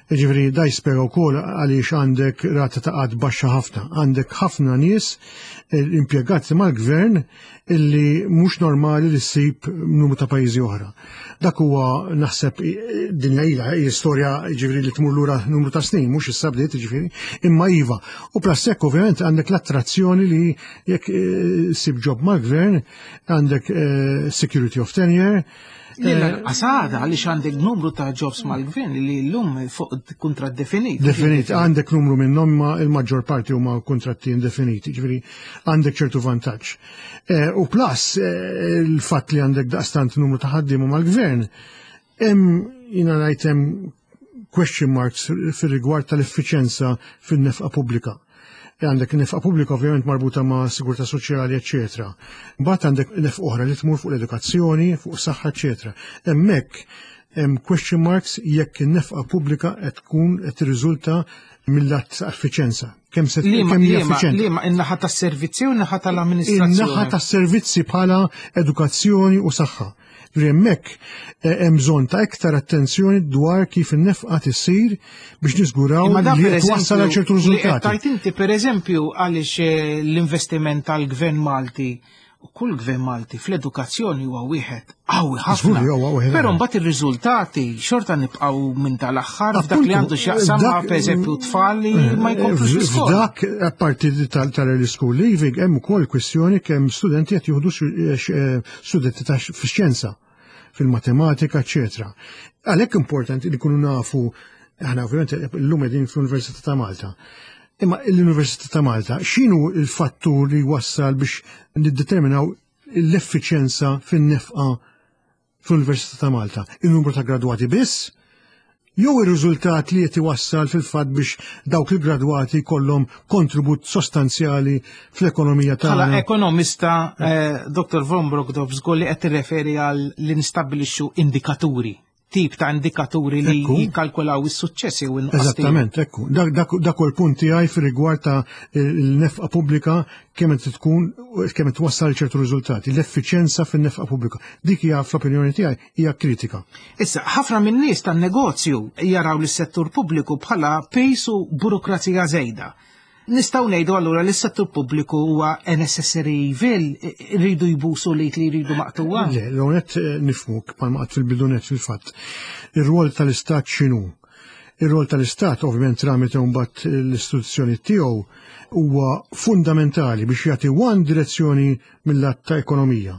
Ġifieri da jispjega wkoll għaliex għandek rata ta' qgħad baxxa ħafna. Għandek ħafna nies eh, impjegati mal-gvern illi mhux normali li ssib numru ta' pajjiżi oħra. Dak huwa naħseb dinja ilha hija storja ġifieri li tmur lura numru ta' snin, mhux issa bdiet ġifieri, imma iva. U plus hekk ovvjament għandek l-attrazzjoni li jekk eh, ssib job mal-gvern għandek eh, security of tenure, L-anqas għada għaliex għandek numru ta' jobs mal-gvern li llum fuq kuntratt definit. Definit, għandek numru minnhom ma il-maġġor parti huma kuntratti indefiniti, ġifieri għandek ċertu vantaġġ. Eh, u plus eh, il-fatt li għandek daqstant numru ta' ħaddiema mal-gvern, hemm jiena ngħid hemm question marks fir-rigward tal-effiċenza fin-nefqa pubblika. E għandek nefqa pubblika ovvjament marbuta ma' sigurtà soċjali, eċetera. Mbagħad għandek nefqa oħra li tmur fuq l-edukazzjoni, fuq saħħa, eċetera. Hemmhekk hemm question marks jekk in-nefqa pubblika qed tkun qed tirriżulta mill-att ta' effiċenza. Kemm se kemm hija effiċjenti. Liema in-naħa tas-servizzi u n-naħa tal-amministrazzjoni. In-naħa tas-servizzi bħala edukazzjoni u saħħa. Ġifieri hemmhekk eh, hemm bżonn ta' iktar attenzjoni dwar kif in-nefqa tisir biex niżguraw li twassal għal ċertu riżultati. Tajt inti pereżempju għaliex eh, l-investiment tal-Gvern Malti u kull gvern Malti fl-edukazzjoni huwa wieħed qawwi ħafna. Però mbagħad ir-riżultati xorta nibqgħu minn tal-aħħar f'dak li għandu x'jaqsam ma' pereżempju tfal li eh, ma jkomplux l-iskola. F'dak apparti tal-early school leaving hemm ukoll kwistjoni kemm studenti qed jieħdu studenti ta' fix-xjenza, fil-matematika, eċetera. Għalhekk importanti li kunu nafu, aħna ovvjament illum qegħdin fl-Università ta' Malta. Imma l-Università ta' Malta, x'inhu l-fattur li wassal biex niddeterminaw l-effiċjenza fin-nefqa fl-Università ta' Malta? Il-numru ta' gradwati biss? Jew ir-riżultat li qed iwassal fil-fatt biex dawk il-gradwati jkollhom kontribut sostanzjali fl-ekonomija tagħna. Bħala ekonomista, eh, Dr. Von Brockdorf żgur li qed tirreferi għal li nistabbilixxu indikaturi tip ta' indikaturi li jikkalkulaw is-suċċessi u n Eżattament, ekku. Dak hu l-punt tiegħi fir-rigward ta' l-nefqa pubblika kemm qed tkun kemm qed twassal ċertu riżultati, l-effiċjenza fin-nefqa pubblika. Dik hija fl-opinjoni tiegħi hija kritika. Issa, ħafna min-nies tan-negozju jaraw lis-settur pubbliku bħala piż u burokrazija żejda. Nistgħu ngħidu allura li s-settur pubbliku huwa a necessary evil, iridu jbusu l-id li jridu maqtugħa? Le, l-ewwel eh, nifhmuk bħalma qatt fil-bidu nett fil-fatt. Ir-rwol tal-Istat x'inhu? Ir-rwol tal-Istat ovvjament tramite mbagħad l-istituzzjoni tiegħu huwa fundamentali biex jagħti one direzzjoni mill-att ta' ekonomija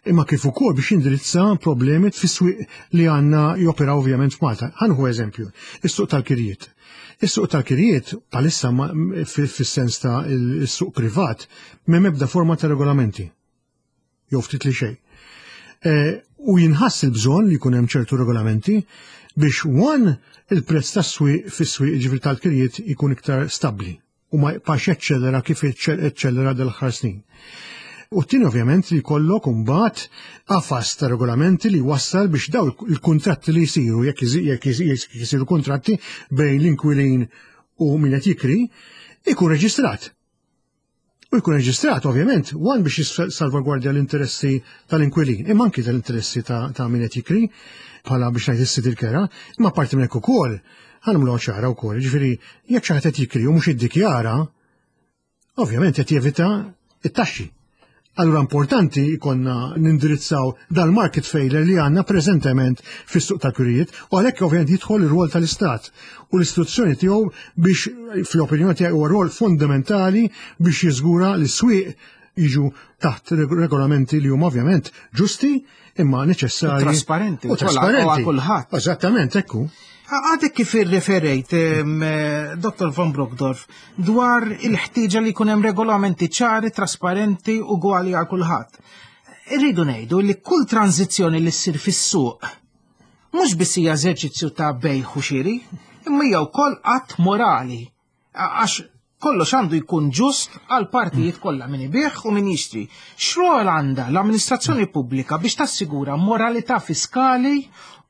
imma kif ukoll biex jindirizza problemi fis-swieq li għandna joperaw ovvjament f'Malta. Ħanħu eżempju, is-suq tal-kirjiet. Is-suq tal-kirjiet bħalissa fis-sens ta' is-suq privat m'hemm ebda forma ta' regolamenti. Jew ftit li xejn. E, u jinħass il-bżonn li jkun hemm ċertu regolamenti biex one il-prezz tas-swieq fis-swieq ġifieri tal-kirjiet ikun iktar stabbli u ma jibqax jaċċellera kif eċċellera dal-aħħar snin. U t-tieni ovvjament li jkollok imbagħad qafas ta' regolamenti li wassal biex daw il-kuntratti li jsiru jekk jisiru kuntratti bejn l-inkwilin u min qed jikri ikun reġistrat. U jkun reġistrat ovvjament one biex jissalvagwardja l-interessi tal-inkwilin, imma anki tal-interessi ta' min qed jikri bħala biex ngħid is-sid il-kera, imma parti minn hekk ukoll Ħa nagħmluha ċara wkoll, jiġifieri jekk xi ħadd qed jikri u mhux jiddikjara, ovvjament qed jevita t-taxxi. Allura importanti jkollna nindirizzaw dal-market failure li għandna preżentement fis-suq tal-kirjiet u għalhekk ovvjament jidħol ir-rwol tal-Istat u l-istituzzjoni tiegħu biex fl-opinjoni tiegħi huwa rwol fundamentali biex jiżgura li s-swieq jiġu taħt regolamenti li huma ovvjament ġusti imma neċessarji. Trasparenti. U trasparenti. Kulħadd. Eżattament, ekku. Għadek kif irreferejt, eh, Dr. Von Brockdorf, dwar il-ħtieġa li jkun hemm regolamenti ċari, trasparenti u gwali għal kulħadd. Irridu ngħidu li kull tranzizzjoni li ssir fis-suq mhux biss hija eżerċizzju ta' bejħ u xiri, imma hija wkoll att morali Għax kollox għandu jkun ġust għal partijiet kollha min ibigħ u min jixtri. X'rol għandha l-amministrazzjoni pubblika biex tassigura moralità fiskali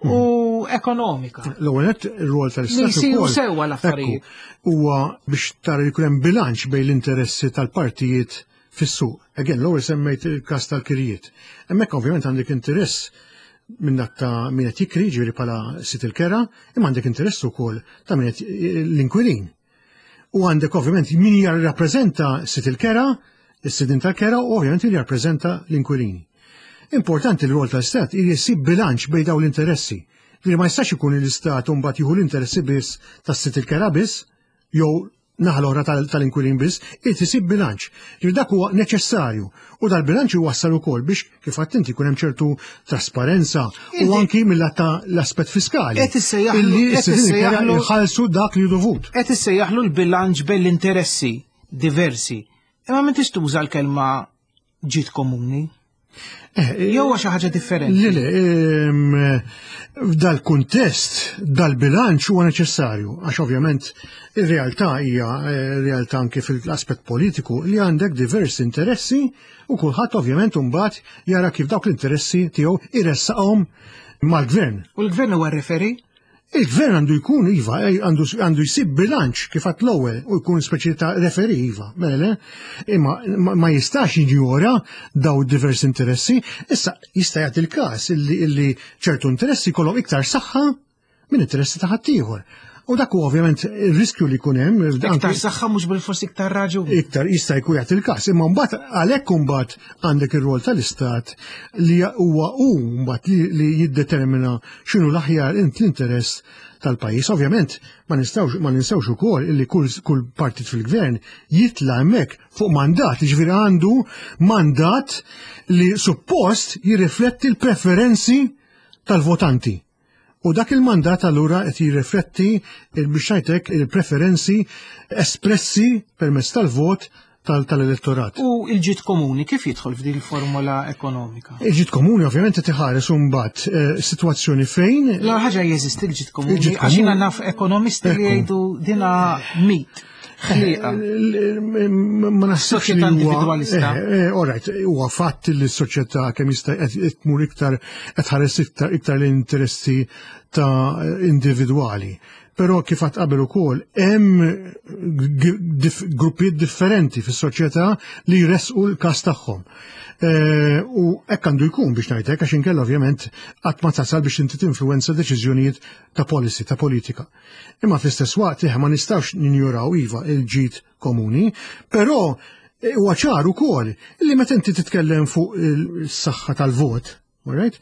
u ekonomika? L-ewwel nett ir-rwol tal-Istat Li jsiru sewwa l-affarijiet. Huwa biex tara li jkun hemm bilanċ bejn l-interessi tal-partijiet fis-suq. Again, l-ewwel semmejt il-każ tal-kirjiet. Hemmhekk ovvjament għandek interess minn ta' min qed jikri, ġifieri bħala sid il-kera, imma għandek interess ukoll ta' min qed l-inkwilin. U għandek ovvjament min jirrappreżenta sid il-kera, is-sidin tal-kera u ovvjament min jirrappreżenta l-inkwilini. Importanti l-rol tal-Istat li jsib bilanċ bejn dawn l-interessi. Li ma jistax ikun l-Istat mbagħad jieħu l-interessi biss tas-sid il-kera biss, jew naħa l-oħra tal-inkwilin biss, irid isib bilanċ. Ġifieri dak huwa neċessarju. U dal-bilanċ iwassal ukoll biex kif għadt inti jkun hemm ċertu trasparenza u anki mill-lat ta' l-aspett fiskali. Qed issejjaħlu jħallsu dak li dovut. Qed issejjaħlu l-bilanċ bejn l-interessi diversi. Imma m'intix tuża l-kelma ġid komuni. Eh, Jew xi ħaġa differenti. Le, le, f'dal-kuntest, dal-bilanċ huwa neċessarju, għax ovvjament ir-realtà hija eh, realtà anke fil-aspett politiku li għandek diversi interessi u kulħadd ovvjament imbagħad jara kif dawk l-interessi tiegħu iressaqhom mal-gvern. U l-gvern huwa referi? Il-gvern għandu jkun iva, eh, għandu jsib bilanċ kif għat l-ewwel u jkun speċi ta' referi iva, mela le, imma ma jistax jinjora daw diversi interessi, issa jista' jagħti l-każ illi ċertu interessi jkollhom iktar saħħa minn interessi ta' ħaddieħor. U dak huwa ovvjament ir-riskju li jkun hemm. Iktar saħħa mhux bil-fors iktar raġun. Iktar jista' jkun jagħti l-każ, imma mbagħad għalhekk imbagħad għandek ir-rol tal-istat li huwa hu mbagħad li jiddetermina x'inhu l-aħjar l-interess tal-pajjiż. Ovvjament ma nistgħux ma ninsewx ukoll illi kull, kull partit fil-gvern jitla' hemmhekk fuq mandat, jiġifieri għandu mandat li suppost jirrifletti l-preferenzi tal-votanti. U dak il-mandat allura qed jirrifletti biex ngħidlek il-preferenzi espressi permezz tal-vot tal-elettorat. U il-ġid komuni kif jidħol f'din il-formula ekonomika? Il-ġid komuni ovvjament qed iħares imbagħad eh, sitwazzjoni fejn. La ħaġa jeżisti l-ġid komuni għax jiena naf ekonomisti li jgħidu dina mit. Ħliqa. Eh, ma naħsibx li individualista. Eh, all right, huwa fatt li s-soċjetà kemm jista' qed tmur iktar qed ħares iktar l-interessi ta' individwali. Però kif għad qabel ukoll hemm gruppijiet differenti fis-soċjetà li jressqu l-każ tagħhom. Eh, u hekk għandu jkun biex ngħidlek għax inkella ovvjament qatt ma tasal biex inti tinfluwenza deċiżjonijiet ta' policy, ta' politika. Imma fl-istess waqt eh, ma nistgħux ninjuraw iva il-ġid komuni, però eh, huwa ċar ukoll li meta inti titkellem fuq is-saħħa tal-vot, Alright?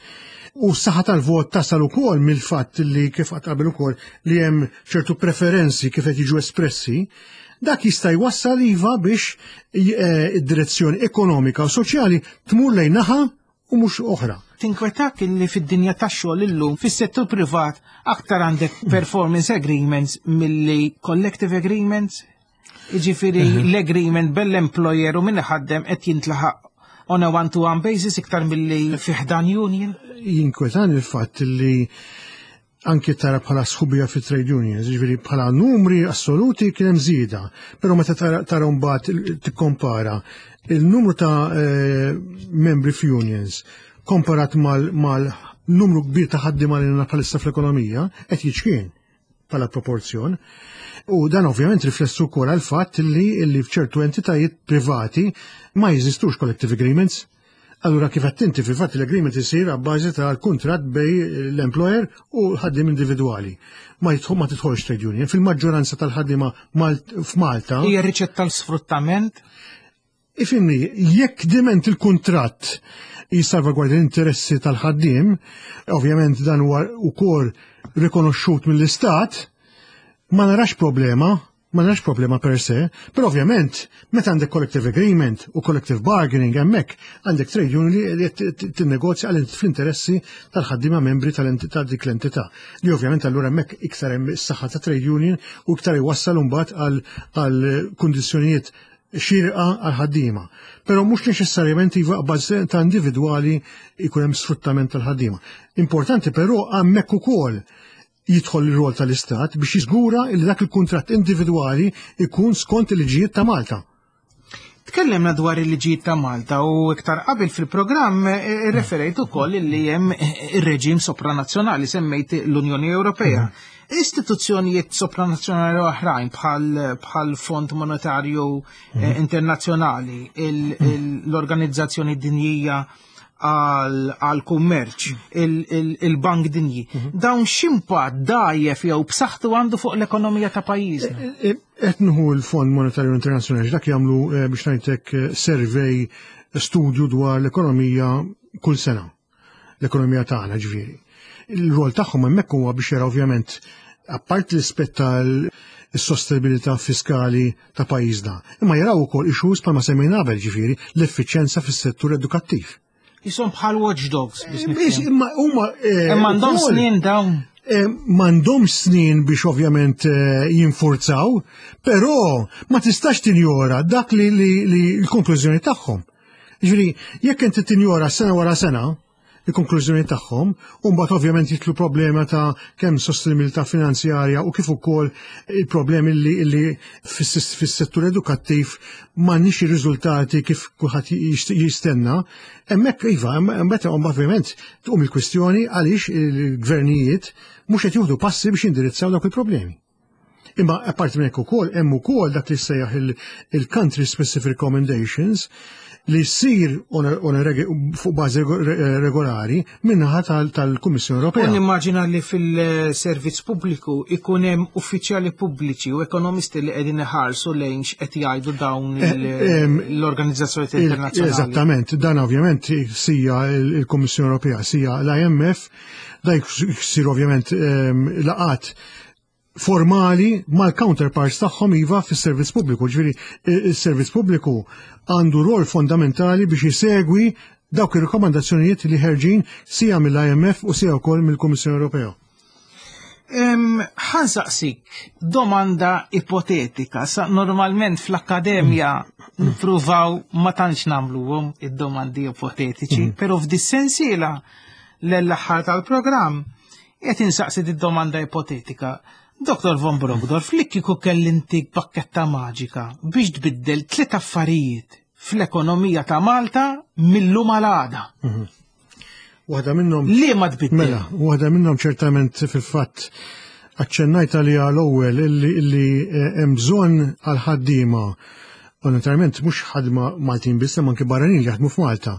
U s-saħħa tal-vot tasal ukoll mill-fatt li kif qatt qabel ukoll li hemm ċertu preferenzi kif qed jiġu espressi, dak jista' jwassal iva biex eh, id-direzzjoni ekonomika u soċjali tmur lejn naħa u mhux oħra. Tinkwetak li fid-dinja tax-xogħol illum fis-settur privat aktar għandek performance agreements milli collective agreements? Jiġifieri mhm. l-agreement bell-employer u min ħaddem qed jintlaħaq on a one-to-one basis iktar milli fi ħdan union? Jinkwetan il-fatt li anki tara bħala sħubija fi trade unions, ġifieri bħala numri assoluti kien hemm żieda, però meta tara mbagħad tikkompara il-numru ta' eh, membri f'unions komparat mal-numru kbir ta' ħaddiema li bħalissa fl-ekonomija qed jiċkien. bħala proporzjon. U dan ovvjament riflessu wkoll għal fatt li li f'ċertu entitajiet privati ma jeżistux collective agreements. Allura kif qed inti fil-fatt l-agreement isir għabbażi tal-kuntratt bej l-employer u l-ħaddiem individwali. Ma jidħol ma tidħolx trade union. Fil-maġġoranza tal-ħaddiema f'Malta. Hija riċetta tal-sfruttament? Ifimni, jekk diment il-kuntratt jissalvagwardja l-interessi tal-ħaddiem, ovvjament dan huwa wkoll rikonoxxut mill-Istat, ma narax problema, ma narax problema per se, però ovvjament meta għandek collective agreement u collective bargaining hemmhekk għandek trade union li qed tinnegozja għal fl-interessi tal-ħaddiema membri tal-entità dik l-entità. Li ovvjament allura hemmhekk iktar hemm is-saħħa ta' trade union u iktar iwassal imbagħad għal kundizzjonijiet xierqa għall-ħaddiema. Però mhux neċessarjament iva bażi ta' individwali jkun hemm sfruttament tal-ħaddiema. Importanti però hemmhekk ukoll jidħol ir-rol tal-Istat biex jiżgura li dak il-kuntratt individwali jkun skont il-liġijiet ta' Malta. Tkellimna dwar il-liġijiet ta' Malta u iktar qabel fil-programm eh, eh, referejt ukoll li hemm eh, ir-reġim sopranazzjonali semmejt l-Unjoni Ewropea. Mhm. Istituzzjonijiet sopranazzjonali oħrajn bħal Fond Monetarju mhm. Internazzjonali, mhm. l-Organizzazzjoni Dinjija. għal kummerċ, il-Bank Dinji. Dawn x'impatt dgħajjef jew b'saħħtu għandu fuq l-ekonomija ta' pajjiżna? Qed nieħu l-Fond Monetarju Internazzjonali, dak jagħmlu, biex ngħidlek, survey, studju dwar l-ekonomija kull sena. L-ekonomija tagħna, ġifieri. Il-rol tagħhom hemmhekk huwa biex jara, ovvjament, apart l-ispett tal-sostenibilità fiskali ta' pajjiżna, imma jaraw ukoll issues bħalma semmejna qabel, ġifieri l-effiċjenza fis-settur edukattiv. Jisom bħal watchdogs biex Biex nifhem. Imma huma Imma għandhom ukoll- snin dawn. M'għandhomx snin biex ovvjament jinfurzaw, però ma tistax tinjora dak li l-konklużjoni tagħhom. Ġifieri, jekk inti tinjora sena wara sena il-konklużjoni tagħhom, u mbagħad ovvjament jidħlu problema ta' kemm sostenibilità finanzjarja u kif ukoll il-problemi li fis-settur edukattiv m'għandniex ir-riżultati kif kulħadd jistenna, hemmhekk iva, hemmhekk ovvjament tqum il-kwistjoni għaliex il-gvernijiet mhux qed jieħdu passi biex jindirizzaw dawk il-problemi. Imma apparti minn hekk ukoll hemm ukoll dak li sejjaħ il-country specific recommendations li ssir on a fuq bażi regolari min-naħa tal-Kummissjoni U Ewropea. Nimmaġina li fil-servizz pubbliku ikun hemm uffiċjali pubbliċi u ekonomisti li qegħdin iħarsu lejn x'qed jgħidu dawn l-organizzazzjoni internazzjonali. Eżattament, dan ovvjament sija il-Kummissjoni Ewropea, sija l-IMF, da jsir ovvjament laqat formali mal-counterparts tagħhom, iva, fis-servizz pubbliku. Ġifieri il-servizz pubbliku għandu rol fondamentali biex jisegwi dawk ir-rikomandazzjonijiet li ħerġin sija mill-IMF u sija wkoll mill-Kummissjoni Ewropea. Ħa nsaqsik domanda ipotetika. Sa normalment fl-akkademja nippruvaw ma tantx nagħmluhom id-domandi ipotetiċi, però f'dis-sensiela l-aħħar tal-programm qed insaqsi di domanda ipotetika. Dr. Von Brockdorff, li kieku kelli ntik bakketta maġika biex tbiddel tliet affarijiet fl-ekonomija ta' Malta mil-lum għal għada. Waħda minnhom Li ma tbiddel? Mela, waħda minnhom ċertament fil-fatt aċċennajt għaliha l-ewwel, illi hemm bżonn għal ħaddiema, u naturalment mhux ħadma Maltin biss, imma anke barranin li jaħdmu f'Malta,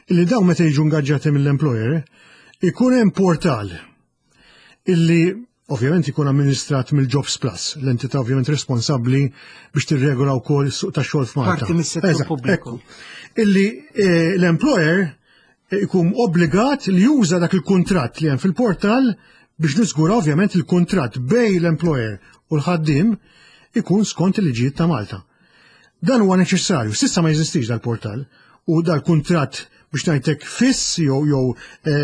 illi dawn meta jiġu ingaġġati mill-employer ikun hemm portal illi ovvjament ikun amministrat mill-Jobs Plus, l-entità ovvjament responsabbli biex tirregola wkoll is-suq tax-xogħol f'Malta. Parti mis-settur Eżatt, pubbliku. ekku. Illi l-employer ikun obbligat li juża dak il-kuntratt li hemm fil-portal biex niżgura ovvjament il-kuntratt bejn l-employer u l-ħaddim ikun skont il-liġijiet ta' Malta. Dan huwa neċessarju, s'issa ma jeżistix dal-portal u dal-kuntratt, biex ngħidlek, fiss jew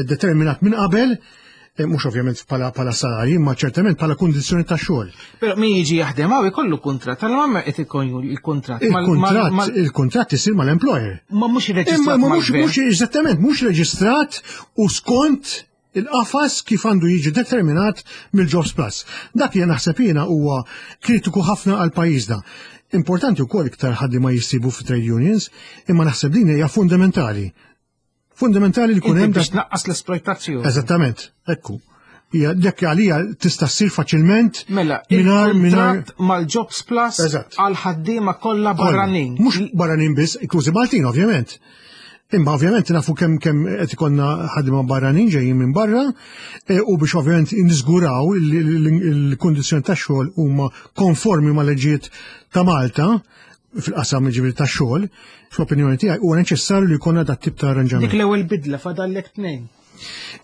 determinat minn qabel, mhux ovvjament bħala salarji, imma ċertament bħala kundizzjoni ta' xogħol. Però min jiġi jaħdem hawn ikollu kuntratt, allura ma qed ikun il-kuntratt. Il-kuntratt il-kuntratt isir mal-employer. Ma mhux Imma irreġistrat ma mhux mal-gvern. Mhux eżattament, mhux reġistrat u skont il-qafas kif għandu jiġi determinat mill-Jobs Plus. Dak li naħseb jiena huwa kritiku ħafna għal pajjiżna. Importanti wkoll iktar ħaddiema jissibu fi trade unions, imma naħseb din hija fundamentali. Fundamentali li jkun Inti hemm biex tnaqqas l-esploitazzjoni. Eżattament, ekku. Hija dak għalija tista' ssir faċilment Mela, mingħajr mingħajr il-kuntratt mal-Jobs Plus Eżatt. għal ħaddiema kollha barranin. Mhux barranin biss, inklużi Maltin ovvjament. Imma ovvjament nafu kemm qed ikollna ħaddiema barranin ġejjin minn barra u biex ovvjament niżguraw il-kundizzjoni tax-xogħol huma konformi mal-leġijiet ta' Malta fil-qasam, ġifieri, tax-xogħol, fl-opinjoni tiegħi huwa neċessarju li jkollna dat tip ta' arranġament. Dik l-ewwel bidla, fadallek tnejn.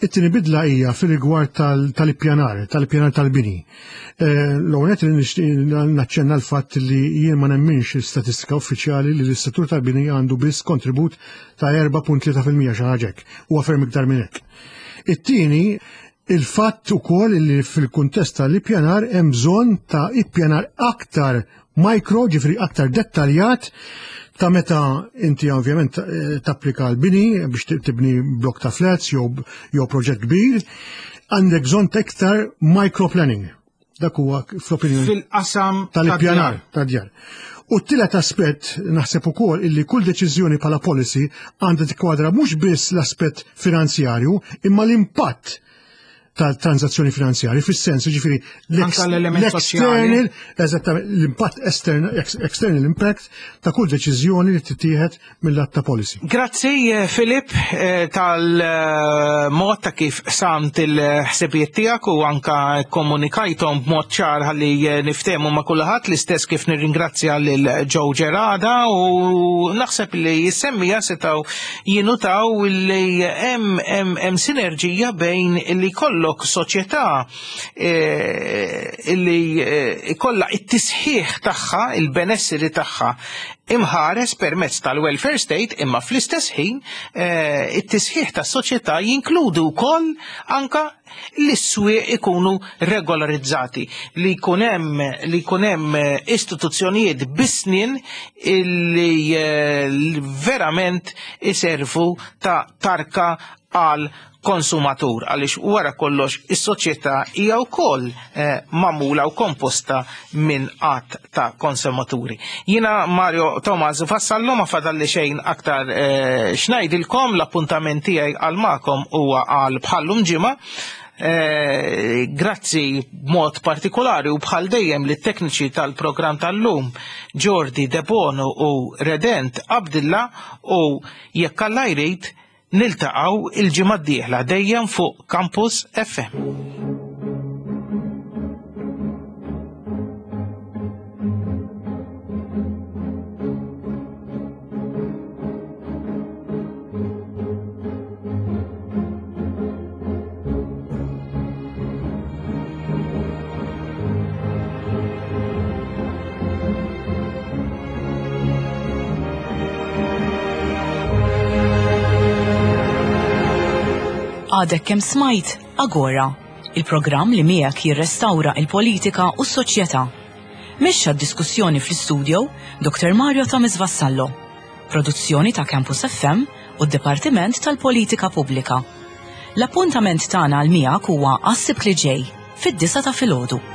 It-tieni bidla hija fil-rigward tal-ippjanar, tal-ippjanar tal-bini. L-ewwel nett li nixtieq naċċenna l-fatt li jien ma nemminx il-statistika uffiċjali li l-settur tal-bini għandu biss kontribut ta' 4.3%, xi ħaġa hekk. Huwa ferm iktar minn hekk. It-tieni, il-fatt ukoll li fil-kuntest tal-ippjanar hemm bżonn ta' ippjanar aktar micro, ġifieri aktar dettaljat, ta' meta inti ovvjament tapplika l-bini biex tibni blok ta' flats jew proġett kbir, għandek bżonn ta' iktar microplanning. Dak huwa fl-opinjoni Fil-qasam tal-ippjanar tad-djar. U t-tielet aspett, naħseb ukoll illi kull deċiżjoni bħala policy għandha tikkwadra mhux biss l-aspett finanzjarju imma l-impatt. tal-transazzjoni finanzjari, fis-sens ġifieri l-external, eżattament, l-impatt external impact ta' kull deċiżjoni li tittieħed mill-att ta' policy. Grazzi eh, Filip eh, tal-mod ta' kif samt il-ħsibijiet tiegħek u anka komunikajthom b'mod ċar ħalli eh, niftehmu ma' kulħadd l-istess kif nirringrazzja lil Joe Gerada u naħseb li jissemmija setgħu jinutaw li hemm hemm sinerġija bejn li kollok soċjetà li kollha it-tisħiħ tagħha, il-benesseri tagħha imħares permezz tal-welfare state imma fl-istess ħin eh, it-tisħiħ tas-soċjetà jinkludu wkoll anka li s-swieq ikunu regolarizzati, li jkun hemm li jkun hemm eh, istituzzjonijiet bisnin illi eh, verament iservu ta' tarka għal konsumatur għaliex wara kollox is-soċjetà hija wkoll eh, magħmula u komposta minn qatt ta' konsumaturi. Jiena Mario Thomas Vassallo ma fadalli xejn aktar eh, xnajdilkom l-appuntament tiegħi għal magħkom huwa għal bħallum ġimgħa. Eh, grazzi b'mod partikolari u bħal dejjem li tekniċi tal-programm tal-lum Jordi Debono u Redent Abdilla u jekk Alla jrid Niltaqgħu il-ġimgħa d-dieħla dejjem fuq Campus FM. Għadek kemm smajt Agora, il-programm li miegħek jirrestawra il-politika u s-soċjetà. Mexxa d-diskussjoni fl-istudio Dr. Mario Thomas Vassallo. Produzzjoni ta' Campus FM u d-Dipartiment tal-Politika Pubblika. L-appuntament tagħna għal miegħek huwa għas-Sibt li ġej, fid-disgħa ta' filgħodu.